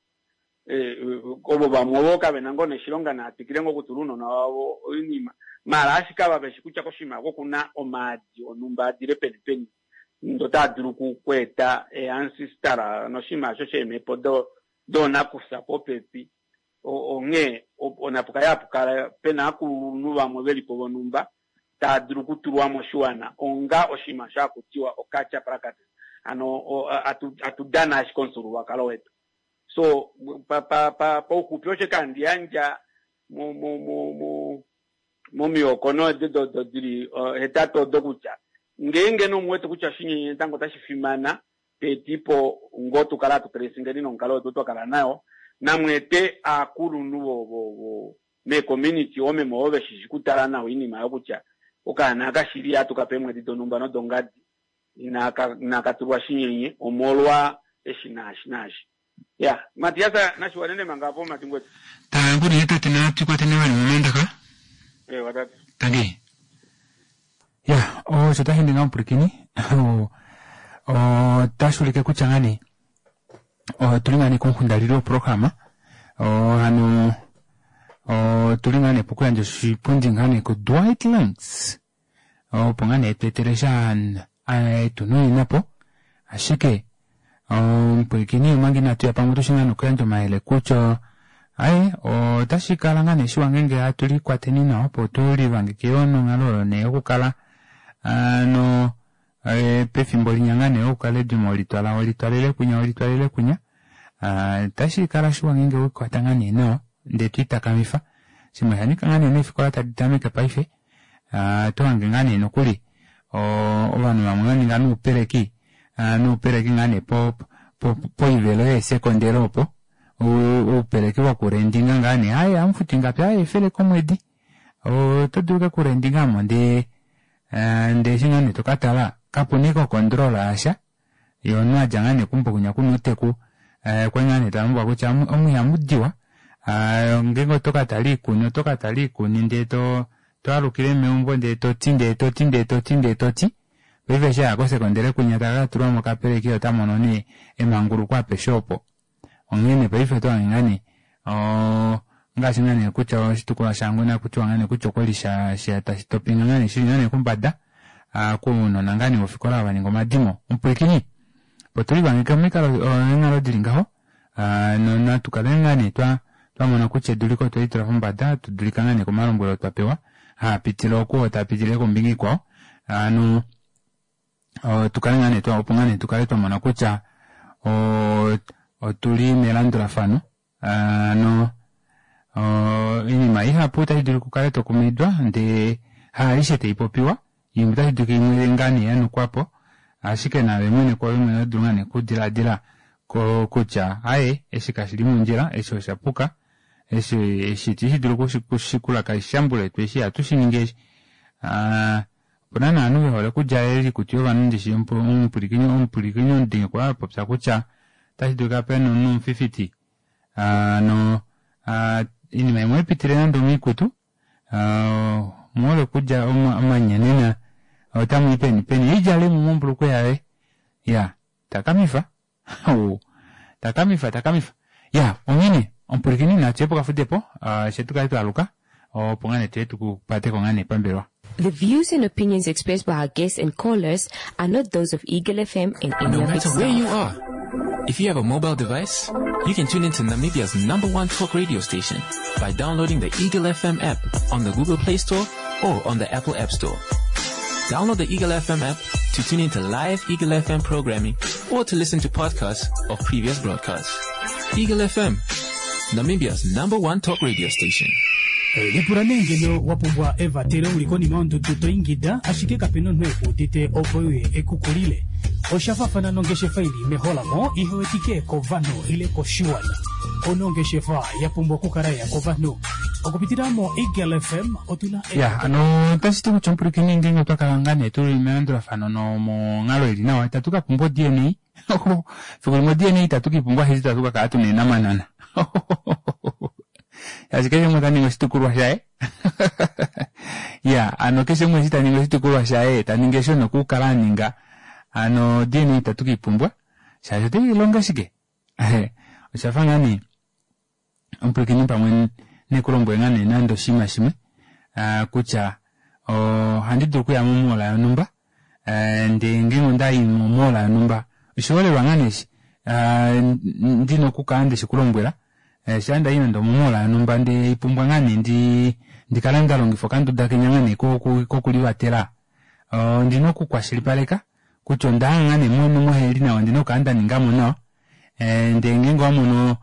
Ovo vamwe ovo kave na ngoo neshilonga naa twikile ngoo okutula ounona wavo oinima maala ashike ava veshi kutya koshinima oko okuna omaadi onhumba adile peni peni ndo taa dulu okweeta eancestor noshinima osho sheemhepo doonakufya popepi. Onghee onapu kale hapu kala pena aakulunhu vamwe velipo vonhumba taa dulu okutulwa moshiwana onga oshinima osho haku tiwa oculture practice. Hano atu dana ashike omufyuululwakalo wetu. So pauxupi osho eke handi yandja momihoko odo dili hetatu odo kutya ngeenge nee omuwete kutya oshinyenye natango otashi fimana teetipo ngoo tukale hatu tracingeni nomukalo wetu twa kala nayo namweete aakulunhu vo meecommunity oomeme ovo veshishi kutala nawa oinima oyo kutya okaana aka shili ohatu kape eemwedi donhumba nodongadi inaka tulwa shinyenye omolwa eshi naashi naashi. Ya Matias nashiwanene manga apo mati ngwetu. Tangu nee tate natu kwateni vali momandaka. Ewa tate. Tangi. Ya, osho tashi ninga omupwilikini otashi ulike kutya ngaa nee otuli ngaa nee komuxundalilo woprograma hano otuli ngaa nee pokuyandja oshipundi ngaa nee kuDwight Lantz opo ngaa nee tweetele sha etu nunina po ashike omupwilikini omanga inatu ya pamwe otushi ngaa nokuyandja omayele kutya aye otashi kala ngaa nee shiwa ngeenge hatu likwateni nawa opo tu livangeke yoo nonghalo oyo nee yokukala no pefimbo linya ngaa nee okukala edimo olitwala olitwalele kwinya olitwalele kwinya otashi kala shiwa ngeenge wekwata ngaa nee nawa ndee twiitakamifa shimwe osha nyika ngaa nee neefikola tadi tameke paife oto hange ngaa nee nokuli ovanhu vamwe vaninga noupeleki noupeleki ngaa nee poivelo yeesekondele opo oupeleki vokurendinga ngaa nee aye amufuti ngapi aye efele komwedi oto dulu ke kurendinga mo ndee ndee eshi ngaa nee tokatala kapuna ike okondrola yasha ye omunhu adja ngaa nee keumbo kwinya kuna outeku okwali ngaa nee talombwelwa kutya omu ihamu diwa ngeenge oto katala oikuni oto katala oikuni ndee to alukile meumbo ndee toti ndee toti ndee toti ndee toti paife eshi aya kosekondele kwinya taka katulwa mokapeleki ota mono nee emanguluko apeshe opo onghene paife oto hange ngaa nee ongaashi ngaa nee kutya oshitukulwa shaHangwena kutiwa ngaa nee kutya okwali sha tashi topinga ngaa nee shili ngaa nee kombada kounona ngaa nee vofikola va ninga omadimo. Omupwilikini opo tulivangeke momikalo eenghalo dili ngaho natu kale ngaa nee twamona kutya eduliko otweli tula pombada tudulika ngaa nee komalombwelo twapewa haapitile oku oo tapitile kombinga ikwao hano tukale ngaa nee opo ngaa nee tukale twamona kutya otuli melandulafano hano oinima ihapu otashi dulu okukala tokumaidwa ndee haalishe taipopiwa imwe otashi dulika imwe ngaa nee yanukwapo ashike naave mwene kwoove mwene oto dulu ngaa nee okudiladila kutya aye eshi kashili mondjila eshi oshapuka eshi itashi dulu okushikula kaishambule eshi ihatu shiningi eshi opuna novanhu vehole okulya oikutu yovanhu ndishi omupwilikini omudingi okwa apopya kutya otashi dulika pena omunhu omufifiti no oinima imwe oipitile nande omoikutu muhole okulya omanyanena otamwii peni peni idjalemo mombulukweya yaye ya takamifa takamifa takamifa ya onghene omupwilikini natuye pokafudepo she tukale twaaluka opo ngaa nee tuye tukupateko ngaa nee pambelwa. The views and opinions expressed by our guests and callers are not those of Eagle FM and any No of its matter where you staff. are, if you have a mobile device, you can tune into Namibia's #1 talk radio station by downloading the Eagle FM app on the Google Play Store or on the Apple App Store. Download the Eagle FM app to tune into live Eagle FM programming or to listen to podcasts of previous broadcasts. Eagle FM, Namibia's #1 talk radio station. Lipula nee ngeno wa pumbwa evatelo uli konima yondudu to ingida ashike kapena omunhu ekuudite opo uye ekukulile. Osha faafana nongeshefa ili meholamo ihe wetike kovanhu ile koshiwana. Onongeshefa ya pumbwa okukala ya kovanhu. Okupitila mo Eagle FM otuna Ya, ano otashi ti kutya omupwilikini ngeenge otwa kala ngaa nee tuli melandulafano nomonghalo ili nawa itatu ka pumbwa o-DNA. Fiku limwe o-DNA itatu ke i pumbwa ashike itatu ka kala tuna eenamanana. Shaashi keshe umwe ota ningi oshitukulwa shaye. Ya, ano keshe umwe eshi ta ningi oshitukulwa shaye ta ningi eshi nokukala a ninga ano DNA itatu ke i pumbwa shaashi otai longa shike? Osha fa ngaa nee. Omupwilikini pamwe nekulombwele ngaa nee nande oshinima shimwe kutya ohandi dulu okuya momoola yonhumba ndee ngeenge onda i momoola yonhumba oshiholelwa ngaa nee eshi ndina okukala ndeshi kulombwela shaa ndayi nande omomoola yonhumba ndee ipumbwa ngaa nee ndi ndikale nda longifa okanduda kenya ngaa nee kokulivatela ondina okukwashilipaleka kutya ondaya ngaa nee moheli nawa ondina okukala nda ningamo nawa ndee ngeenge owamono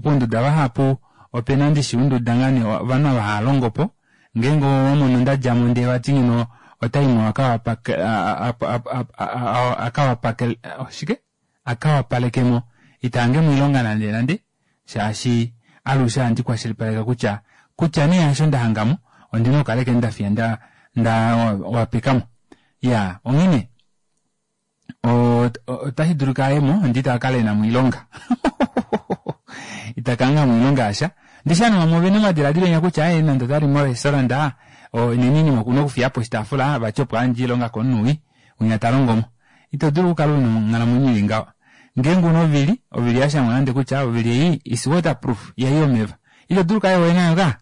pounduda vahapu opena ndishi ounduda ngaa nee ovanhu ava hava longopo ngeenge owamono ndadjamo ndee vati ngeno otaimo akawapake shike akawapalekemo itaangemo oilonga nande nande shaashi alushe ohandi kwashilipaleke kutya kutya nee hasho ndahangamo ondina okukala ashike ndafiya nda nda wapekamo iyaa onghene otashi dulika ayemo ndee ita kakala ena moilonga ita ka hanga moilonga yasha ndishi ovanhu vamwe ovena omadilaadilo enya kutya aaye nande otali mo restaurant nena oinima okuna okufiyapo oshitaafula vati opo ayandje oilonga komunhu wii winya talongomo ito dulu okukala una onghalamwenyo ili ngaho ngeenge una ovili ovili yashangwa nande kutya ovili ei is water proof ihayi omeva ito dulu okukala yoye nayo ka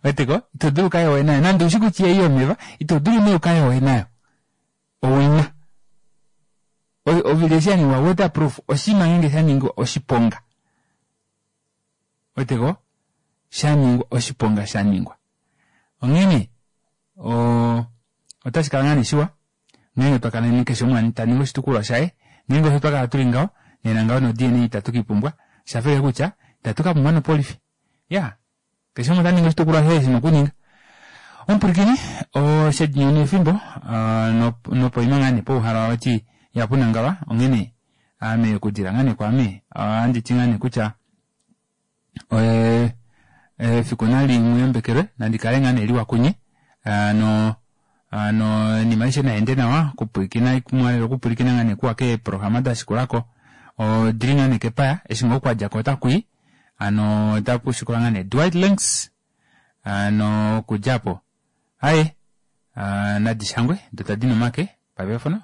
weteko ito dulu ukale yoye nayo nande ushi kutya ihayi omeva ito dulu nee ukale yoye nayo owina ovili eshi yaningwa waterproof oshinima ngeenge shaningwa oshiponga weteko shaningwa oshiponga shaningwa onghene otashi kala ngaa nee shiwa ngeenge twa kala keshe umwe ta ningi oshitukulwa shaye ngeenge osho twa kala tuli ngaho nena ngaho no DNA itatu kiipumbwa shafele kutya itatu ka pumbwa nopolifi ya keshe umwe ota ningi oshitukulwa shaye shina okuninga omupwilikini oshedinyoni efimbo nopoima ngaa nee pouhala wati yapunangalwa onghene ame okudila ngaa nee kwaame ohandi ti ngaa nee kutya efiku nali muyambekelwe nandi kale ngaa nee liwa kunye no no oinima aishe naende nawa okupwilikina mwalele okupwilikina ngaa nee kuwa keeprograma da shikulako odili ngaa nee kepaya eshi ngoo kwadja ko otakui ano otaku shikula ngaa nee Dwight Links ano okudja apo aye nadi shangwe do tadi nomake pavefono.